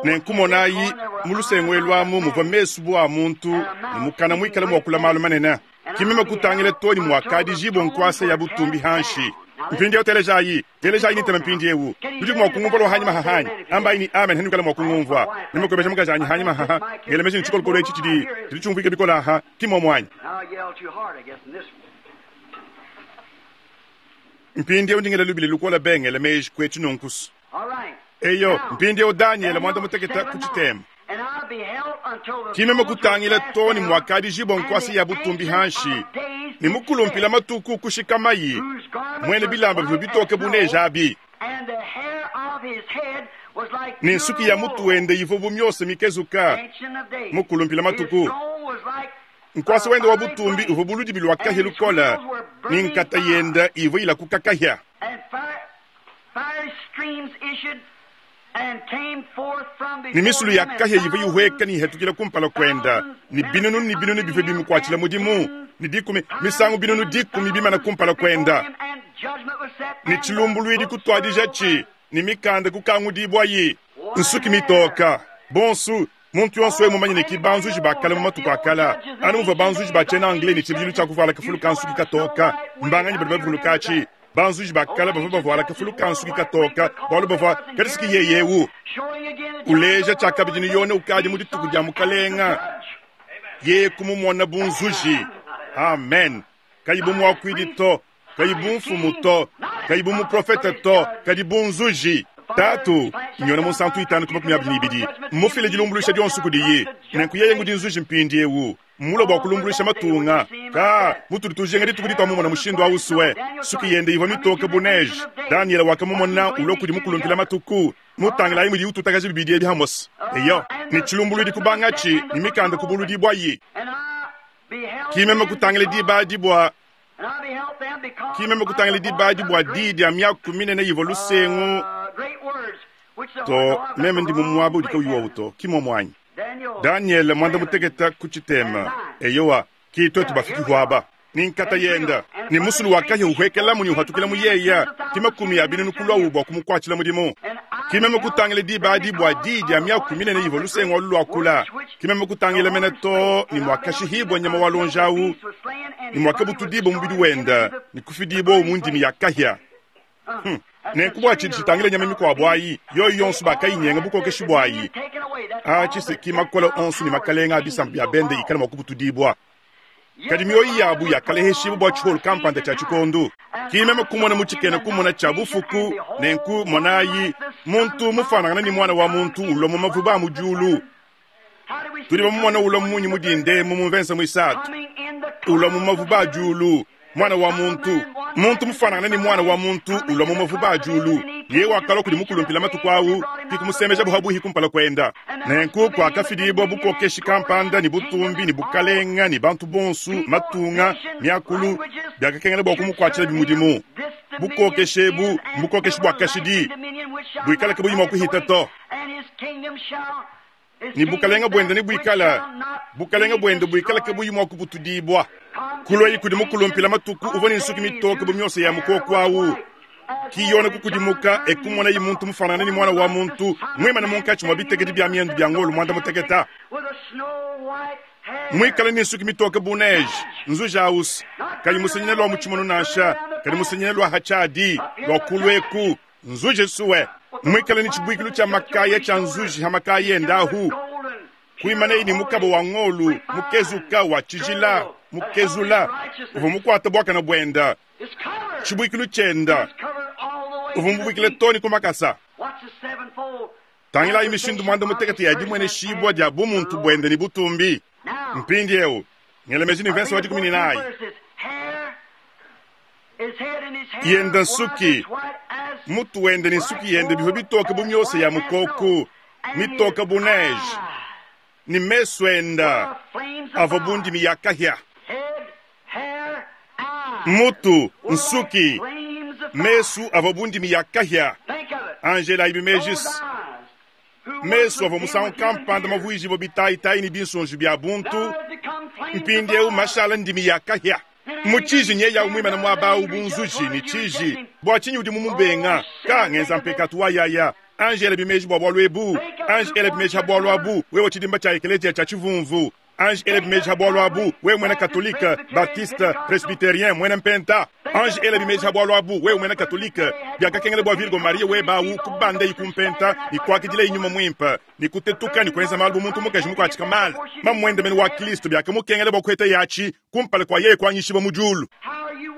Nenku monayi, mu lusengu elu amu muvua mesu bu a muntu, ne mukana muikale muakula malu manene. Ki meme kutangila too ne muakadijibua nkuasa ya butumbi hanshi. Mpindieu telejayi, telejayi ne ntema mpindieu. Nudi mua kungumvua lua hanyima hahanyi. Ambayi ne amen hanuikala mua kungumvua. Meme kuebeja mukajanyi hanyima haha, ngela meji ne tshikolokolo etshi tshidi tshidi tshiumvuika bikole aha, ki mmuomu anyi? Mpindieu ndi ngela lubila lukole be ngela meji kuetshi nunkusu. Eyo, mpindieu Danyele muanda mutekete ku tshitema. Ki meme kutangila too ne muakadijibua nkuasa ya butumbi hanshi, ne mukulumpila matuku kushikamayi, muena bilamba bivua bitoke bu neje abi, ne nsuki ya mutu wende ivua bu miosa mikezuka, mukulumpila matuku. Nkuasa wende wa butumbi uvua bu ludibi lua kahia lukole, ne nkata yende ivua ilakuka kahia. Ne misulu ya kahia ivua ihueka ne ihetukila kumpala kuende, ne binunu ne binunu bivua bimukuatshila mudimu, ne dikumi misangu binunu dikumi bimana kumpala kuende, ne tshilumbuluidi kutuadijatshi, ne mikanda kukangudibuayi. Nsuki mitoka bonsu, muntu yonso wewe mumanye ne ki banzuji ba kale mu matuku a kale, anu muvua banzuji ba tshiena Anglais ne tshibidilu tshia kuvuala kafulu ka nsuki katoka. Mbanganyi badi bavuluka atshi? Banzuji ba kale bavua bavuala kafulu ka nsuki katoka bualu bavua kadi siki yeye eu uleja tshiakabidi ne Yone ukadi mu dituku dia Mukalenga, yeye kumumona bu nzuji. Amen. Kayi bu muakuidi to, kayi bu mfumu to, kayi bu muprofete to, kadi bu nzuji. Tatu, Yone Munsantu itanu ku makumi abidi ne ibidi, mmufile dilumbuluisha dionso kudiye. Nenku yeye ngudi nzuji mpindieu. Mmulue bua kulumbuluisha matunga. Ka, mutudi tujinga dituku dituamumona mushindu au sue. Nsuki yende ivua mitoke bu neige. Danyele wakamumona ulua kudi mukulumpila matuku. Mutangilayi mudiye ututakaja bibidi ebi hamose. Eyo, ne tshilumbuluidi kubangatshi, ne mikanda kubuludibuayi. Ki meme kutangila diba adi bua ki meme kutangila diba adi bua diyi dia miaku minene ivua lusengu to. Meme ndi mu muaba udi kauyi wawu to, ki muomu anyi? Danyele muanda mutekete ku tshitema. Eyowa, ki tuetu bafiki huaba. Ne nkata yenda, ne musulu wa kahia uhuekelamu ne uhatukilamu yeya, ki makumi a binunu kuluawu bua kumukuatshila mudimu. Ki meme kutangila diba adi bua diyi dia miaku minene ivua lusengu alu luakula. Ki meme kutangila mene too ne muakashihibua nyama wa luonji awu, ne muakabutudibua mubidi wenda ne kufidibuawu mu ndimi ya kahia. Nenku bua tshidi tshitangila nyama mikuabu ayi, yoyi yonso bakayinyenga bukokeshi buayi. Atshi se ki makole onso ne makalenga a bisamba bia bende ikala mua kubutudibua. Kadi mioyo yabu yakaleheshibua bua tshiholu kampanda tshia tshikondu. Ki meme kumona mu tshikena kumona tshia bufuku, nenku monayi, muntu mufuanangana ne muana wa muntu ulua mu mavuba a mu diulu. Tudi bamumona ulua munyi mu dinda emu mu mvensa muisatu, ulua mu mavuba a diulu, muana wa muntu, muntu mufuanangana ne muana wa muntu ulua mu mavuba a diulu. Yeye wakalua kudi mukulumpila matuku au, ki kumusemejabu habuihi kumpala kuenda. Nenku kuakafidibua bukokeshi kampanda ne butumbi ne bukalenga ne bantu bonsu, matunga, miakulu, biakakengela bua kumukuatshila bimudimu. Bukokeshi ebu mbukokeshi bua kashidi, buikala kabuyi mua kuhita to. Ne bukalenga buende nebuikale bukalenga buende buikala kabuyi mua kubutudibua. Kuluayi kudi mukulumpila matuku uvua ne nsuki mitoke bu miosa ya mukoko au. Ki Yone kukudimuka e kumonaye muntu mufanangane ne muana wa muntu muimane munkatshi mua bitekedi bia miendu bia ngolo muanda mutekete, muikale ne nsuki mitoke bu neige, nzuji ausi kayi musenyine lua mu tshimono nansha, kadi musenyine lua ha tshiadi lua kulu eku. Nzuji sue muikale ne tshibuikilu tshia makaya tshia nzuji ha makaya ende ahu, kuimanaye ne mukaba wa ngolu mukezuka wa tshijila mukezula uvua mukuate buakane buende, tshibuikilu tshiende uvua mubuikile too ne ku makasa. Tangilayi mishindu muanda mutekete ya dimueneshibua dia bumuntu buende ne butumbi. Mpindieu ngela meji ne mvese wa dikumi ne nayi yenda nsuki, mutu wende ne nsuki yende bivua bitoke bu miosa ya mukoku, mitoke bu neige, ne mesu enda avua bu ndimi ya kahia. Mutu, nsuki, mesu avua bu ndimi ya kahia. Angela ibi mejis mesu avua musangu kampanda mavuijibua bitayitayi ne binsonji bia buntu. Mpindyewu mashala ndimi ya kahya. Mu tshiji nyeyawu mwimane mwaba awu bu nzuji ne tshiji. Bwa tshinyi udi mumubenga? Ka ngenza mpekatu wa yaya. Anji elabi meji bwa bwalu ebu. Anji elabi meji ha bwalu abu, wewe tshidimba tshia ekeleziya tshia tshivumvu. Anji elabi meji ha bwalu abu, wewe mwena Katolike, Baptiste, Presbyterien, mwena Mpenta. Anji elabi meji ha bwalu abu, wewe mwena Katolike. Byakakengela bwa Virgo Maria webe awu kubandayi ku Mpenta ne kwakidilayi Nyuma Mwimpe, ne kutetuka ne kwenza maalu bu muntu mukaji mukwatshika maala. Mamwende mene wa Kilisto byakamukengela bwa kuheta yatshi kumpala kwa yeye kwanyishibwa mu dyulu.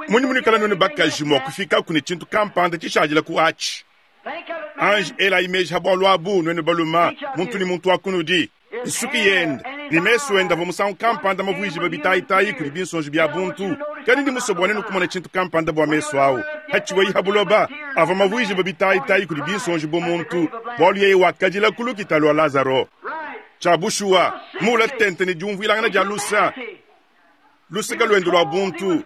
Munyi munwikala nwenu bakaji mwa kufikaku ne tshintu kampanda tshishadila ku atshi? Anji elayi meji ha bwalu abu, nwenu baluma, muntu ne muntu wa kunudi. Nsuki yende ne mesu ende avua musangu kampanda mavuijibue bitayitayi kudi binsonji bia buntu. Kadi ndi musue bua nenu kumona tshintu kampanda bua mesu au. Hatshivuayi ha buloba, avua mavuijibue bitayitayi kudi binsonji bu muntu, bualu yeye wakadila ku lukita lua Lazaro. Tshia bushuwa, muula tente ne diumvuilangana dia lusa, luseke luende lua buntu.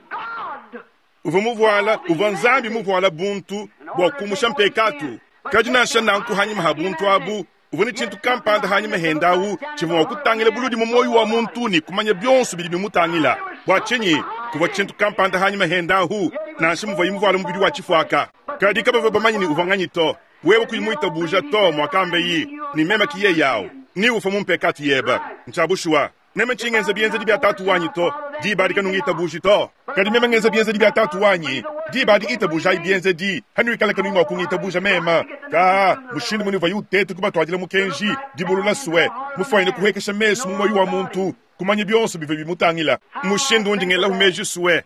Uvua muvuala, uvua Nzambi muvuala buntu bua kumusha mpekatu. Kadi nansha nanku hanyima ha buntu abu, uvua ne tshintu kampanda hanyima hende awu tshivua mua kutangila buludi mu muoyo wa muntu ne kumanya bionso bidi bimutangila. Bua tshinyi? Kuvua tshintu kampanda hanyima hende ahu, nansha muvuaye muvuale mubidi wa tshifuaka. Kadi kabavua bamanye ne uvua nganyi to. Wewe kuyi muitabuja to, muakambeyi ne meme ki yeye awu, ne ufua mu mpekatu yebe. Ntshia bushuwa. Meme ntshingenza bienzedi bia Tatu wanyi to, diba adi kanungitabuji to. Kadi meme ngenza bienzedi bia Tatu wanyi, diba adi itabujayi bienzedi, hanuikala kanuyi mua kungitabuja meme. Kaa, mushindu munuvua uteta kubatuadila mukenji, dibulula sue, mufuanyine kuhuekesha mesu mu muoyo wa muntu, kumanya bionso bivua bimutangila. Mushindu undi ngelahu meji sue,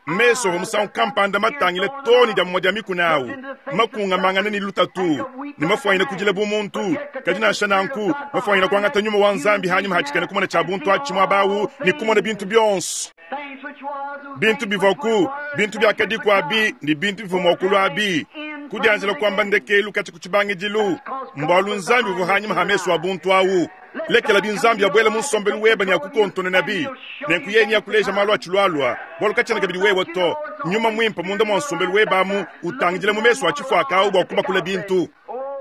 mesu avua musangu kampanda matangile too ne dia mumue dia mikuna awu, makungamangane ne lutatu, ne mafuanyine kudila bu muntu, kadi nansha nanku, mafuanyine kuangata nyuma wa Nzambi hanyima ha tshikena kumona tshia buntu atshi muaba awu ne kumona bintu bionso. Bintu bivuaku, bintu biakadiku abi, ne bintu bivua mua kulua abi, kudianjila kuamba ndekelu katshia ku tshibangidilu, mbualu Nzambi uvua hanyima ha mesu a buntu awu. Lekela binzambi abuela mu nsombelu webe ne akukontononabi, nenku yeye neakuleja malu atshilualua, bualu katshiena kabidi wewe to. Nyuma Muimpe munda mua nsombelu webe amu utangidila mu mesu a tshifuaka awu bua kubakula bintu.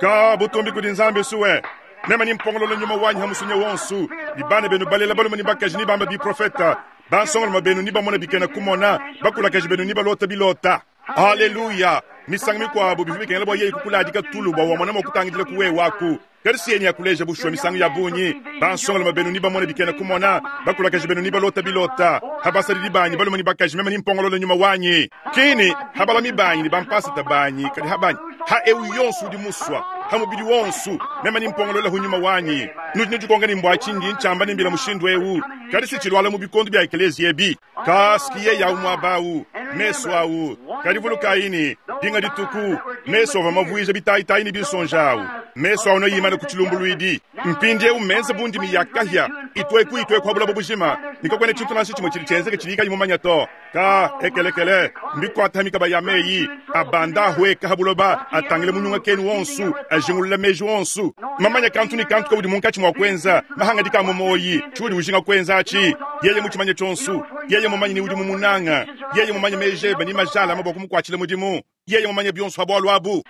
Ka butumbi kudi Nzambi sue. Meme ni mpongolola nyuma wanyi ha musunya wonsu, ne bana benu balela balume ne bakaji ne bamba biprofeta, bansongaluma benu ne bamona bikena kumona, bakulakaji benu ne balota bilota. Aleluya! Misangu mikuabu bivua bikengela bua yeye kukuladika tulu bua wamona mua kutangidila ku wewe aku. Kadi si yeye akuleja bushuwa misangu ya bungi, bansongalume benu ne bamona bikena kumona, bakulakaji benu ne balota bilota, ha basadidi banyi balume ne bakaji meme nimpongolola nyuma wanyi. Kini ha balami banyi ne bampasata banyi, kadi ha banyi, ha eu yonso udi musua, ha mubidi wonso, meme nimpongolola hu nyuma wanyi. Nudi nudikonka ne mbua tshindi ntshiamba ne mbila mushindu eu, kadi si tshiluala mu bikondo bia ekeleziya ebi. Ka sikiye yawu muaba awu, mesu awu. Kadi vulukayi ne, dinga dituku, mesu avua mavuija bitayitayi ne binsonji awu. Mesu awu neimane ku tshilumbuluidi. Mpindiewu mmenze bu ndimi ya kahia, itueku itueku ha buloba bujima, ne kakuena tshintu nansha tshimue tshidi tshienzeke tshidi kayi mumanye to. Ka ekelekele, mbikuate ha mikaba ya meyi, abanda ahueka ha buloba, atangile munyunga kenu wonsu, ajingulula meji wonsu. Mamanya kantu ne kantu kaudi munkatshi mua kuenza, mahangadika a mu muoyi, tshiudi ujinga kuenza atshi. Yeye mutshimanye tshionsu, yeye mumanye ne udi mumunanga, yeye mumanye meji ebe ne majalama bua kumukuatshila mudimu, yeye mumanye bionso ha bualu abu.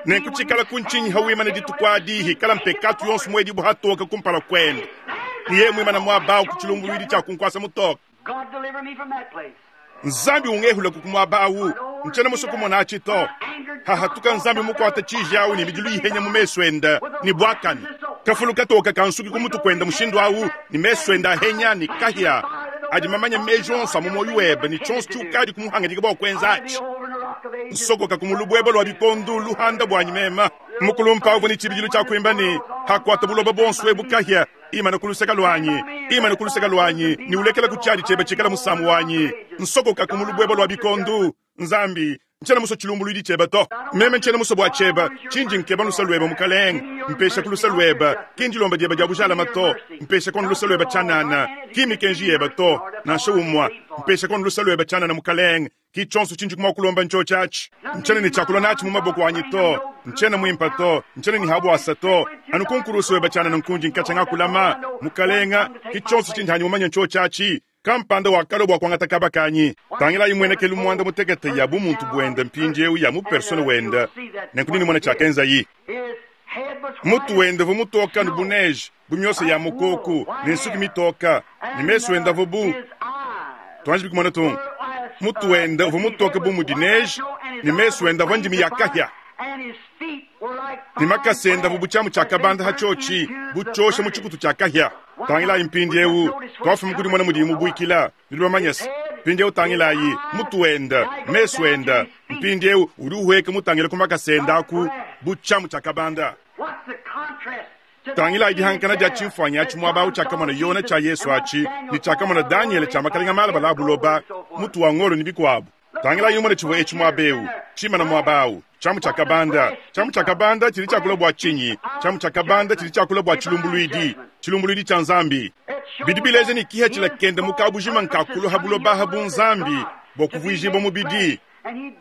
Nenku tshikala ku ntshinyi ha wimana dituku adi, hikala mpekatu yonso muedibu hatoka kumpala kuende, ne yeye muimana muaba awu ku tshilumbuluidi tshia kunkuasa mutoka. Nzambi ungehula ku muaba awu, ntshiena musue kumona atshi to. Hahatuka Nzambi mukuata tshiji awu ne midilu ihenya mu mesu ende ne buakane. Kafulu katoka kansuki ku mutu kuende mushindu awu ne mesu ende ahenya ne kahia adi mamanya meji onso a mu muoyo webe ne tshionso tshiukadi kumuhangadika bua kuenza atshi. Nsokoka ku mulubueba lua bikondo luhanda buanyi mema. Mukulumpa uvua ne tshibidilu tshia kuimba ne, Hakuata buloba buonso ebu kahia, imana ku luseke luanyi, imana ku luseke luanyi, ne ulekela ku tshiadi tshiebe tshikala musamu wanyi. Nsokoka ku mulubueba lua bikondo, Nzambi, ntshiena musue tshilumbuluidi tshiebe to. Meme ntshiena musue bua tshiebe, tshindi nkeba lusa luebe Mukalenge. Mpesha ku lusa luebe, ki ndilomba diebe dia bujalama to. Mpesha kono lusa luebe tshianana, ki mikenji yebe to, nansha umua. Mpesha kono lusa luebe tshianana Mukalenge, ki tshionso tshindi mua kulomba ntshiotshi atshi. Ntshiena ne tshiakulua natshi mu maboko anyi to, ntshiena muimpe to, ntshiena ne habuasa to. Anu ku nkurusu webe tshianana nkundi nkatshia ngakulama Mukalenge, ki tshionso tshindi hanyi mumanye ntshiotshi atshi. Kampanda wakalua bua kuangata kaba kanyi. Tangilayi muenekelu muanda mutekete ya bumuntu buende mpindiewu ya mu persona wende, nenku nenumone tshiakenzayi. Mutu wende uvua mutoka anu bu neje, bu miosa ya mukoku, ne nsuki mitoka, ne mesu ende avua bu tuanji bikumona tung. Mutu wende uvua mutoke bu mudi neje, ne mesu ende avua ndimi ya kahia, ne makasa ende avua bu tshiamu tshia kabanda ha tshiotshi, bu tshiosha mu tshikutu tshia kahia. Tangilayi mpindieu, tuafuma ku dimona mudiyi mubuikila, nudi bamanye se. Mpindieu tangilayi mutu wende, mesu ende, mpindieu udi uhueka mutangile ku makasa ende aku bu tshiamu tshia kabanda. Tangilayi dihankana dia tshimfuanyi atshi muaba awu tshiakamona Yona tshia Yesu atshi ne tshiakamona Danyele tshia makalenga malabala a buloba, mutu wa ngolo ne bikuabu. Tangilayi numone tshivua etshi muaba eu, tshimana muaba awu, tshiamu tshia kabanda. Tshiamu tshia kabanda tshidi tshiakula bua tshinyi? Tshiamu tshia kabanda tshidi tshiakula bua tshilumbuluidi, tshilumbuluidi tshia Nzambi. Bidi bileja ne kihatshila kende mu kabujima nkakulu ha buloba ha bu Nzambi bua kuvuijibua mubidi.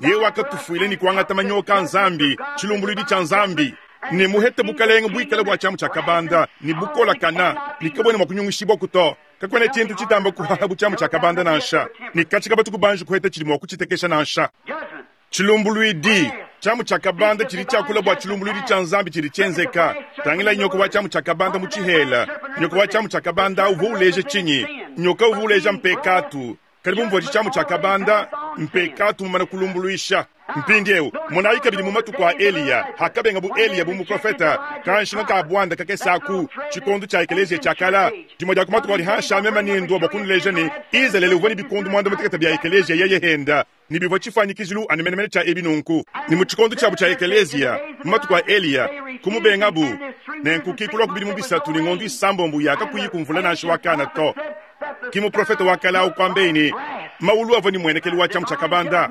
Yeye wakatufuila ne kuangata manyoka a Nzambi, tshilumbuluidi tshia Nzambi. Ne muhete bukalenge buikale bua tshiamu tshia kabanda ne bukolakana ne kabuena mua kunyungishibwaku to. Kakuena tshintu tshitamba kuhaha bu tshiamu tshia kabanda nansha, ne katshi kabatu kubanji kuheta tshidi mua kutshitekesha nansha. Tshilumbuluidi, tshiamu tshia kabanda tshidi tshiakula bua tshilumbuluidi tshia Nzambi tshidi tshienzeka. Tangila nyoka wa tshiamu tshia kabanda mu tshihela. Nyoka wa tshiamu tshia kabanda uvua uleja tshinyi? Nyoka uvua uleja mpekatu. Kadi bu muvua tshiamu tshia kabanda, mpekatu mumane kulumbuluisha. Mpindieu monayi kabidi mu matuku a Eliya, hakabengabu Eliya bu muprofeta, kanshinga ka buanda kakese aku, tshikondo tshia ekeleziya tshia kala, dimue dia ku matuku adi hanshi a meme ne ndua bua kunuleja ne Izalele uvua ne bikondo muanda mutekete bia ekeleziya yeye henda, ne bivua tshifuanyikijilu anu menemene tshia ebi nunku. Ne mu tshikondo tshiabu tshia ekeleziya, mu matuku a Eliya, kumubengabu, nenku ki kulua ku bidimu bisatu ne ngondo isambombo ya kakuyi ku mvula nansha wa kana to. Ki muprofete wa kale au kuambeyi ne mawulu avua ne muenekelu wa tshiamu tshia kabanda,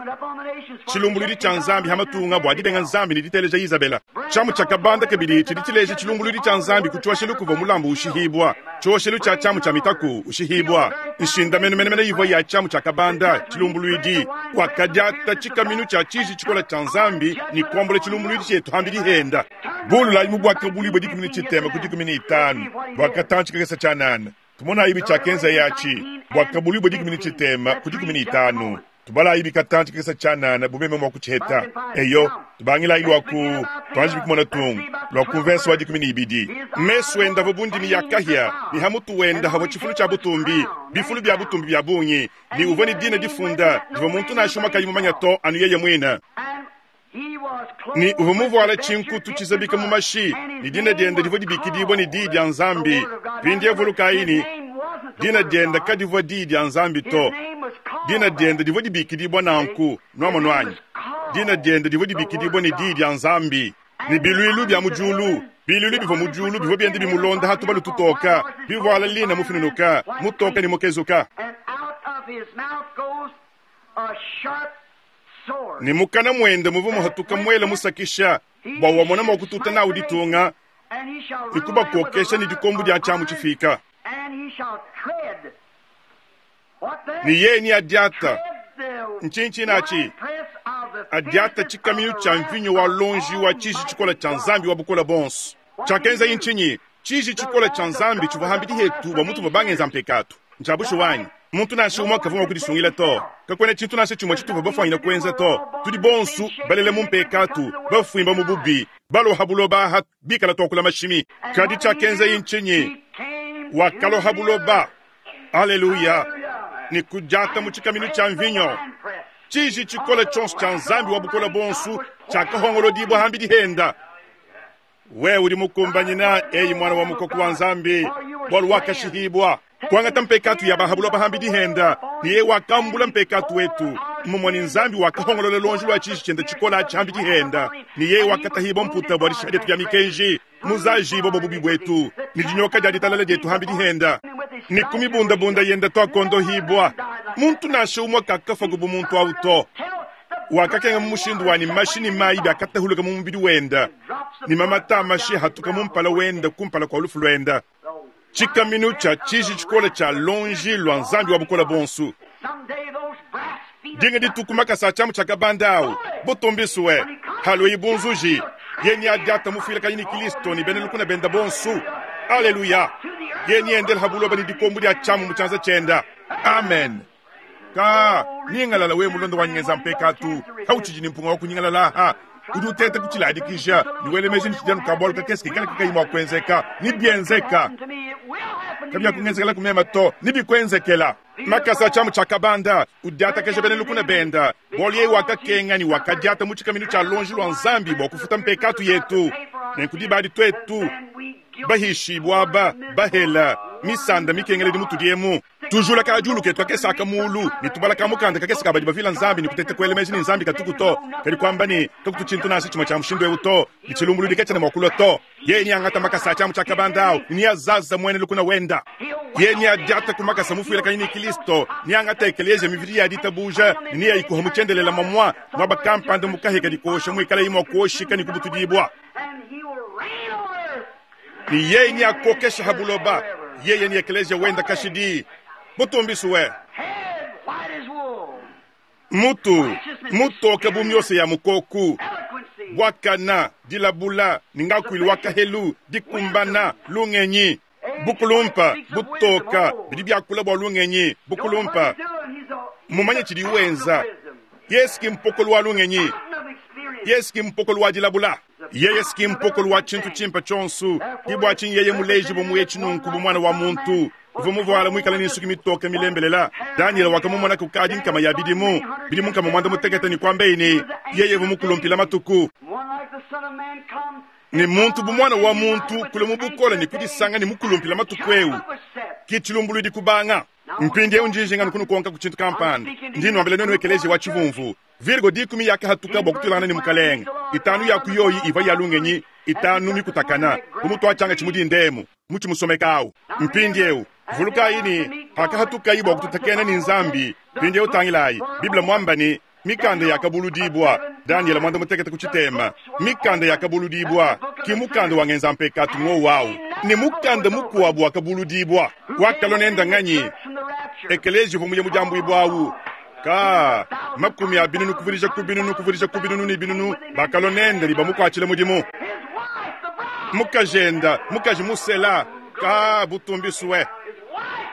tshilumbuluidi tshia Nzambi ha matunga bua dibenga Nzambi ne diteleja Izabela. Tshiamu tshia kabanda kabidi tshidi tshileja tshilumbuluidi tshia Nzambi ku tshioshelu kuvua mulambu ushihibua, tshioshelu tshia tshiamu tshia mitaku ushihibua, nshindamenu menemene ivua ya tshiamu tshia kabanda, tshilumbuluidi. Wakadiata tshikaminu tshia tshiji tshikola tshia Nzambi ne kuambula tshilumbuluidi tshietu hambidi henda. Bululayi mu Buakabuluibua 13 ku 15 bua katantshi kakese tshianana. Tumonayi bitshiakenzaye atshi Buakabuluibua 13 ku 15. Tubalayi bikatantshi kakese tshianana bu meme mua kutshiheta. Eyo, tubangilayi lua ku tuanji bikumona tungu lua ku mvese wa 12. Mesu ende avua bu ndimi ya kahia, ne ha mutu wende havua tshifulu tshia butumbi, bifulu bia butumbi bia bungi, ne uvua ne dina difunda divua muntu nansha umue kayi mumanye to, anu yeye muine. Ne uvua muvuale tshinkutu tshizabika mu mashi, ne dina diende divua dibikidibua ne Diyi dia Nzambi. Mpindieu vulukayi ne, dina diende kadivua Diyi dia Nzambi to. Dina diende divua dibikidibua nanku. Nuamonu anyi? Dina diende divua dibikidibua ne Diyi dia Nzambi. Ne biluilu bia mu diulu, biluilu bivua mu diulu bivua bienda bimulonda ha tubalu tutoka, bivuala lina mufinunuka, mutoka ne mukezuka. Ne mukana muende muvua muhatuka muele musakisha, bua wamona mua kututa nawu ditunga ne kubakokesha ne dikombo dia tshiamu tshifika. Ne yeye neadiata ntshintshin atshi, adiata tshikaminu tshia mvinyo wa luonji wa tshiji tshikole tshia Nzambi wa Bukole Buonso. Tshiakenzaye ntshinyi? Tshiji tshikole tshia Nzambi tshivua hambidi hetu bua mutuvua bangenza mpekatu. Ntshia bushuwa anyi? Muntu nansha umue kavua mua kudisungila to. Kakuena tshintu nansha tshimue tshituvua bafuanyine kuenza to. Tudi bonsu balele mu mpekatu, bafuimba mu bubi, balua ha buloba aha bikala tuakula mashimi. Kadi tshiakenzaye ntshinyi? Wakalua ha buloba, aleluya, ne kudiata mu tshikaminu tshia mvinyo. Tshiji tshikole tshionso tshia Nzambi wa Bukole Buonso tshiakahongolodibua hambidi henda. Wewe udi mukumbanyina, eyi mwana wa mukoko wa Nzambi, bualu wakashihibua kuangata mpekatu ya ba ha buloba hambidi henda, ne yeye wakambula mpekatu wetu. Mmumue ne Nzambi wakahongolola luonji lua tshiji tshiende tshikole atshi hambidi henda, ne yeye wakatahibua mputa bua dishiha dietu dia mikenji, muzajibua bua bubi buetu, ne dinyoka dia ditalala dietu hambidi henda, ne ku mibundabunda yende tuakondohibua. Muntu nansha umue kakafua bu muntu au to. Wakakenga mu mushindu wa ne mashi ne mayi biakatahuluka mu mubidi wende, ne mamata a mashi ahatuka mu mpala wende kumpala kua lufu luende. Tshikaminu tshia tshiji tshikole tshia luonji lua Nzambi wa Bukole Buonso. Dinga dituku makasa a tshiamu tshia kabanda au butumbisue, halueyi bu nzuji, ye neadiata mufuilakanyi ne Kilisto ne bena lukuna bende bonso. Aleluya! Ye neendele ha buloba ne dikombo dia tshiamu mu tshianza tshiende. Amen. Ka nyingalala we mulonda wa nyenza mpekatu, kautshidi ne mpunga wa kunyingalala aha. Udi uteta kutshiladikija ne wela meji ne tshidi anu ka-bualu kakese kikala kakayi mua kuenzeka. Nebienzeka. Kabiakungenzekela ku meme to, nebikuenzekela. Makasa a tshiamu tshia kabanda, udiatakaja bena lukuna benda, bualu yeye wakakenga ne wakadiata mu tshikaminu tshia luonji lua Nzambi bua kufuta mpekatu yetu. Nenku diba adi tuetu bahishibua aba, bahela, misanda mikengeledi mutudi emu, tujula ka diulu ketu kakese aka muulu ne tubala ka mukanda kakese ka badi bavila Nzambi ne kuteta kuela meji ne Nzambi katuku to, kadi kuamba ne, kakutu tshintu nansha tshimue tshia mushindu eu to, ne tshilumbuluidi katshiena mua kulua to. Yeye neangata makasa a tshiamu tshia kabanda au ne neazaza muena lukuna wenda. Yeye neadiata ku makasa mufuilakanyi ne Kristo, neangata ekeleziya mividi ya ditabuja ne neayikuha mu tshiendelele mamua, muaba kampanda mu kahia kadi kuosha muikalayi mua kuoshika ne kubutudibua. Ne yeye neakokesha ha buloba, yeye ne ekeleziya wenda kashidi. Butumbisue! Mutu mutoke bu miosa ya mukoku, buakana, dilabula, ne ngakuilu wa kahelu, dikumbana, lungenyi, bukulumpa, butoka, bidi biakula bua lungenyi, bukulumpa. Mumanye tshidi wenza. Yesu ki mpokolo wa lungenyi. Yesu ki mpokolo wa dilabula. Yeye ki mpokolo wa tshintu tshimpe tshionso. Ke bua tshinyi yeye mulejibue mu etshi nunku bu Muana wa muntu uvua muvuale muikale ne nsuki mitoke milembelela. Danyele wakamumona kukadi nkama ya bidimu, bidimu 60 ne kuambaye ne, yeye uvua mukulumpila matuku. Ne muntu bu Muana wa muntu kulua mu bukole ne kudisanga ne mukulumpila matuku eu, ke tshilumbuluidi kubanga. Mpindieu ndi njinga nukunukonka ku tshintu kampanda. Ndi nnuambila nuenu ekeleziya wa tshivumvu. Virgo dikumi yakahatuka bua kutuilangana ne Mukalenge. Itanu ya ku yoyi ivua ya lungenyi, itanu mikutakana, bu mutuatshianga tshimudinda emu, mutshi musomeka au. Mpindieu, vulukayi ne, pakahatukayi bua kututakena ne Nzambi, mpindieu tangilayi, Bible muamba ne, mikanda yakabuludibua, Danyele 16 ku tshitema, mikanda yakabuludibua, ki mukanda wa ngenza mpekatu ngowu au, ne mukanda mukuabu wakabuludibua. Wakalua nenda nganyi? Ekeleziya uvua muye mu diambuibua au. Ka makumi a binunu kuvudija ku binunu kuvudija ku binunu ne binunu bakalua nende ne bamukuatshila mudimu. Mukajenda, mukaji musela, ka butumbisue.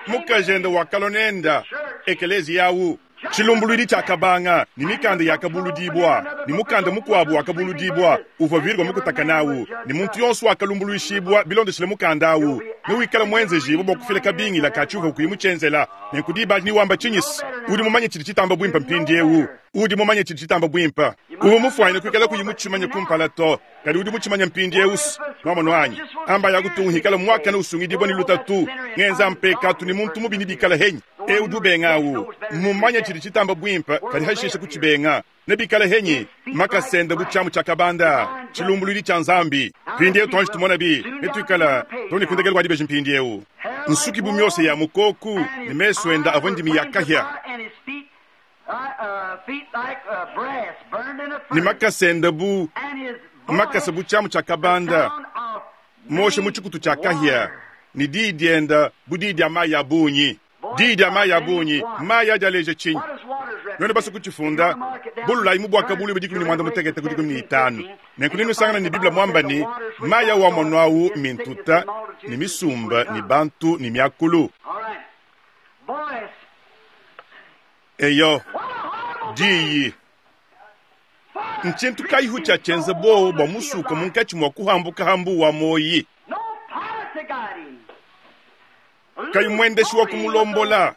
Mukajenda wakalua nenda, ekeleziya au. Tshilumbuluidi tshiakabanga, ne mikanda yakabuludibua, ne mukanda mukuabu wakabuludibua, uvua Virgo mukutakane au, ne muntu yonso wakalumbuluishibua bilondeshile mukanda au, newikale muenzejibue bua kufila kabingila ka tshiuvua kuyi mutshienzela. Nenku diba adi newamba tshinyi? Udi mumanye tshidi tshitamba buimpe mpindieu. Udi mumanye tshidi tshitamba buimpe. Uvua mufuanyine kuikala kuyi mutshimanye kumpala to, kadi udi mutshimanye mpindieu. Nwamonu anyi? Amba ya kutunga hikala muakane usungidibua ne lutatu, ngenza mpekatu ne muntu mubi nebikale henyi. Eu udi ubenga au mmumanye tshidi tshitamba buimpe, kadi hashishe kutshibenga nebikale henyi. Makasenda bu tshiamu tshia kabanda, tshilumbuluidi tshia Nzambi. Mpindieu tuanji tumona bi netuikala too ne ku ndekelu kua dibeji mpindieu. Nsuki bu miosa ya mukoku ne mesu enda avua ndimi ya kahia, ne makasa enda bu makasa bu tshiamu tshia kabanda mosha mu tshikutu tshia kahia, ne diyi dienda bu diyi dia mayi a bungi. Diyi dia mayi a bungi, mayi adi aleja tshinyi? Nuenu basue kutshifunda, bululayi mu Buakabuluibua 16 ku 15. Nenku nenusangane ne Bible muamba ne, mayi awu amonu awu mintuta ne misumba ne bantu ne miakulu. Eyo, diyi. Ntshintu kayihu tshiatshienza buowa bua musuka munkatshi mua kuhambuka ha mbuwa wa muoyi? Kayi muendeshi wa kumulombola,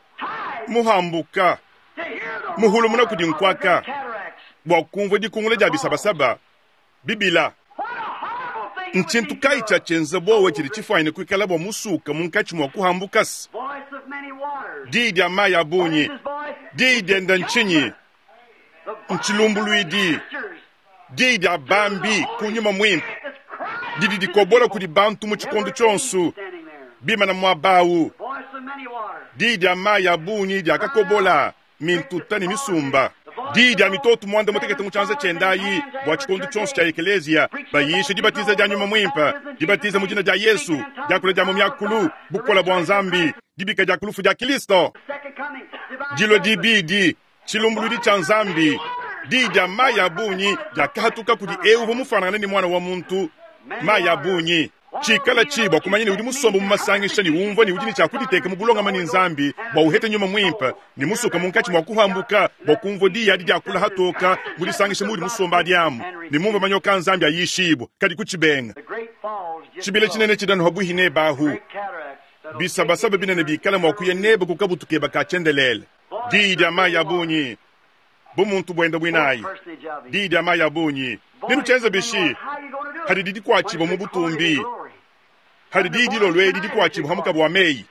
muhambuka, muhulumuna kudi nkuaka, bua kumvua dikungula dia bisabasaba bibila. Ntshintu kayi tshiatshienza buowa tshidi tshifuanyine kuikala bua musuka munkatshi mua kuhambuka? Diyi dia mayi a bungi. Diyi dienda ntshinyi? Ntshilumbuluidi. Diyi dia bambi ku nyuma muimpe didi dikobola kudi bantu mu tshikondo tshionso bimana muaba au. Diyi dia mayi a bungi diakakobola mintuta ne misumba. Diyi dia mitoto 16 mu tshianza tshienda ayi bua tshikondo tshionso tshia ekeleziya, bayisha dibatiza dia nyuma muimpe, dibatiza mu dina dia Yesu, diakula dia mu miakulu, bukole bua Nzambi, dibika dia ku lufu dia Kristo, dilua dibidi, tshilumbuluidi tshia Nzambi. Diyi dia mayi a bungi diakahatuka kudi eu uvua mufuanangane ne muana wa muntu, mayi a bungi. Tshikala tshi bua kumanya ne udi musombe mu masangisha ne umvua ne udi ne tshia kuditeka mu bulongame ne Nzambi bua uhete nyuma muimpe ne musuka munkatshi mua kuhambuka bua kumvua diyi adi diakula hatoka mu disangisha muudi musombe adi amu ne mumvua manyoka a Nzambi ayishibua kadi kutshibenga. Tshibila tshinene tshidi anu habuihi nebe ahu. Bisabasaba binene bikala mua kuya nebe ku kabutu keba ka tshiendelele. Diyi dia mayi a bungi bu muntu buenda buinayi. Diyi dia mayi a bungi nenutshienze bishi? Hadidi dikuatshibua mu butumbi, hadi diyi dilolo edi dikuatshibua ha mukaba wa meyi.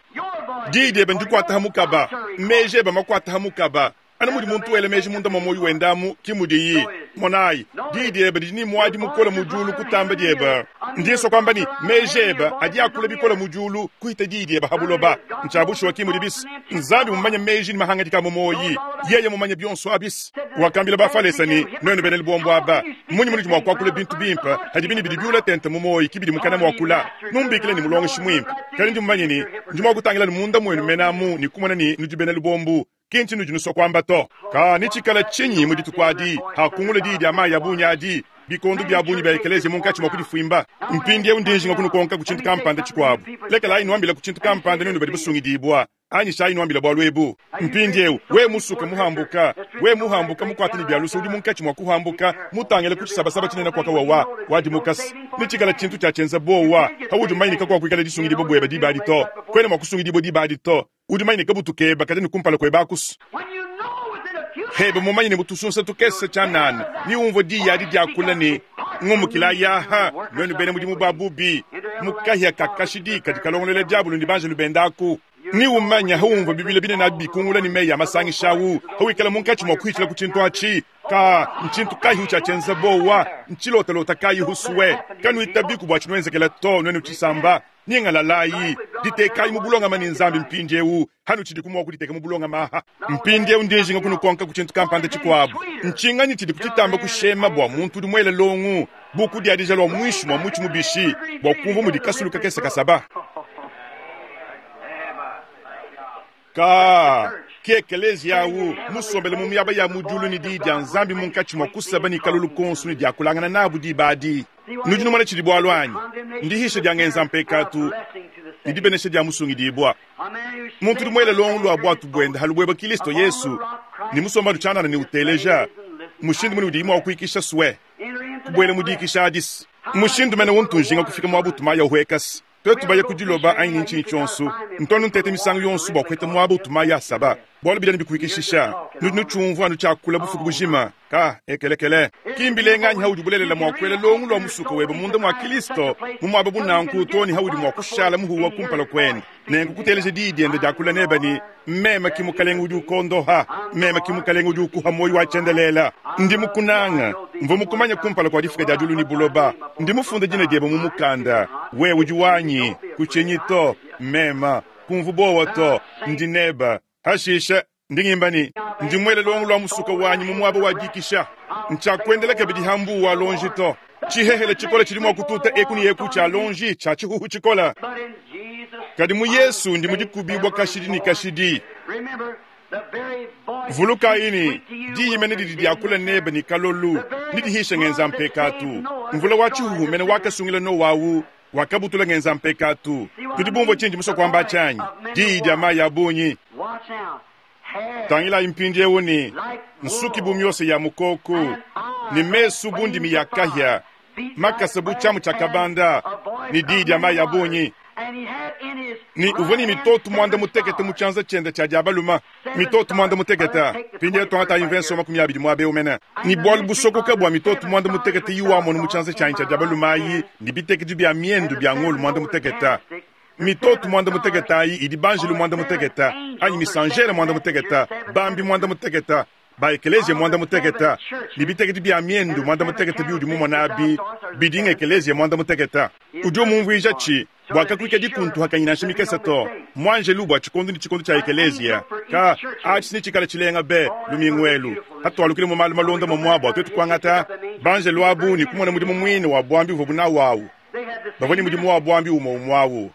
Diyi diebe ndikuata ha mukaba, meji ebe makuata ha mukaba. Anu mudi muntu wela meji munda mua muoyo wende amu, ki mudiyi. Monayi, diyi diebe didi ne muadi mukole mu diulu kutamba diebe. Ndi nsua kuamba ne, meji ebe adi akula bikole mu diulu kuhita diyi diebe ha buloba. Ntshia bushuwa ki mudi bis. Nzambi mumanye meji ne mahangadika a mu muoyi. Yeye mumanye bionso abis. Wakambila Bafalesa ne, Nuenu bena lubombo aba, mmunyi munudi mua kuakula bintu bimpe, hadibi ne bidi biula tente mu muoyi ki bidi mukana muakula? Numbikile ne mulongeshi muimpe, kadi ndi mumanye ne, ndi mua kutangila ne munda muenu mene amu ne kumona ne nudi bena lubombu. Ki ntshinudi nusua kuamba to. Ka netshikala tshinyi mu dituku adi, hakungula diyi dia mayi a bungi adi, bikondo bia bungi bia ekeleziya munkatshi mua kudifuimba? Mpindieu ndi njinga kunukonka ku tshintu kampanda tshikuabu. Lekelayi nuambila ku tshintu kampanda nuenu badi basungidibua. Anyishayi nuambila bualu ebu. Mpindieu, wewe musuka muhambuka, wewe muhambuka mukuate ne bia luse udi munkatshi mua kuhambuka mutangile ku tshisabasaba tshinene kuaka wawa, wadimuka se netshikala tshintu tshia tshienza buowa. Paudi mumanye ne kakuakuikala disungidibua buebe diba adi to. Kuena mua kusungidibua diba adi to. Udi mumanye ne kabutu kebe kadi ne kumpala kuebe akusu. Hebe mumanye ne mu tusunsa tukese tshianana ne umvua diyi adi diakula ne, Ngumukilayi aha, nuenu bena mudimu ba bubi, mu kahia ka kashidi kadi kalongolola diabolo ne banjelu bende aku. Ne umanya haumvua bibila binene abi bikungula ne meyi a masangisha au, hawikala munkatshi mua kuhitshila ku tshintu atshi, ka ntshintu kayi tshiatshienza bowa, ntshilotalota kayi husue. Kanuitabiku bua tshinuenzekela to, nuenu tshisamba. Nyingalalayi, ditekayi mu bulongame ne Nzambi mpindieu, hanutshidiku mua kuditeka mu bulongame aha. Mpindieu ndi njinga kunukonka ku tshintu kampanda tshikuabu. Ntshinganyi tshidi kutshitamba kushema bua muntu udi muele longu bu kudiadija lua muinshi mua mutshi mubishi bua kumvua mudi kasulu kakese kasaba? Ka ke ekeleziya au musombele mu miaba ya mu diulu ne diyi dia Nzambi munkatshi mua kusaba ne kalolu konso ne diakulangana nabu diba adi. Nudi numona tshidi bualu anyi? Ndihisha dia ngenza mpekatu ne dibenesha dia musungidibua. Muntu udi muele longo lua buatu buende ha lubueba Kilisto Yesu ne musombanu tshianana ne uteleja mushindu mune udiyi mua kuikisha sue kubuela mu dikisha adis. Mushindu mene untu njinga kufika muaba utu mayi ahuekase. Tuetu baya ku diloba anyi ne ntshinyi tshionso, ntu anu nteta misangu yonso bua kuheta muaba utu mayi asaba, bualu bidi anu bikuikishisha. Nudi nutshiumvua anu tshiakula bufuku bujima, ka ekelekele. Ki mbilenga anyi haudi bulelela mua kuela longo lua musuka webe munda mua Kilisto mu muaba bu nanku too ne haudi mua kushala muhuwa kumpala kuende, nenku kuteleja diyi diende diakula nebe ne, Meme ki Mukalenge udi ukondoha, meme ki Mukalenge udi ukuha muoyo wa tshiendelele. Ndi mukunanga, mvua mukumanye kumpala kua difuka dia diulu ne buloba. Ndi mufunde dina diebe mu mukanda, wewe udi wanyi, kutshinyi to, meme, kumvu buowa to, ndi nebe. Hashishe, ndi ngimba ne, Ndi muele luongo lua musuka wanyi mu muaba wa dikisha, ntshiakuendela kabidi ha mbuu wa luonji to. Tshihehele tshikole tshidi mua kututa eku ne eku tshia luonji tshia tshihuhu tshikole, kadi mu Yesu ndi mu dikubibua kashidi ne kashidi. Vulukayi ne, diyi mene didi diakula nebe ne kalolu, ne dihisha ngenza mpekatu. Mvula wa tshihuhu mene wakasungila Noa au wakabutula ngenza mpekatu. Tudi bumvue tshindi musue kuamba atshi anyi? Diyi dia mayi a bungi. Tangilayi mpindieu ne, nsuki bu miosa ya mukoku, ne mesu bu ndimi ya kahia, makasa bu tshiamu tshia kabanda, ne diyi dia mayi a bungi. Ne uvua ne mitoto muanda mutekete mu tshianza tshiende tshia dia balume, mitoto muanda mutekete. Mpindieu tuangatayi mvenso 20 muaba eu mene. Ne bualu busokoka bua mitoto muanda mutekete iwamona mu tshianza tshianyi tshia dia balume ayi, ne bitekedi bia miendu bia ngolo muanda mutekete. Mitoto muanda mutekete ayi idi banjelu muanda mutekete, anyi misanjere muanda mutekete, bambi muanda mutekete, ba ekeleziya muanda mutekete, ne bitekedi bia miendu muanda mutekete biudi mumona abi bidi ngekeleziya muanda mutekete. Udi umumvuija tshi bua kakuikadi kuntuhakanyi nansha mikese to. Muanjelu bua tshikondo ne tshikondo tshia ekeleziya ka atshi netshikale tshilenga be lumingu elu hatualukile mu malu malonda momua bua tuetu kuangata banjelu abu ne kumona mudimu muine wa buambi uvuabu nawu awu. Bavua ne mudimu wa buambi umue umue awu,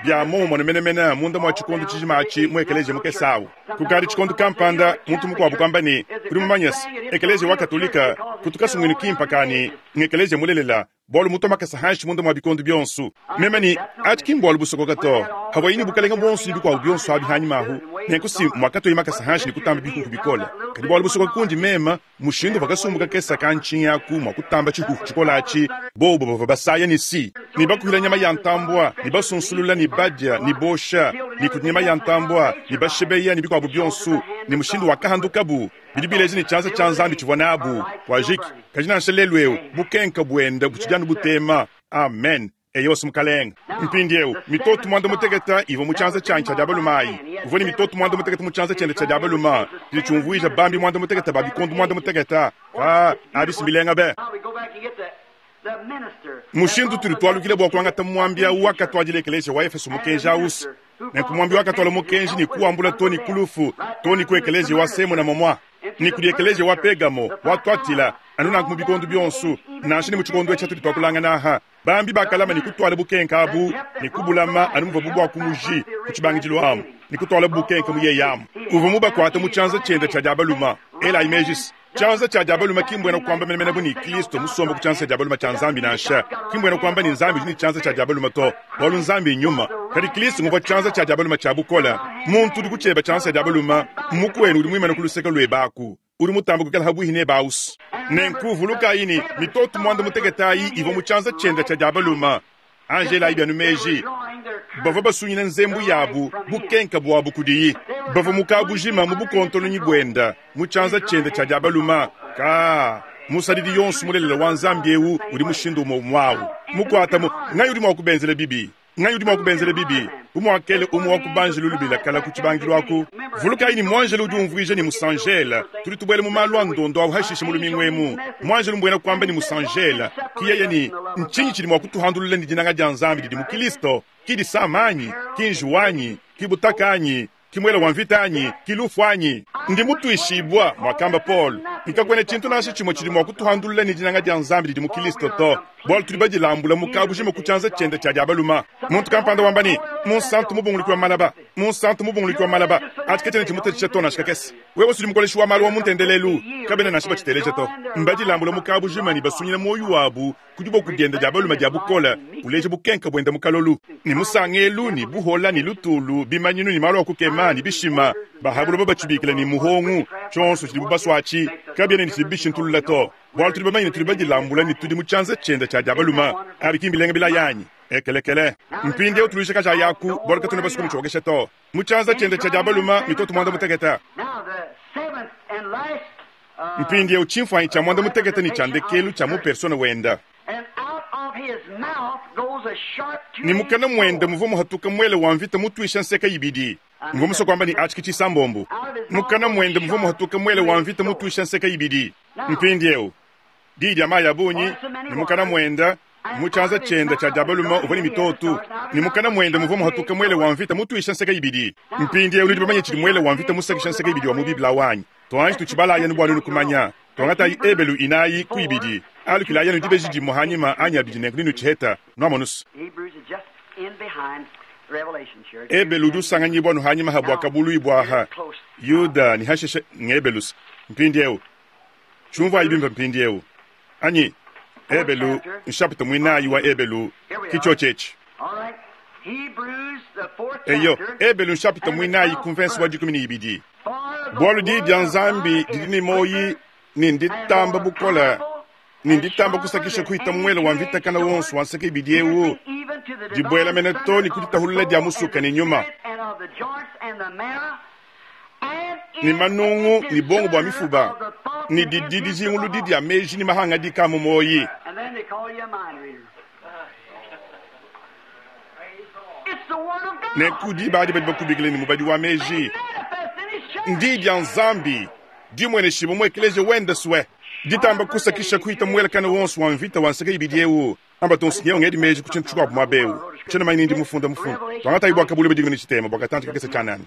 bia muomumue menemene munda mua tshikondo tshijima atshi mu ekeleziya mukese awu. Kukadi tshikondo kampanda, muntu mukuabu kuamba ne, Udi mumanye se, Ekeleziya wa Katolika kutu kasumuinu kimpe ka ne, ng'ekeleziya mulelela, bualu mutua makasa hanshi munda mua bikondo bionso. Meme ne, Atshi ki mbualu busokoka to. Pavuaye ne bukalenge buonso ne bikuabu bionso abi hanyima ahu, nenku si muakatuaye makasa hanshi ne kutamba bihuhu bikole. Kadi bualu busokoka kundi meme, mushindu uvua kasumbu kakese ka ntshingi aku mua kutamba tshihuhu tshikole atshi, bobu bavua basaya ne si, ne bakuila nyama ya ntambua, ne basunsulula, ne badia, ne bosha, ne kudi nyama ya ntambua, ne bashebeya, ne bikuabu bionso, ne mushindu wakahandukabu, bidi bileja ne tshianza tshia Nzambi tshivua nabu. Kuajiki. Kadi nansha lelu eu, bukenka buende butshidi anu butema. Amen. Eyowa, Mukalenge. Mpindieu, mitoto muanda-mutekete ivua mu tshianza tshianyi tshia dia balume ayi. Uvua ne mitoto muanda-mutekete mu tshianza tshiende tshia dia balume, tshidi tshiumvuija bambi muanda-mutekete ba bikondo muanda-mutekete. Kaa, abi si mbilenga be! Mushindu utudi tualukila bua kuangata muambi au wakatuadila ekeleziya wa Efeso mukenji au, nenku muambi wakatuala mukenji ne kuwambula too ne ku lufu, too ne ku ekeleziya wa Semuna momua, ne kudi ekeleziya wa Pegamo, wa Tuatila, anu nanku mu bikondo bionso, nansha ne mu tshikondo etshi atudi tuakulangana aha. Bambi bakalama ne kutuala bukenke abu ne kubulama anu muvuabu bua ku muji ku tshibangidilu amu, ne kutualabu bukenke mu yeye amu. Uvua mubakuate mu tshianza tshiende tshia dia balume. Elayi meji se, tshianza tshia dia balume ki mbuena kuamba menemene bu ne Kristo musombe ku tshianza tshia dia balume tshia Nzambi nansha. Ki mbuena kuamba ne Nzambi udi ne tshianza tshia dia balume to, bualu Nzambi nnyuma. Kadi Kristo nguvua tshianza tshia dia balume tshia bukole. Muntu udi ku tshiebe tshianza tshia dia balume mmukuenu udi muimane ku luseke luebe aku. Udi mutambe kuikala habuihi nebe ausi. Nenku vulukayi ne, mitoto muanda-mutekete ayi ivua mu tshianza tshiende tshia dia balume. Anji elayi bienu meji, bavua basunyina nzembu yabu bukenka buabu kudiyi. Bavua mu kabujima mu bukontolonyi buende mu tshianza tshiende tshia dia balume. Kaa, musadidi yonso mulelela wa Nzambi eu udi mushindu umue umue au mukuatamu. Nganyi udi mua kubenzela bibi? Nganyi udi mua kubenzela bibi? Bu muakela umue wa ku banjelu lubila kala ku tshibangidilu aku. Vulukayi ne, muanjelu udi umvuija ne musanjela. Tudi tubuela mu malu a ndondo au hashishe mu lumingu emu. Muanjelu mbuena kuamba ne musanjela. Ki yeye ne, Ntshinyi tshidi mua kutuhandulula ne dinanga dia Nzambi didi mu Kilisto? Ki disama anyi? Ki njiwu anyi? Ki butaka anyi? Ki muele wa mvita anyi? Ki lufu anyi? Ndi mutuishibua, muakamba Paulo, ne kakuena tshintu nansha tshimue tshidi mua kutuhandulula ne dinanga dia Nzambi didi mu Kilisto to, bualu tudi badilambula mu kabujima ku tshianza tshiende tshia dia balume. Muntu kampanda wamba ne, Munsantu mubunguluki wa malaba, munsantu mubunguluki wa malaba, atshi katshiena tshimutatshisha to nansha kakese. Wewe udi mukoleshi wa malu wa mu ntendelelu, kabena nansha batshiteleja to. Mbadilambula mu kabujima ne basunyina muoyo wabu ku diboko diende dia balume dia bukole, uleja bukenka buende mu kalolu, ne musangelu, ne buhola, ne lutulu, bimanyinu, ne malu a kukema, ne bishima. Ba ha buloba batshibikila ne muhongu, tshionso tshidibu basua atshi kabiena ne tshidibu bishintulula to, bualu tudi bamanye ne tudi badilambula ne tudi mu tshianza tshiende tshia dia balume. Abi ki mbilenga bilaya anyi? Ekelekele. Mpindieu tuluishe kajaya aku, bualu katuena basue kumutshiokesha to. Mu tshianza tshiende tshia dia balume mitoto muanda mutekete. Mpindieu tshimfuanyi tshia muanda mutekete ne tshia ndekelu tshia mu persona wenda. Ne mukana muende muvua muhatuka muele wa mvita mutuisha nseke ibidi. Mvua musue kuamba ne atshi ke tshisambombo. Mukana muende muvua muhatuka muele wa mvita mutuisha nseke ibidi. Mpindieu diyi dia mayi a bungi, ne mukana muende mu tshianza tshiende tshia dia balume uvua ne mitoto, ne mukana muende muvua muhatuka muele wa mvita mutuisha nseke ibidi. Mpindieu nudi bamanye tshidi muele wa mvita musakisha nseke ibidi wa mu Bible awu anyi? Tuanji tutshibalayi anu bua nuenu kumanya. Tuangatayi Ebelu inayi ku ibidi. Alukilayi anu dibeji dimue hanyima anyi abidi nenku nenutshiheta. Nuamonus. Ebelu udi usanganyibua anu hanyima ha Buakabuluibua aha, Yuda ne hashishe ng'Ebelus. Mpindieu, tshiumvuayi bimpe mpindieu. Anyi, Ebelu, nshapita muinayi wa Ebelu, ki tshiotshi etshi. Eyo, Ebelu nshapita muinayi ku mvense wa 12. Bualu diyi dia Nzambi didi ne muoyi ne nditamba bukole ne nditamba kusakisha kuhita muele wa mvita kana wonso wa nseke ibidi eu, dibuela mene to ne ku ditahulula dia musuka ne nyuma ne manungu ne bongo bua mifuba ne didi dijinguludi dia meji ne mahangadika a mu muoyi. Nenku diba adi badi bakubikila ne mubadi wa meji. Ndiyi dia Nzambi dimueneshibua mu ekeleziya wende sue ditamba kusakisha kuhita muelakana wonso wa mvita wa nseke ibidi eu. Amba tonso nyewu ngedi meji ku tshintu tshikuabu muaba eu. Tshiena manya ni ndi mufunda mufunda. Tuangatayi bua kabulu bidi ne tshitema bua katantshi kakese tshianana.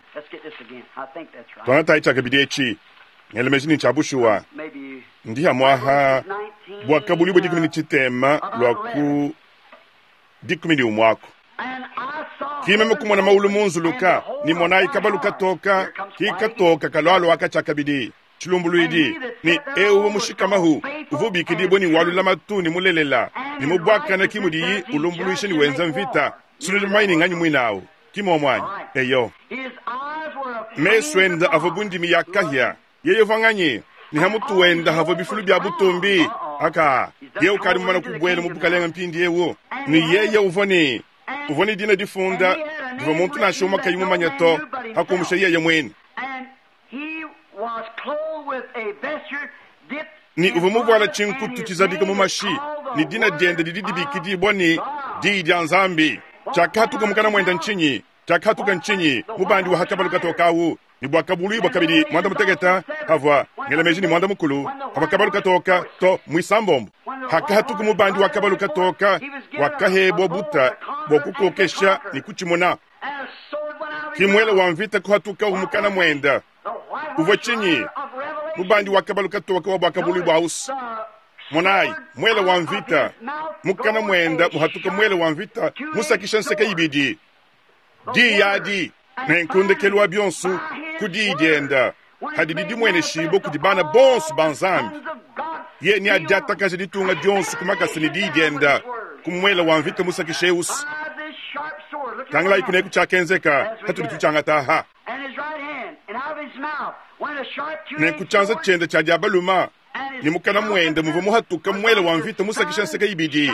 Tuangatayi tshiakabidi etshi. Ngela meji ne tshia bushuwa. Ndi hamuaha bua kabulu bidi ne tshitema lua ku 11 aku. Ki meme kumona maulu munzuluka, ne monayi kabalu katoka, ki katoka kalualua katshiakabidi. Tshilumbuluidi, ne eu uvua mushikamahu uvua ubikidibua ne wa lulamatu ne mulelela, ne mu buakane ki mudiyi ulumbuluisha ne wenza mvita. Sunudi bamanye ne nganyi muine au? Ki muomu anyi? Eyo. Mesu ende avua bu ndimi ya kahia. Yeye uvua nganyi? Ne ha mutu wende havua bifulu bia butumbi. Aka, yeye ukadi mumane kubuela mu bukalenge mpindieu. Ne yeye uvua ne uvua ne dina difunda divua muntu nansha umue kayi mumanye to, pa kumusha yeye muine. Ne uvua muvuale tshinkutu tshizabika mu mashi, ne dina diende didi dibikidibua ne, Diyi dia Nzambi. Tshiakahatuka mukana muende ntshinyi? Tshiakahatuka ntshinyi? Mubandi wa ha kabalu katoke au, ne buakabuluibua kabidi muanda mutekete havua, ngela meji ne muanda mukulu, havua kabalu katoka to muisambombo. Hakahatuka mubandi wa kabalu katoka, wakahebua buta bua kukokesha ne kutshimuna. Ki muele wa mvita kuhatukawu mukana muende. Uvua tshinyi? Mubandi wa kabalu katoka wa buakabuluibua ausi. Monayi, muele wa mvita mukana muende muhatuka muele wa mvita musakisha nseke ibidi. Diyi adi. Nenku ndekelu wa bionso, ku diyi diende, hadidi dimueneshibua kudi bana bonso ba Nzambi, yeye neadiatakaje ditunga dionso ku makasa ne diyi diende, ku muele wa mvita musakisha eusi. Tangilayi kuneku tshiakenzeka hatudi tutshiangata aha. Nenku tshianza tshiende tshia dia balume ne mukana muende muvua muhatuka muele wa mvita musakisha nseke ibidi,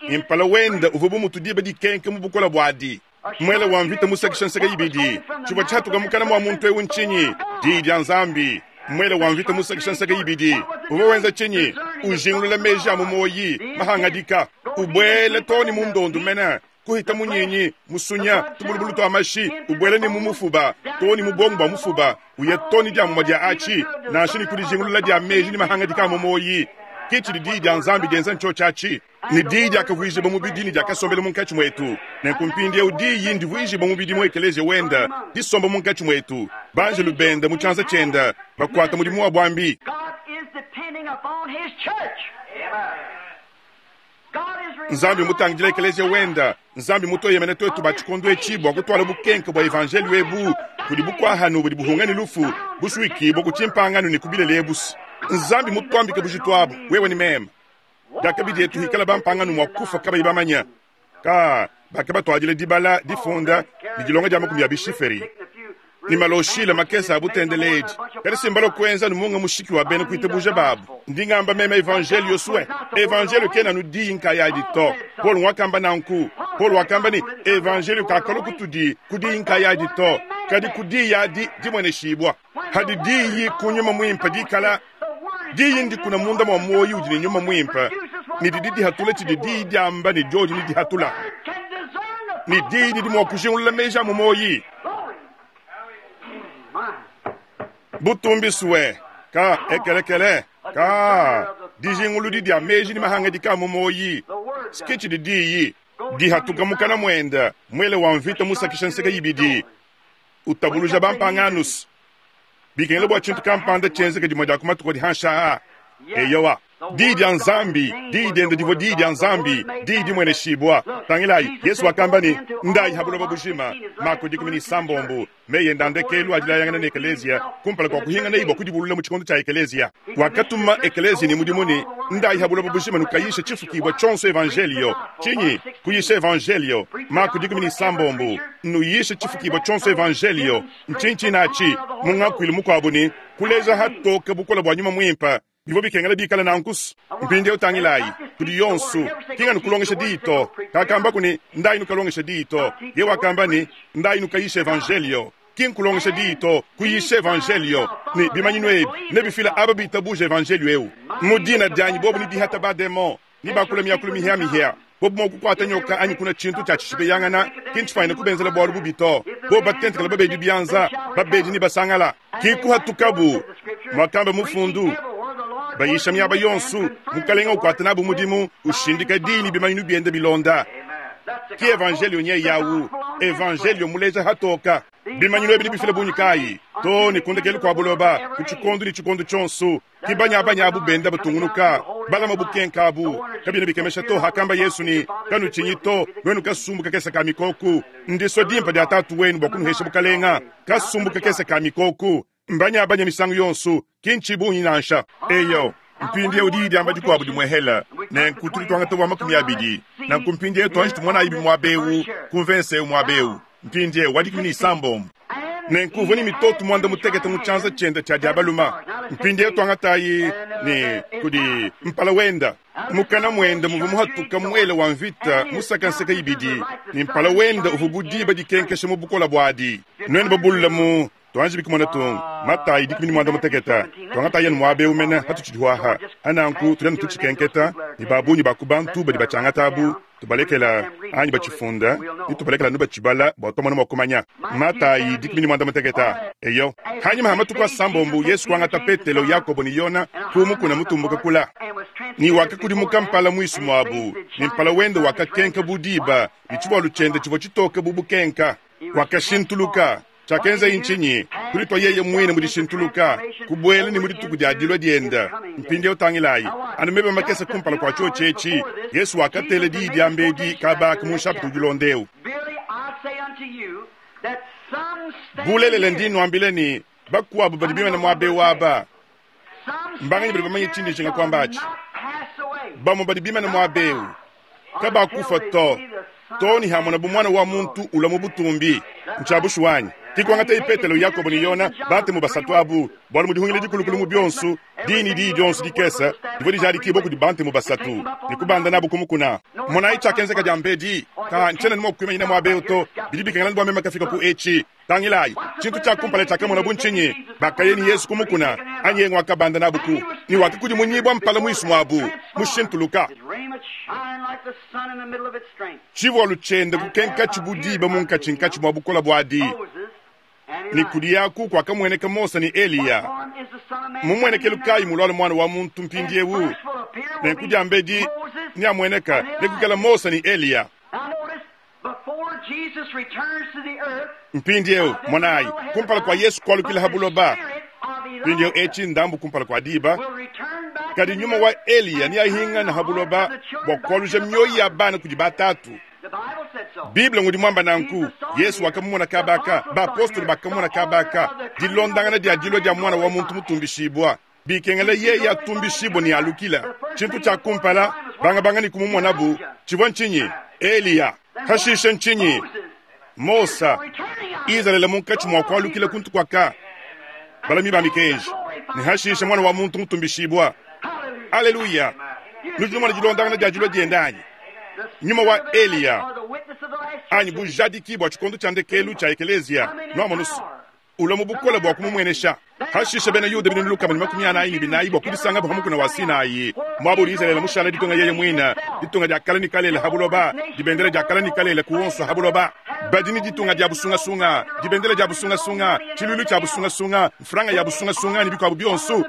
ne mpala wende uvua bu mutu diba dikenka mu bukole buadi. Muele wa mvita musakisha nseke ibidi. Tshivua tshihatuka mukana mua muntu eu ntshinyi? Diyi dia Nzambi. Muele wa mvita musakisha nseke ibidi uvua wenza tshinyi? Ujingulula meji a mu muoyi, mahangadika, ubuela too ne mu ndondu mene, kuhita munyinyi, musunya, tubulubulu tua mashi, ubuela ne mu mufuba, too ne mu buongo bua mufuba, uya too ne dia mumue dia atshi, nansha ne ku dijingulula dia meji ne mahangadika a mu muoyi. Ke tshidi Diyi dia Nzambi dienza ntshiotshi atshi. Ne Diyi diakavuijibua mubidi ne diakasombela munkatshi muetu. Nenku mpindieu Diyi ndivuijibua mubidi mu Ekeleziya wende, disomba munkatshi muetu, banjelu bende mu tshianza tshiende, bakuata mudimu wa buambi. Nzambi mmutangidile Ekeleziya wende. Nzambi mmutueyemene tuetu ba tshikondo etshi bua kutuala bukenke bua evanjeliyo ebu kudi bukua-hanu budi buhunga ne lufu, busuikibua ku tshimpangano ne ku bilele ebu's. Nzambi mmutuambike bujitu abu, wewe ne meme. Diakabi dietu hikala bampangano mua kufua kabayi bamanya. Ka bakabatuadila dibala, difunda, ne dilonga dia makumi a bishiferi ne maloshile makese a butendeledi. Kadi si mbalua kuenza anu munga mushiki wa bena kuitabuja babu. Ndi ngamba meme evanjelio sue. Evanjelio kena anu diyi nkayadi to. Paulo wakamba nanku. Paulo wakamba ne, evanjelio kakalua kutudi ku diyi nkayadi to, kadi ku diyi adi dimueneshibua. Hadi diyi ku Nyuma Muimpe dikala diyi ndikuna munda mua muoyo udi ne Nyuma Muimpe, ne didi dihatula tshidi diyi diamba ne diodi ne dihatula, ne diyi didi mua kujingulula meji a mu muoyi. Butumbi sue ka ekelekele ka dijinguludi dia meji ne mahangadika a mu muoyi ske tshidi diyi dihatuka mukana muende, muele wa mvita musakisha nseke ibidi utabuluja bampanganus bikengela bua tshintu kampanda tshienzeke dimue dia ku matuku adi hanshi aa. Eyowa, Diyi dia Nzambi, Diyi diende divua Diyi dia Nzambi, Diyi dimueneshibua. Tangilayi, Yesu wakamba ne, Ndayi ha buloba bujima, Mako 16, meyi ende a ndekelu a dilayangana ne ekeleziya kumpala kua kuhinganaye bua kudibulula mu tshikondo tshia ekeleziya. Wakatuma ekeleziya ne mudimu ne, Ndayi ha buloba bujima nukayishe tshifukibua tshionso evanjeliyo. Tshinyi? Kuyisha evanjeliyo. Mako 16. Nuyishe tshifukibua tshionso evanjeliyo. Ntshinyi tshine atshi? Mu ngakuilu mukuabu ne, kuleja hatoke bukole bua Nyuma Muimpe. Bivua bikengela bikale nanku. Mpindieu tangilayi, kudi yonso, ki nganu kulongesha diyi to. Kakambaku ne, Ndayi nukalongeshe diyi to. Yeye wakamba ne, Ndayi nukayishe evanjeliyo. Ki nkulongesha diyi to, kuyisha evanjeliyo. Ne bimanyinu ebi nebifile aba bitabuja evanjeliyo eu. Mu dina dianyi bobu nebihate bademon, nebakule miakulu mihiamihia. Bobu mua kukuata nyoka anyi kunua tshintu tshia tshishipeyangana, ki ntshifuanyine kubenzela bualu bubi to. Bobu batentekela babedi bianza, babedi nebasangala. Ki kuhatukabu, muakamba mufundu, bayisha miaba yonso, Mukalenga ukuata nabu mudimu, ushindika diyi ne bimanyinu biende bilonda. Ki evanjelio nyeye awu, evanjelio muleja hatoka. Bimanyinu ebi nebifile bungi kayi? Too ne ku ndekelu kua buloba, ku tshikondo ne tshikondo tshionso. Ki banyabanya abu benda batungunuka. Balama bukenka abu. Kabiena bikemesha to hakamba Yesu ne, Kanutshinyi to, nuenu kasumbu kakese ka mikoku. Ndisua dimpe dia Tatu wenu bua kunuhesha bukalenga. Kasumbu kakese ka mikoku. Mbanyabanya misangu yonso, ki ntshibungi nansha. Eyo, mpindieu diyi diamba dikuabu dimuehela, nenku tudi tuangata wa 20. Nanku mpindieu tuanji tumonayi muaba eu, ku mvese eu muaba eu. Mpindieu wa 16. Nenku uvua ne mitoto muanda mutekete mu tshianza tshiende tshia dia balume. Mpindieu tuangatayi ne kudi mpala wenda. Mukana muende muvua muhatuka muele wa mvita musaka nseke ibidi, ne mpala wende uvua bu diba dikenkesha mu bukole buadi. Nuenu babulula mu tuanji bikumona tung Matayi 16, tuangatayi anu muaba eu mene hatutshidi aha. Hananku tudi anu tutshikenketa, ne ba bungi ba ku bantu badi batshiangata abu tubalekela anyi batshifunda, ne tubalekela anu batshibala bua tuamona mua kumanya. Matayi 16. Eyo, hanyima ha matuku asambombo Yesu kuangata Petelo, Yakobo ne Yona ku mukuna mutumbuka kula, ne wakakudimuka mpala muisu muabu, ne mpala wende wakakenka bu diba, ne tshivualu tshiende tshivua tshitoke bu bukenka. Wakashintuluka. Tshiakenzaye ntshinyi? Kuditua yeye muine mu dishintuluka, kubuela ne mu dituku dia dilua diende. Mpindieu tangilayi, anu meba makese kumpala kua tshiotshi etshi, Yesu wakatela diyi diambedi kaba aka mu nshapita udi ulonda eu. Bulelela ndi nnuambila ne, bakuabu badi bimane muaba eu aba, mbanganyi badi bamanye tshindi njinga kuamba atshi? Bamue badi bimane muaba eu kabakufua to, too ne hamonabu Muana wa muntu ulua mu butumbi. Ntshia bushuwa anyi? Ke kuangataye Petelo, Yakobo ne Yona, bantemu basatu abu, bualu mu dihungila dikulukulu mu bionso, diyi ne diyi dionso dikese divua dijadikibua kudi bantemu basatu, ne kubanda nabu ku mukuna. Monayi tshiakenzeka diambedi. Ka ntshiena ne mua kuimanyina muaba eu to, bidi bikengela bua meme kafika ku etshi. Tangilayi, tshintu tshia kumpala tshiakamonabu ntshinyi? Bakaya ne Yesu ku mukuna, anyi yeye nguakabanda nabu ku, ne wakakudimunyibua mpala muisu muabu, mushintuluka. Tshivualu tshiende kukenkatshi bu diba munkatshinkatshi mua bukole buadi, ne kudi aku kuakamueneka Mose ne Eliya. Mumuenekelu kayi muluala Muana wa muntu mpindieu? Nenku diambedi neamueneka nekuikala Mose ne Eliya. Mpindieu, monayi, kumpala kua Yesu kualukila ha buloba, mpindieu etshi ndambu kumpala kua diba, kadi nyuma wa Eliya neahingane ha buloba bua kualuja mioyo ya bana kudi batatu. Bible ngudi muamba nanku. Yesu wakamumona kabaka, bapostolo bakamumona kabaka, dilondangana dia dilua dia Muana wa muntu mutumbishibua. Bikengela yeye atumbishibue ne alukila. Tshintu tshia kumpala, bangabanga ne kumumonabu, tshivua ntshinyi? Eliya. Hashishe ntshinyi? Mosa. Izalele munkatshi mua kualukila kuntu kuaka balami ba mikenji, ne hashishe Muana wa muntu mutumbishibua. Aleluya! Nudi numona dilondangana dia dilua diende anyi? Nyuma wa Eliya anyi bujadiki bua tshikondo tshia ndekelu tshia ekeleziya, nuamonu ulua mu bukole bua kumumuenesha. Hashishe Bena Yuda 444 bua kudisangabo ha mukuna wa Sinai, muaba udi Izalele mushale ditunga yeye muine, ditunga dia kale ne kalele ha buloba, dibendele dia kale ne kalele ku onso ha buloba. Badi ne ditunga dia busungasunga, dibendele dia busungasunga, tshiluilu tshia busungasunga, mfranga ya busungasunga ne bikuabu bionso.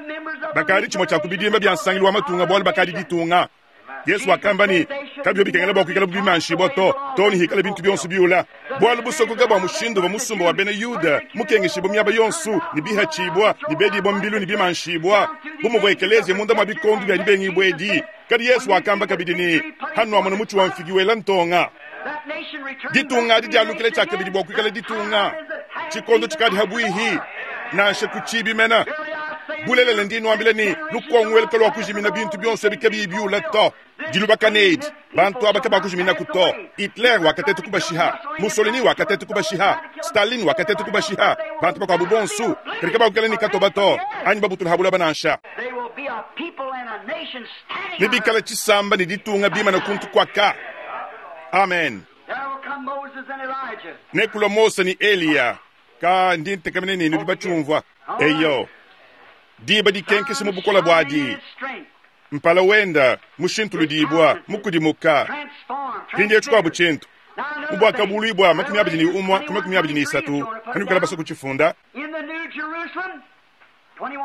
Bakadi tshimue tshia ku bidimba bia nsangilu wa matunga bualu bakadi ditunga. Yesu wakamba ne, kabivua bikengela bua kuikala bimanshibua to, too ne hikala bintu bionso biula. Bualu busokoka bua mushindu uvua musumba wa bena Yuda mukengeshibua miaba yonso ne bihatshibua ne bedibua mbilu ne bimanshibua, bu muvua ekeleziya munda mua bikondo bia dibengibua edi. Kadi Yesu wakamba kabidi ne, Hanuamona mutshi wa mfigi wela ntonga, ditunga adi dialukila tshiakabidi bua kuikala ditunga. Tshikondo tshikadi habuihi, nansha ku tshibi mena. Bulelela ndi nuambila ne, lukongo elu kaluakujimina bintu bionso ebi kabiyi biula to. Dilubakana edi, bantu aba kabakujiminaku to. Hitler wakateta kubashiha, Mussolini wakateta kubashiha, Stalin wakateta kubashiha, bantu bakuabu bonso, kadi kabakuikala ne katoba to, anyi babutula ha buloba nansha. Nebikale tshisamba ne ditunga bimane kuntu kuaka. Amen. Nekulua Mose ne Eliya. Ka ndi ntekemena ne nudi batshiumvua. Eyo, diba dikenkesha mu bukole buadi, mpala wenda mushintuludibua, mukudimuka. Mpindieu tshikuabu tshintu, mu Buakabuluibua 21 ku 23, kanuikala basue kutshifunda.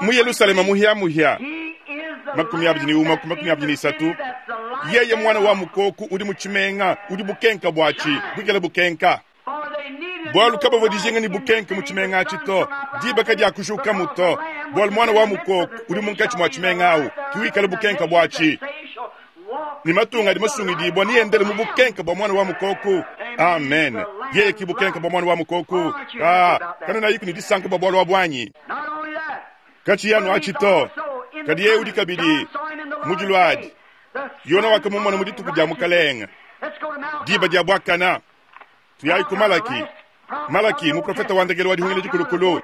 Mu Yelushalema muhia-muhia, 21 ku 23, yeye Muana wa Mukoku udi mu tshimenga, udi bukenka buatshi buikale bukenka. Bualu kabavua dijinga ne bukenke mu tshimenga atshi to, diba kadiakujukamu to, bualu Muana wa Mukoko udi munkatshi mua tshimenga awu ke wikala bukenke buatshi. Ne matunga adi masungidibua neendele mu bukenke bua Muana wa Mukoko. Amen. Yeye ke bukenke bua Muana wa Mukoko. Kaa, kanuenayiku ne disanka bua bualu abu anyi? Katshiyi anu atshi to, kadi yeye udi kabidi mu dilua adi. Yona wakamumona mu dituku dia Mukalenge, diba dia buakana. Tuyayi ku Malaki. Malaki, muprofete wa ndekelu wa Dihungila Dikulukulu.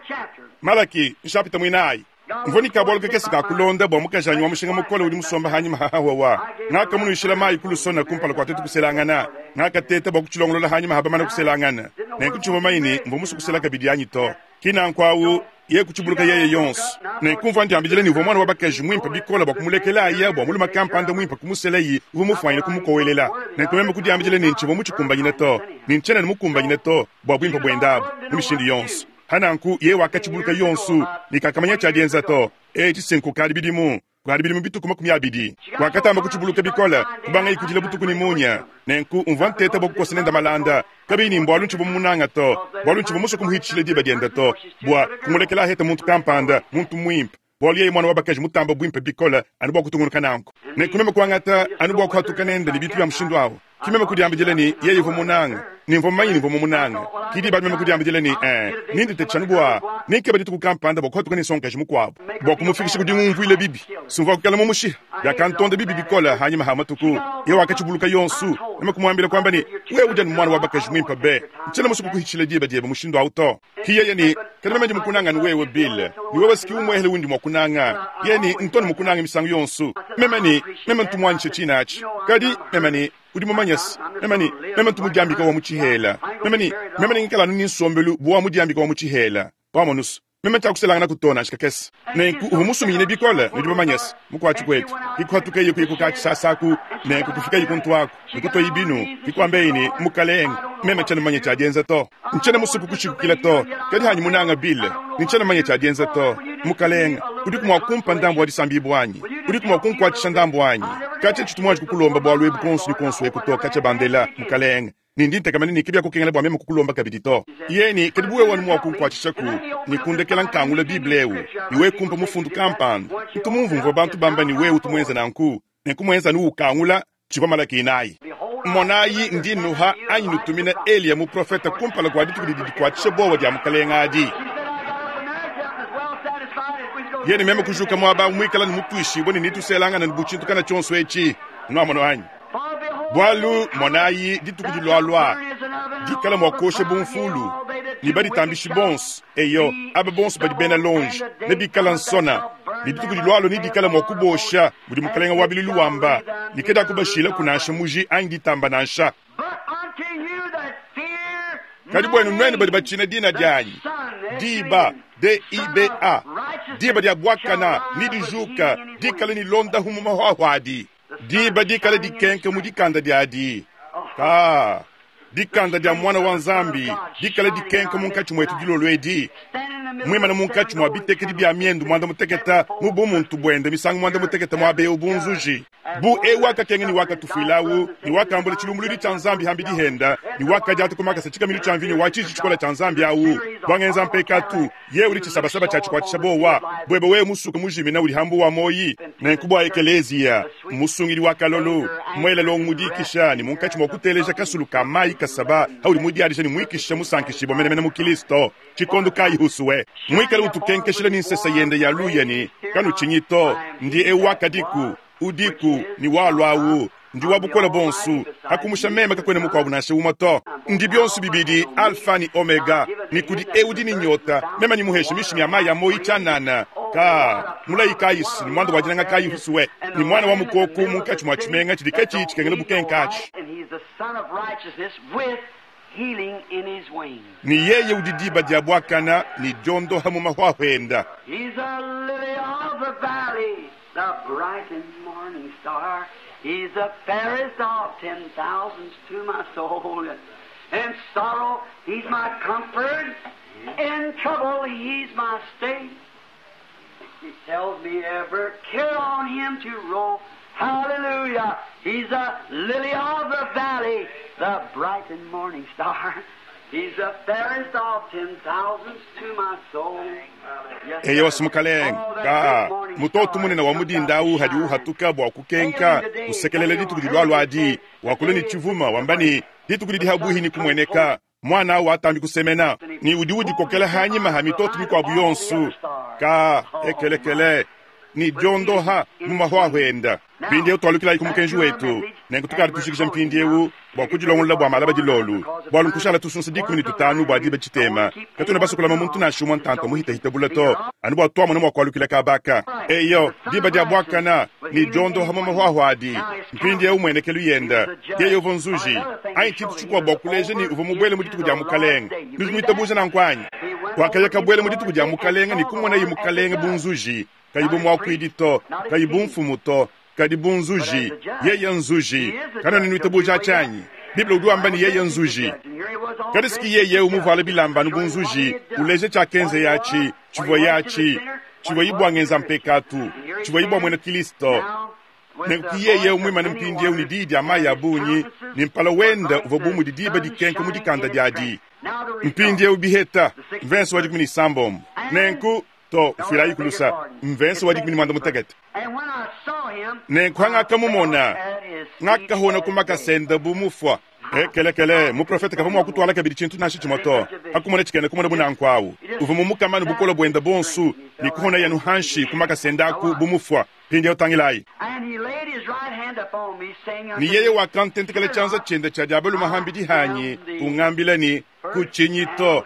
Malaki, nshapita muinayi. Mvua ne kabualu kakese ka kulonda bua mukajanyi wa mushinga mukole udi musombe hanyima ha hawawa. Ngakamunuishila mayi ku lusona kumpala kua tuetu kuselangana. Ngakateta bua kutshilongolola hanyima ha bamane kuselangana. Nenku tshivua mumanye ne mvua musue kusela kabidi anyi to. Ki nanku awu, yeye kutshibuluka yeye yonso. Nenku mvua ndiambidila ne uvua muana wa bakaji muimpe bikole bua kumulekelaye bua mulume kampanda muimpe kumuselaye uvua mufuanyine kumukowelela. Nenku meme kudiambidila ne ntshivua mutshikumbanyine to, ne ntshiena ne mukumbanyine to bua buimpe buende abu mu mishindu yonso. Pa nanku yeye wakatshibuluka yonso ne kakamanya tshia dienza to. Etshi se nkukadi bidimu. Kukadi bidimu bituku 20. Wakatamba kutshibuluka bikole, kubangaye kudila butuku ne munya. Nenku mvua nteta bua kukosa nende malanda, kabiyi ne mbualu ntshivua mumunange to, bualu ntshivua musue kumuhitshishila diba diende to, bua kumulekela aheta muntu kampanda, muntu muimpe, bualu yeye muana wa bakaji mutambe buimpe bikole, anu bua kutungunuka nanku. Nenku meme kuangata anu bua kuhatuka nende ne bintu bia mushindu au. Ki meme kudiambidila ne, yeye uvua munange, ne mvua mumanye ne mvua mumunange. Ki diba adi meme kudiambidila ne, Ee, nenditatshishe anu bua nenkebe dituku kampanda bua kuhatuka ne nsongakaji mukuabu, bua kumufikisha ku dingumvuila bibi. Sumvua kuikala mumushiha. Biakantonda bibi bikole. Hanyima ha matuku, yeye wakatshibuluka yonso. Meme kumuambila kuamba ne, Wewe udi anu muana wa bakaji muimpe be. Ntshiena musue kukuhitshila diba diebe mushindu au to. Ki yeye ne, Kadi meme ndi mukunanga anu wewe, Bill, ne wewe si ki umuehele undi mua kunanga. Yeye ne, Ntu anu mukunanga misangu yonso. Meme ne, Meme ntu muanyishe tshine atshi. Kadi, meme ne, Udi mumanye se, meme ne, meme ntu mudiambika wa mu tshihela. Meme ne, meme nengikale anu ne nsombelu bu wa mudiambika wa mu tshihela. Wamonu's, meme tshiakuselanganaku to nansha kakese. Nenku uvua musuminyine bikole, nudi bamanye se, mukuatshi kuetu. Ke kuhatukaye kuya ku katshisasa aku, nenku kufikaye kuntu aku, ne kutuaye binu, ke kuambaye ne, Mukalenge, meme tshiena mumanye tshia dienza to. Ntshiena musue kukushikukila to, kadi hanyi munanga Bill, ne ntshiena mumanye tshia dienza to. Mukalenge, udiku mua kumpa ndambu wa disambibua anyi? Udiku mua kunkuatshisha ndambu anyi? Katshia tshitu muanji kukulomba bualu ebu kuonso ne kuonso eku to, katshia bandela, Mukalenge, ne ndi ntekemena ne kabiakukengela bua meme kukulomba kabidi to. Yeye ne, Kadi bu wewe anu mua kunkuatshishaku ne kundekela nkangula Bible eu, ne wewe kumpa mufundu kampanda. Ntu mumvumvue bantu bamba ne wewe utu muenze nanku, nenku muenze anu ukangula tshivua Malaki inayi. Monayi, ndi nnuha anyi nutumina Eliya muprofete kumpala kua dituku didi dikuatshisha buowa dia Mukalenge adi. Yeye ne meme kujuka muaba au muikale ne mutuishibue ne netuselangane bu tshintu kana tshionso etshi. Nuamono anyi? Bualu monayi, dituku dilualua dikala mua kuosha bu mfulu, ne baditambishi bonso, eyo, aba bonso badi bena lonji, nebikala nsona, ne dituku dilualua nedikala mua kubosha, mudi Mukalenge wa bilulu wamba, ne kadiakubashilaku nansha muji anyi ditamba nansha. Kadi buenu nuenu badi batshina dina dianyi, diba, D-I-B-A, diba dia buakana nedijuka, dikale ne londahu mu mahuahua adi. Diba dikale dikenka mu dikanda diadi, ka dikanda dia Muana wa Nzambi dikale dikenka munkatshi muetu dilolo edi, muimane munkatshi mua bitekedi bia miendu muanda mutekete mu bumuntu buende misangu muanda mutekete muaba eu bu nzuji, bu eu wakakenga ne wakatufuilawu ne wakambula tshilumbuluidi tshia Nzambi hambidi henda ne wakadiata ku makasa tshikaminu tshia mvinyo wa tshiji tshikole tshia Nzambi au bua mpekatu. Yeye udi tshisabasaba tshia tshikuatshisha buowa buebe wewe musuke mujimina udi hambu wa muoyi. Nenku bua ekeleziya, musungidi wa kalolo, muela longo mu dikisha ne munkatshi mua kuteleja kasulu ka mayi kasaba haudi mudiadija ne muikisha musankishibua menemene mu Kilisto tshikondo kayi husue muikale utukenkeshila ne nsesa yende ya luya ne kanutshinyi to ndi eu wakadiku udiku ne waluawu Ndi wa bukole buonso, hakumusha meme kakuena mukuabu nansha umue to. Ndi bionso bibidi Alfa ne Omega, ne kudi eu udi ne nyota, meme nemuheshe mishimi ya mai a muoyo tshianana. Ka mulayi kayi ne muanda wa dinanga kayi husue ne muana wa mukoko munkatshi mua tshimenga tshidi katshiyi tshikengela bukenke atshi. Ne yeye udi diba dia buakana ne diondoha mu mahuahua enda. The bright and morning star, He's the fairest of 10,000s to my soul. In sorrow, He's my comfort. In trouble, He's my stay. He tells me every care on Him to roll. Hallelujah. He's the lily of the valley, the bright and morning star. He's the fairest of 10,000s to my soul. Yes, Eyo sir. mukalenge Oh, that ka great morning mutoto star munene wa comes mudinda out awu to hadi shine. uhatuka bua kukenka usekelela dituku dilwalwa adi wakula ni chivuma wamba ni dituku lidi habuhi ni kumweneka mwana awu atambi kusemena ni udi udikokela hanyima ha mitoto mikwabu yonsu ka ekelekele ni diondoha mu mahwahwa enda mpindiewu twalukilayi ku mukenji wetu nenku tukali tushikisha mpindiewu bua kudilongolola bua malaba dilolu bwalu nkushala tusunsa 15 bua diba tshitema katuna basukulama muntu nansha umwe ntanta muhitahita bula to anu bua twamona mua kualukila kabaka eyo diba dia bwakana ni diondoha mu mahwahwa adi mpindiewu muenekelu yenda yeye uva nzuji anyi tshintu tshikuabu bua kuleja ni uva mubwele mu dituku dia mukalenga nudi muitabuja nanku wakaya kabwele mu dituku dia mukalenga ni kumonayi mukalenga bunzuji kayi bu muakuidi to kayi bu mfumu to kadi bu nzuji yeye nzuji kana ninuitabuja tshanyi biblia udi wamba ni yeye nzuji kadi siki yeye umuvuala bilamba anu bu nzuji uleja tshiakenze yatshi tshivua yatshi tshivua ibwangenza mpekatu tshivua ibwa mwena kilisto nenku yeye umwimane mpindiewu ni diyi dia mayi a bungi ni mpala wenda uvua bu mudi diba dikenka mu dikanda diadi mpindiewu biheta mvenso wa 16 nenku to ufilayi kulusa mvenso wa 16 And when I saw him, nenku hangakamumona at his feet ngakahona as kumakasenda bu mufwa ekelekele muprofeta kava mua kutwala kabidi tshintu nansha tshimue to hakumona tshikene kumona bunanku awu uva mumukamanu bukola bwenda bonsu ni kuhona yanu hanshi kumakasenda aku bu mufwa mpindiewu tangilayi And he laid his right hand upon me, saying unto ni yeye me, wakantentekela tshianza tshiende tshia diabalu hambidi hanyi ungambila ni kutshinyi to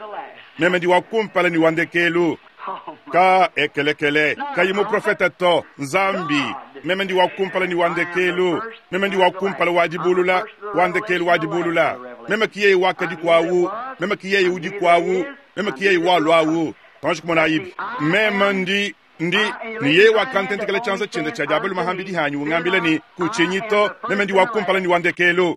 meme ndi wakumpala ni wandekelu Oh, my. ka ekelekele kayi muprofeta to nzambi meme ndi wakumpala ni wandekelu meme ndi wakumpala wadibulula wandekelu wadibulula meme kiyeye wakadi kwawu meme kiyeye udi kwawu meme kiyeye walwawu tonji kumona ibi meme ndi ndi ni yeye wakantentekela tshianza tshiende tshia diabalu hambidi hanyi ungambila ni kutshinyi to meme ndi wakumpala ni wandekelu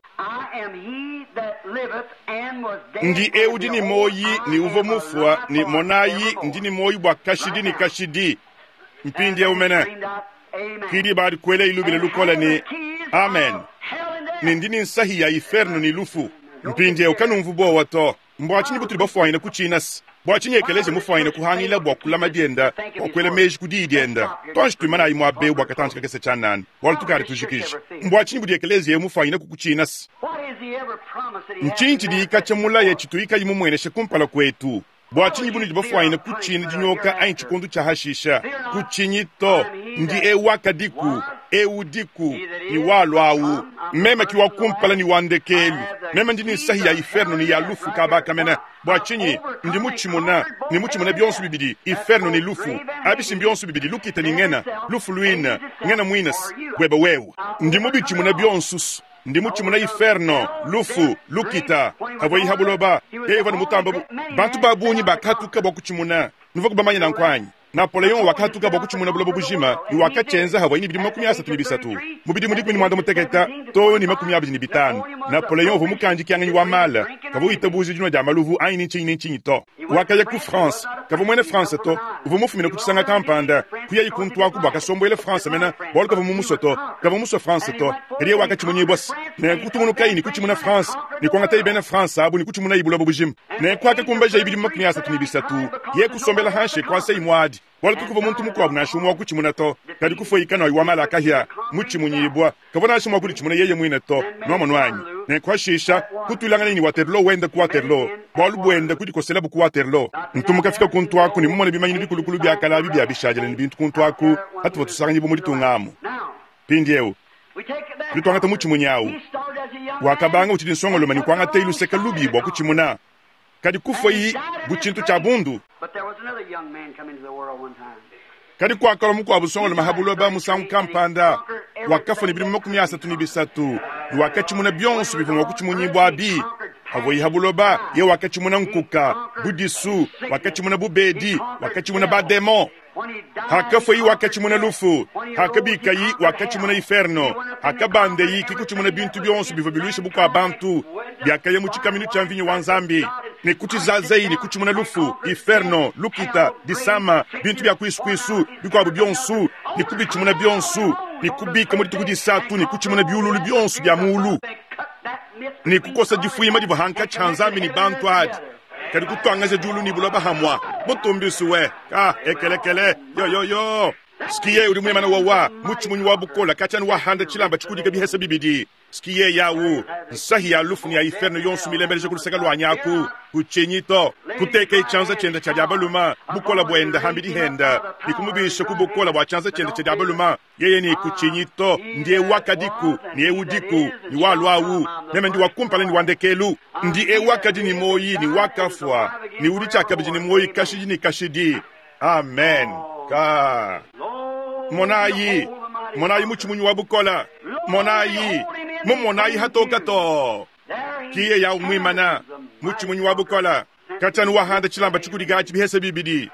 I am he that liveth and was dead. ndi and eudi ni behold, moyi I ni uva am mufwa alive ni monayi forevermore. ndi ni moyi bua kashidi ni kashidi And mpindiewu they mene screamed out, Amen. kidi badi kuela ilubile And lukola having ni the keys amen of hell and death. ni ndi ni nsahi ya iferno ni lufu mpindiewu kanumvu bowa to mbua tshinyi butuli bafuanyina kutshinasi bua tshinyi ekeleziya mufuanyina kuhangila bua kulama dienda bua kuela meji ku diyi dienda tonji tuimanayi mua bewu bua katanji kakese tshianana bualu tukali tujikija mbua tshinyi budi ekeleziya mufuanyina kukutshinasi What has he ever promised that he ntshinyi hasn't tshidi katshia mulaya tshituikayi mumueneshe kumpala kuetu bua tshinyi bunudi bafuanyina kutshina dinyoka anyi tshikundu tshia hashisha kutshinyi to ndi ewu akadiku ewu diku ni walwawu meme ki wa kumpala ni wa ndekelu meme ndi ni nsahi ya iferno ni ya lufu kabakamena bua tshinyi ndi mutshimuna ni mutshimuna bionso bibidi iferno ni lufu abisi bionso bibidi lukita ni ngena lufu luina ngena mwinasi bwebe wewe ndi mubitshimuna bionso ndi mutshimuna iferno lufu lukita havua ihabuloba yeye ni mutamba bu bantu ba bungi bakatuka bua kutshimuna nuva kubamanya nankwanyi napoleon wakatuka bua kutshimuna buloba bujima ni wakatshenza havua ini bidimu 33 mu bidimu 18 to ni 25 napoleon uvua mukanji wa mala kavua witabuja dinua dia maluvu anyi ni ntshinyi ni ntshinyi to wakaya ku france kavua mwene france to uvua mufumina ku tshisanga kampanda kuyayi kuntu aku bua kasombuele france mena bualu kavua mumusue to kavua musue france to kadi yeye wakatshimunyibwasi nenku kutungunukayi ni kutshimuna france ni kuangatayi bena france abu ni kutshimunayi buloba bujima nenku akakumbajayi bidimu 33 ye kusombela hanshe kuasayi muadi bualu kukuva muntu mukuabu nansha umwe wa kutshimuna to kadi kufoyika wa mala akahya mutshimunyibwa kavua nansha mua kuditshimuna yeye muine to nuamonu anyi nenku hashisha kutuilangana ni waterloo wenda ku waterloo bualu buenda kudikoselabu ku waterloo ntumukafika kuntu aku ni mumone bimanyinu bikulukulu biakala abi bia bishadile ni bintu kuntu aku hatuvua tusanganyibu mu ditunga amu Now, mpindiewu we take that. tudi tuangata mutshimunyi awu He started as a young man. wakabanga utshidi nsongoloma ni kuangata iluseka lubi bua kutshimuna kadi kufua yi bu tshintu tshia bundu But there was another young man come into the world one time. kadi kuakala mukuabu nsongoloma habuloba musangu kampanda wakafua ni bidimu 33 ni wakatshimuna bionso bivua mua kutshimunyibua abi havua yi habuloba ye wakatshimuna nkuka budisu wakatshimuna bubedi wakatshimuna bademon When he died, hakafua yi he wakatshimuna lufu When he hakabikayi rose, he wakatshimuna conquered iferno hell. He went up in the hakabandeyi conquered kikutshimuna everything bintu that bionso was bivua biluisha inside bukua bantu went up biakaya mu tshikaminu tshia mvinyo wa nzambi ne kutshizazayi ni kutshimuna lufu iferno lukita disama bintu bia kuisukuisu bikuabu bionso ni kubitshimuna bionso ni kubika mu dituku disatu ni kutshimuna biululu bionso bia muulu They cut Ne kukosa difuyima divua hankatshi ha Nzambi ne bantu adi, kadi kutuangaja diulu ne buloba hamua. Butumbi we ka ekelekele yo yo yo. Skiye udi muimana wawa mutshimunyi wa bukola katshiani wahanda tshilamba tshikudika bihesa bibidi. Skiye yawu nsahi ya lufu ne ya iferno yonso milembeleja ku luseke lua nyaku kutshinyi to kuteka tshianza tshienda tshia diabaluma bukola buenda hambidi henda ne kumubisha ku bukola bua tshianza tshienda tshia diabaluma yeye ne kutshinyi to ndiye wakadiku ni eudiku ni walwawu meme ndi wakumpala ni wandekelu ndi ewakadi ni moyi ni wakafwa ni udi tshiakabidi ni moyi kashidi ni kashidi. Amen. Ka monayi monayi mutshimunyi wa bukola monayi mumonayi hatoka to kiye ya umwimana mutshimunyi wa bukola katshiani wahanda tshilamba tshikudiga tshibihesa bibidi.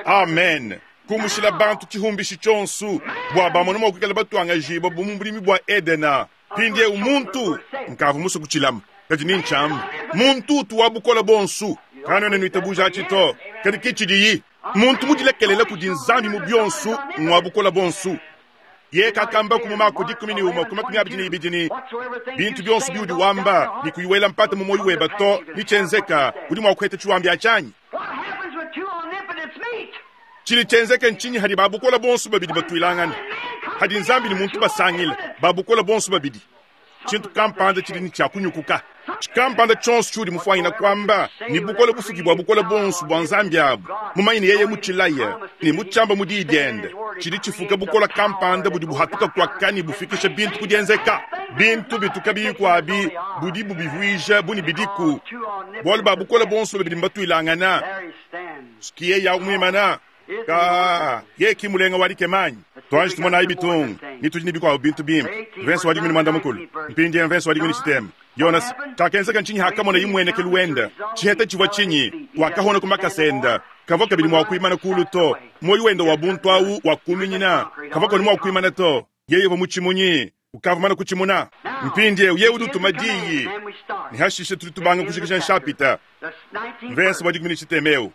Amen. Kumushila bantu tshihumbishi tshionso bua bamona mua kuikala batuangajibua bu mu bulimi bua Edena. Pindie umuntu nkavu musu kutshilama kadi ni ntshiamba muntu utu wa bukola bonsu kanwena nuitabuja tshito kadi kitshidiyi muntu mudilekelela kudi Nzambi mu bionsu ngwa bukola bonsu ye kakamba ku mumako 11 ku 22 bintu bionsu biudi wamba ni kuyiwela mpata mu moyo weba to nichenzeka udi mua kuheta tshiwambi achanyi chili chenzeke nchinyi hadi babukola bonsu babidi batuilangana hadi Nzambi ni muntu basangila babukola bonsu babidi chintu kampanda chili ni chakunyukuka chikampanda tshonso tshiudi mufwanyina kwamba ni bukola bufuki bwa bukola bonsu bwa Nzambi abu mumanyine yeye mutshilaya ni mutshamba mudi diende chili chifuka bukola kampanda budi buhatuka kwakani bufikisha bintu kudienzeka bintu bituka bikwabi budi bubivuija buni bidiku bwalu ba bukola bonsu babidi mbatuilangana sikiye ya umwimana ka ye kimulenga walikemanyi twanji tumona ibitungu nitudi nibikwawo bintu bimpe mvenso wali mwini mwanda mukulu mpindie mvenso wali mwini chitema Yonas kakenzeka nchinyi hakamona imweneke luwenda chiheta chivwa chinyi wakahona kumakasenda kava kabili mwakuimana kulu to moyo wenda wa buntu awu wakuminyina kava koni mwakuimana to yeye va muchimunyi ukavumana kuchimuna mpindie ye udutuma diyi nihashishe tuli tubanga kushikisha nshapita mvenso wali mwini chitemeu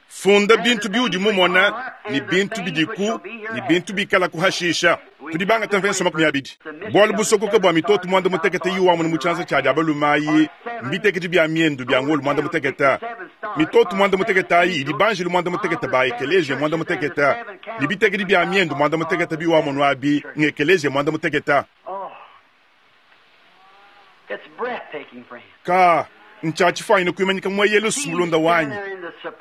funda bintu biudi mumona ni bintu bidiku ni bintu bikala kuhashisha tudibanga tamvenso 20 bwalu busokoka bwa mitoto mwanda mutekete yiwamwe ni mutshanza tshadi abalumayi mbiteketi bya miendu bya ngolu mwanda muteketa mitoto mwanda muteketa ayi idi banjelu mwanda muteketa ba ekeleje mwanda muteketa ni biteketi bya miendu mwanda muteketa biwamwe nwabi ngekeleje mwanda muteketa ka ntshatshifaine kuimanyika mweyelo sumulunda wanyi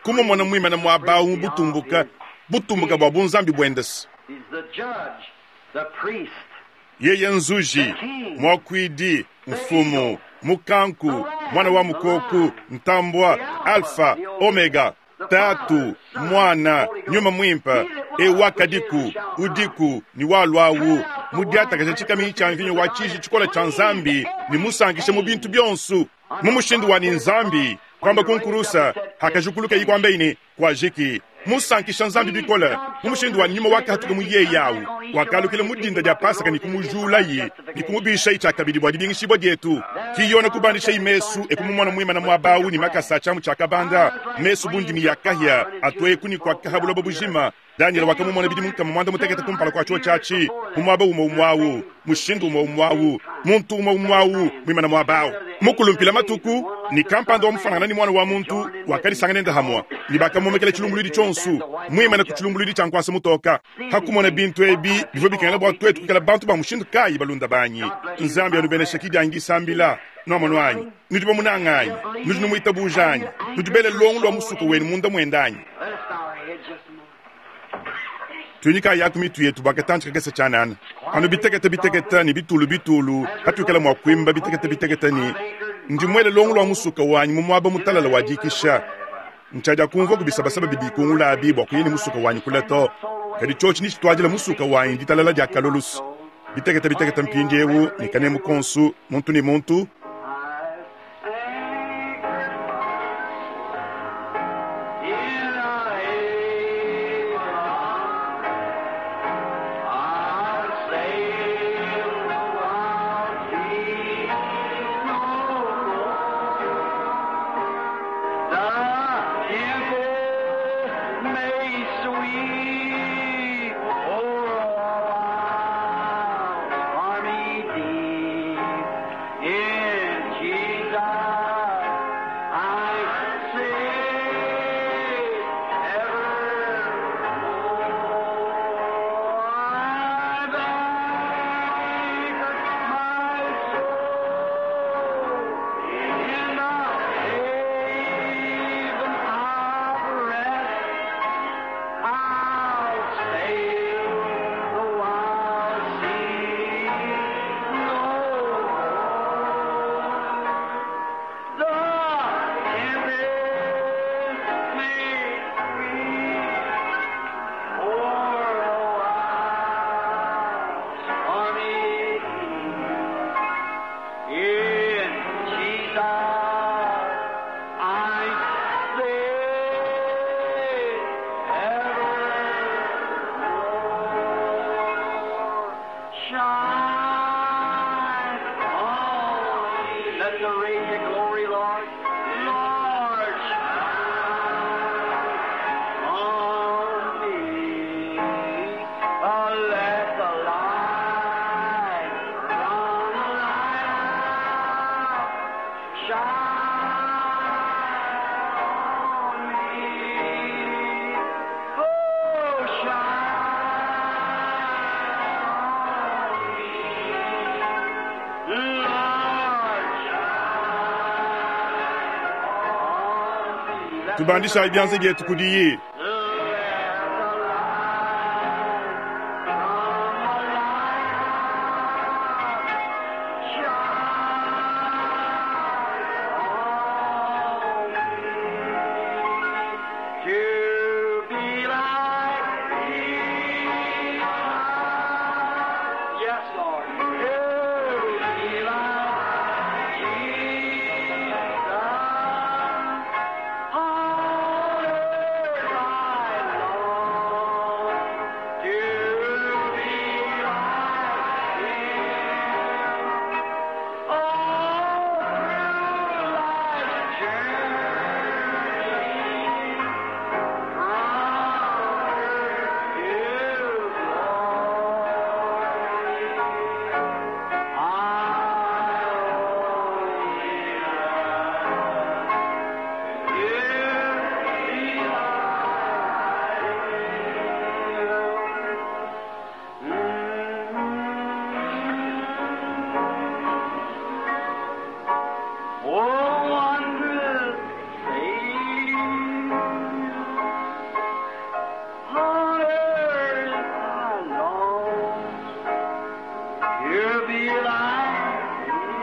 kumumona mwimana mwabawu mubutumbuka butumbuka bwa bunzambi bwendesi yeye nzuji mwakwidi mfumu mukanku mwana wa mukoku ntambwa alfa omega tatu mwana nyuma mwimpa ewakadiku udiku ni walwawu mudiatakaja tshikami tsha mvinyo wa tshiji tshikola tsha Nzambi ni musankishe mu bintu bionsu mu mushindu wa ni Nzambi kwamba kunkurusa hakajukuluka yikwamba ini kwajiki musankisha Nzambi bikola mu mushindu wa nyuma wakahatuka mu yeyawu wakalukile mudinda dia pasaka ni kumujulayi ni kumubisha itshakabidi bua dibingishibwa dietu kiyona kubandisha imesu ekumumona mwimana mwabawu ni makasa tshamu tshakabanda mesu bundimi yakahya atweku ni kwakaha buloba bujima Daniel wakamumona bidi munkama mwanda mutekete kumpala kwa tsho tshatshi mumwaba umwe umwawu mushindu umwe umwawu muntu umwe umwawu mwimana mwabawu mukulumpila matuku ni kampanda wa mufanana ni mwana wa muntu wakalisanga nenda hamwa ni bakamomekela tshilumbuludi tshonsu mwimana ku tshilumbuludi tsha nkwasa mutoka hakumona bintu ebi bivua bikengela bua twetu kukala bantu ba mushindu kayi balunda banyi Nzambi anubenesha kidiangi sambila nomono anyi nudi bamunanganyi nudi numuitabujanyi nudi bele longo lwa musuku wenu munda mwendanyi tunyika yaku mitu yetu bakatantsika kese tshanana anu bitekete bitekete ni bitulu bitulu hatukela mwa kuimba bitekete bitekete ni ndi mwele longo lwa musuka wanyi mumwaba mutalala wa dikisha ntshadia kumva kubisabasaba bibikungula abi bua kuyini musuka wanyi kula to kadi tshotshi ni tshituadila musuka wanyi ditalala dia kalolusu bitekete bitekete mpindi ewu ni kanemu konsu muntu ni muntu May sweet. Tubandishayi bianza bietu kudiyi. To be like thee. Yes, Lord. To be like Jesus. On earth I long to be like Him. All through life's journey, Oh, wondrous Savior. On earth I long to be like thee.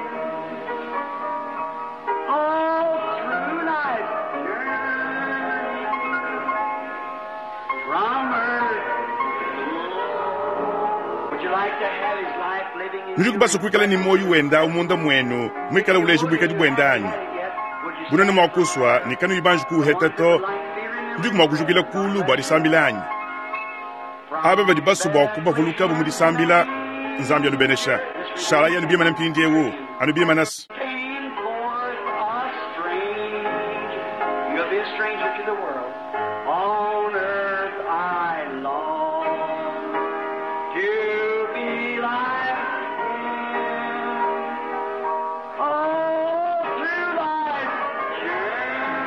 All through life's journey from earth to glory. Would you like to have his life living in Nudi you? kubasa kuikala ne muoyo wenda munda muenu, muikale uleja buikadi buenda anyi? Bunene mua kusua ne kanuyi banji kuuheta to, nudi mua kujukila kulu bua disambila anyi? Aba badi basue bua kubavulukabu mu disambila, Nzambi anubenesha. Shalayi anubimana mpindiewu, anubimanasi. Came forth a stranger. You'll be a stranger to the world. On earth I long to be like him. All through life's journey,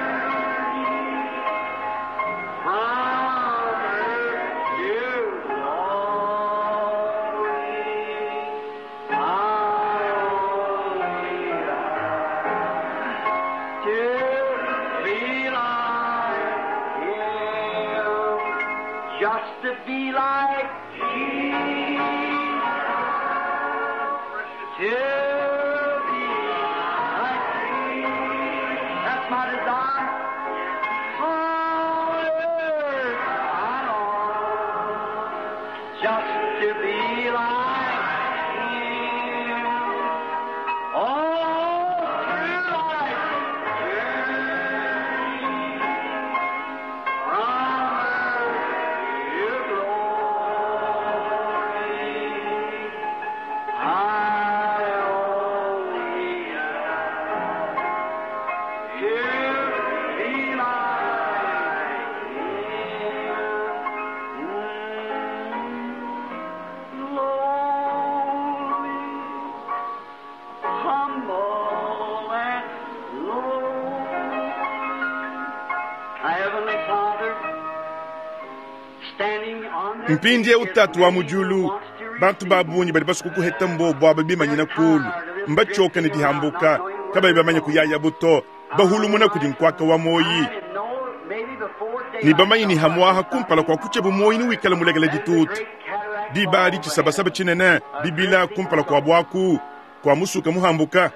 from earth to glory, I only long to be like Him, just to be like Jesus, to be like Jesus. That's my desire. On earth I long just to be like Him. All through life's journey, from earth to glory, I only long to be like Him. Lowly, humble and low. Our Heavenly Father, standing on the Mpindiewu tatu wa mu diulu, bantu ba bungi badi basue kukuheta mbobu aba bimanyina kulu, mbatshioka ne dihambuka, kabayi bamanye kuyaya buto, bahulumuna kudi nkuaka wa moyi. Ne bamanyi ne hamuaha kumpala kua kutshia bumoyi ne wikala mulekele ditutu. Diba adi tshisabasaba tshinene, bibila kumpala kua buaku, kua musuka muhambuka.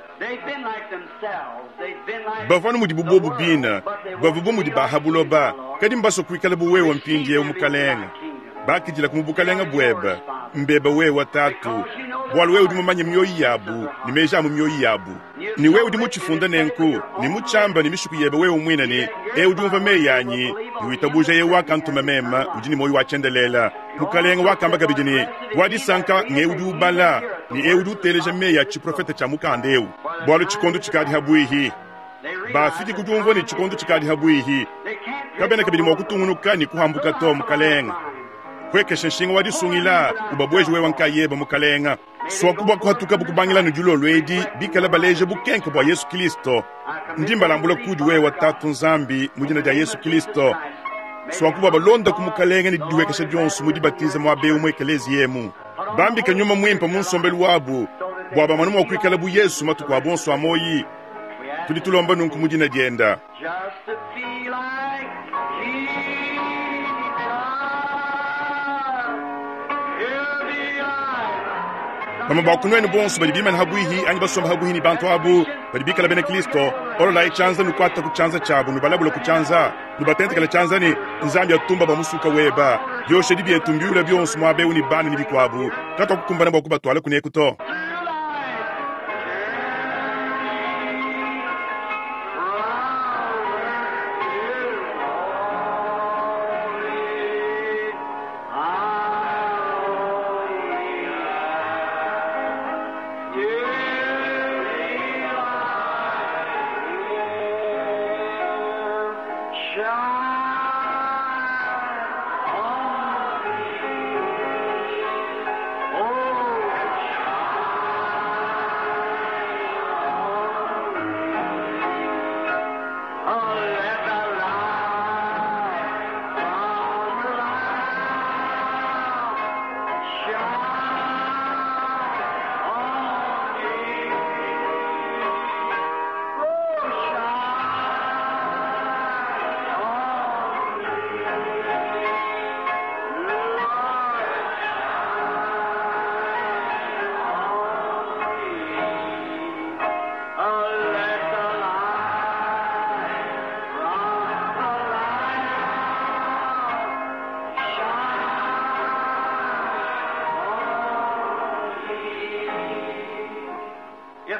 Bavua mudi bubobu bina, bavua bu mudi bahabuloba, kadi mbasue kuikala buwewa mpindiewu mukalenga. Bakidila ku mu bukalenga buebe, mbeba wewa tatu, bualu wewe udi mumanye mioyo yabu ne meji a mu mioyo yabu. Ne wewe udi mutshifunda nenku, ne mutshamba ne mishiku yebe wewe muine ne, ewu udi umva meyi anyi, ne witabuja yewe wakantuma mema, udi ne muoyo wa tshiendelela. Mukalenga wakamba kabidi ne, wa disanka ngewu udi ubala, ne ewu udi uteleja meyi a tshiprofete tshia mukanda ewu. Bualu tshikondo tshikadi habuihi. Bafiki ku diumvua ne tshikondo tshikadi habuihi. Kabena kabidi mua kutungunuka ne kuhambuka to mukalenga. Kuekesha nshinga wa disungila ubabweji wewa nkayeba mukalenga. Swaku bua kuhatuka bukubangila ne dilolo edi bikala baleja bukenke bua Yesu Kristo. Ndi mbalambula kudi wewa tatu Nzambi mu dina dia Yesu Kristo. Swaku bua balonda ku mukalenga ne didiwekesha dionso mu dibatiza mua beu mu ekelezi yemu. Bambika nyuma muimpe mu nsombelu wabu bua bamane mua kuikala bu Yesu matuku a bonso a moyi. Tudi tulomba nunku mu dina dienda. Just to be like Jesus. He'll be like Bamue ba ku nuenu bonso badi bimane habuihi anyi basomba habuihi ne bantu abu badi bikala bena Kristo, ololayi tshianza nukuata ku tshianza tshiabu, nubalabula ku tshianza, nubatentekela tshianza ne Nzambi atumba bua musuka weba. Bioshedi bietu mbiula bionso muaba eu ne bana ne bikuabu, katuakukumbana bua kubatwala kuneku to. through life.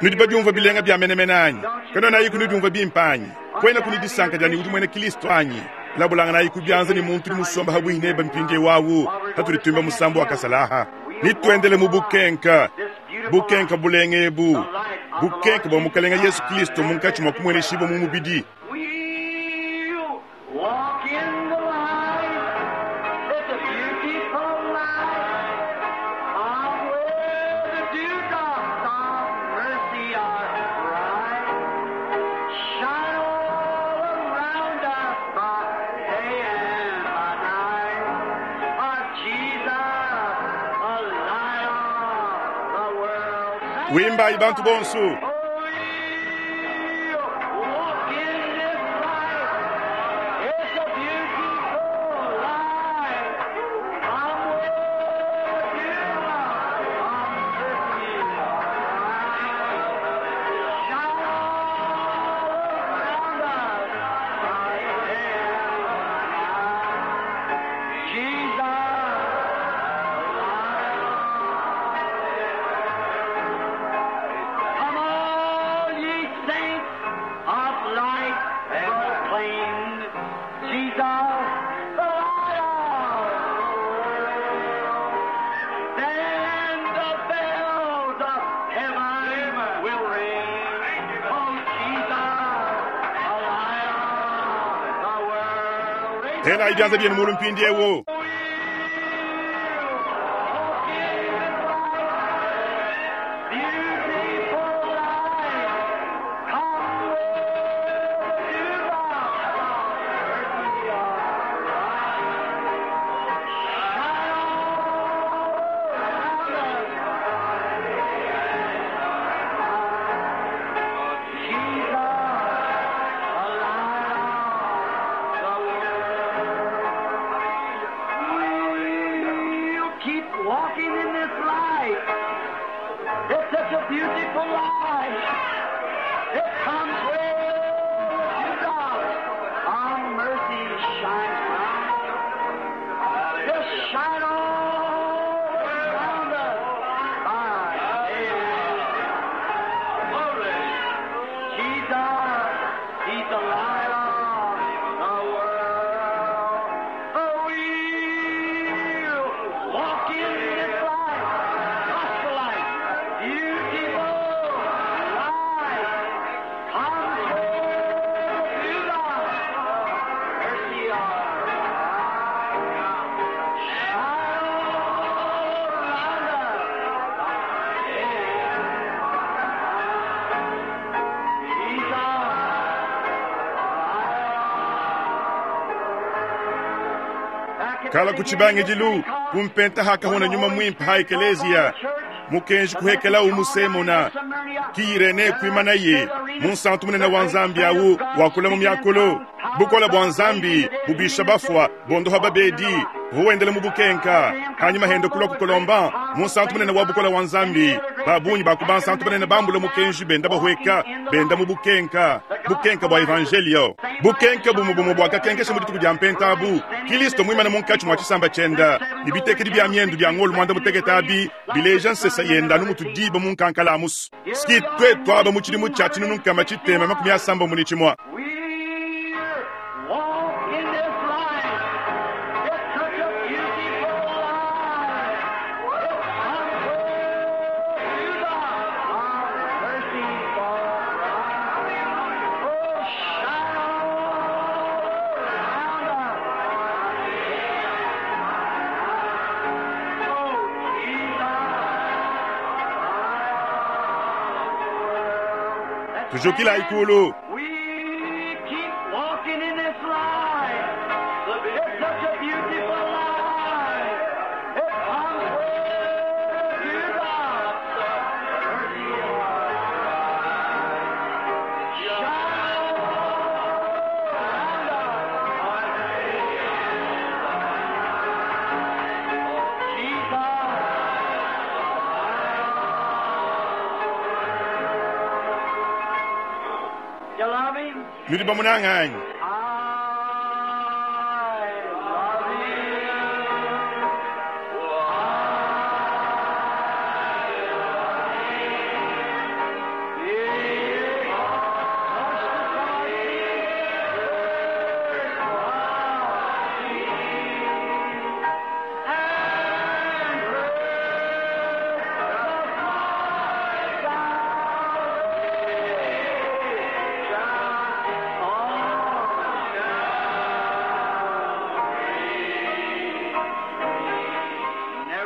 Nudi badiumvua bilenga bia menemene anyi? Kanuenayiku nudiumvua bimpe anyi? Kuenaku ne disanka dia ne udi muena Kristo anyi? Labulanganayi ku bianza ne muntu udi musomba habuihi nebe mpindieu awu, patudi tuimba musambu wa kasalaha. Nituendele mu bukenka, bukenka bulenga ebu, bukenka bua Mukalenga Yesu Kristo munkatshi mua kumueneshibua mu mubidi. We'll walk in the light. It's a beautiful light. Come where the dewdrops of mercy are bright. Shine all around us by day and by night. Our Jesus, the light of the world. Wimbayi bantu bonso. Oh, we'll walk in this light. It's a beautiful light. Come with you, on mercy Shine all around us by day and by night. Jesus, Come all ye saints of light proclaim Jesus, the light of the world. Then the bells of heaven will ring. Oh, Jesus, the light of the world. Telayi bianza bienu mulu mpindieu. We'll keep walking in this light. It's such a beautiful light. It comes where you God. Our mercy shines bright. Just shine all around us by day and night. Jesus, He's the light of the world. Oh, we'll walk in this light, gospel light, beautiful light. Comes where you love, mercy shine all around us. Kala ku tshibangidilu, kumpenta hakahona nyuma mwimpe ha ekeleziya. Mukenji kuhekelawu mu Semuna, ki Irene kuimanaye, munsantu munene wa Nzambi awu, wakula mu miakulu. Bukole bua Nzambi bubisha bafua, bondoha babedi, uvua wendela mu bukenka. Hanyima hende kulua ku Colomban, munsantu munene wa bukole wa Nzambi. Ba bungi ba ku bansantu banene bambula mukenji benda bahueka, benda mu bukenka, bukenka bua evanjelio. Bukenka bumue bumue buakakenkesha mu dituku dia Mpenta abu, Kilisto muimane munkatshi mua tshisamba tshienda, ne bitekedi bia miendu bia ngolo muanda mutekete abi bileja nsesa yenda anu mutu diba mu nkankala amusu. Ski tuetu aba mu tshidimu tshia 1661. We walk in this light. It's such a beautiful light. It's unto the our merciful bride. Oh, shine all around us. Oh, Jesus. Tujukila ikulu. We keep walking in this light. It's such a beautiful light. It comes with to the mercy of God. Shine around us. Jesus. You love him? Nudi bamunanga anyi? I love you.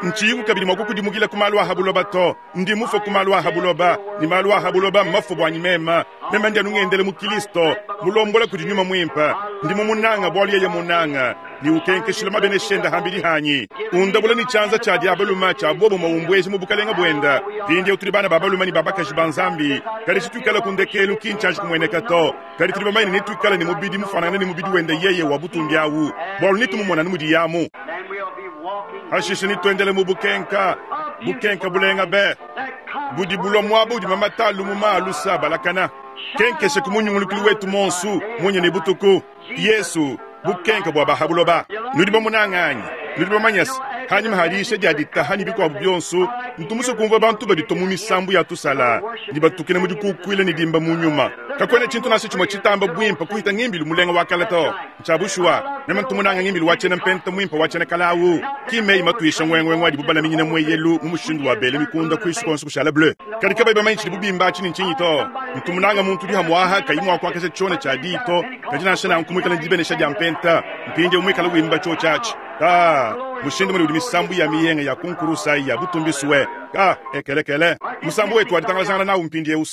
Ntshiyiku kabidi mua kukudimukila ku malu a ha buloba to. Ndi mufue ku malu a ha buloba, ne malu a ha buloba mmafue buanyi mema. Mema ndi anu ngendele mu Kilisto, mulombola kudi Nyuma Muimpe. Ndi mumunanga bualu yeye munanga, ne ukenkeshila mabenesha enda hambidi hanyi. Undabula ne tshianza tshia diabaluma tshia bobo maumbweji mu bukalenga buenda. Mpindieu tudi bana ba balume ne ba bakaji ba Nzambi. Kadi tshituikala ku ndekelu ki ntshianji kumueneka to. Kadi tudi bamanye ne netuikale ne mubidi mufanangane ne mubidi wende yeye wa butumbi awu, bualu netumumona anu mudiyamu. Then we'll be walking Hashishe nituendele mu bukenka, bukenka bulenga be that comes budi bulua muaba udi mamata lumuma alusa balakana. Kenkeshe ku munyungulukulu wetu monsu munye ne butuku. Yesu bukenka bua bahabuloba. Nudi bamunanga anyi? Nudi bamanyase hanyima hadiisha dia ditaha ne bikuabu bionso. Ntumusue kumvua bantu baditua mu misambu ya tusala ne batukina mu dikukuila ne dimba mu nyuma. Kakuena tshintu nansha tshimue tshitamba buimpe kuhita ngimbilu mulenga wa kala to. Ntshia bushuwa, meme ntumunanga ngimbilu wa tshiena mpenta muimpe wa tshiena kalawu. Ki meyi matuisha ngwengwengwe adibu balaminyina mweyelu mu mushindu wa bele mikunda kuisu konso kushala bleu. Kadi kabayi bamanye tshidi bubimba atshi ne ntshinyi to. Ntumunanga muntu udi hamuaha kayi mua kuakasha tshiona tshia diyi to. Kadi nansha nanku muikale ne dibenesha dia mpenta, mpindieu muikale wimba tshio tshiatshi. Ka mushindu mune udi misambu ya miyenga ya kunkurusa ya butumbiswe. Ka ekelekele musambu wetu waditangalazangana nawu mpindieu.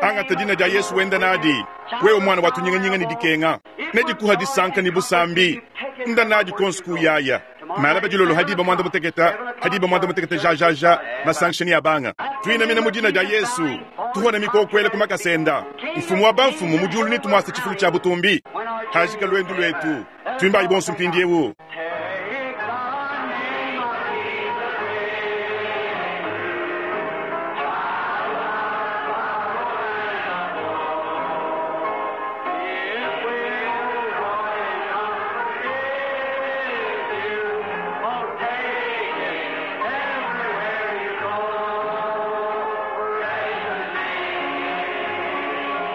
Angata dina dia Yesu wenda nadi. Wewe mwana wa tunyinganyinga ne dikenga, nedikuha disanka ne busambi. Nda nadi konsu kuyaya. Malaba dilolo hadiba mwanda muteketa, hadiba mwanda muteketa ja ja ja, masanction ya banga. Tuinamina mu dina dia Yesu, tuhona mikokwele ku makasenda. Mfumu wa bamfumu mu diulu nitumwasa tshifulu tshia butumbi. Hajika lwendu lwetu, twimbayi bonso mpindiewu. Take the name of Jesus. It will joy if you won't take it everywhere you go. Praise the name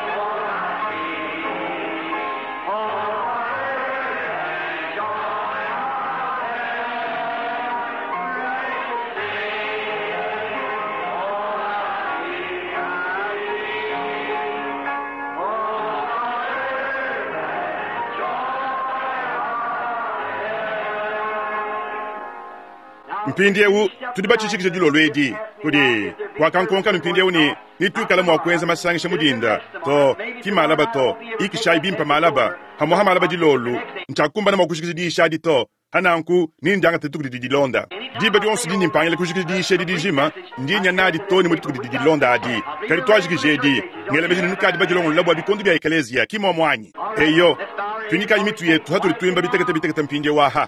for my peace, for joy. Mpindiewu tudi batshishikisha dilolo edi kudi wakankonkanu mpindiewu ne nituikala mua kuenza masangisha mudinda to ki malaba to ikishayi bimpe malaba hamuha malaba dilolo ntshiakumbana mua kushikisha diisha adi to. Pa nanku, nendiangate dituku didi dilonda. Diba dionso dindi mpangila kujikija diyisha edi dijima, ndi nya nadi too ne mu dituku didi dilonda adi. Kadi tuajikiji edi. Ngela meji ne nukadi badilongolola bua bikondo bia ekeleziya, ki muomu anyi? Eyo. Tuinyikayi mitu yetu hatudi tuimba bitekete bitekete mpindieu aha.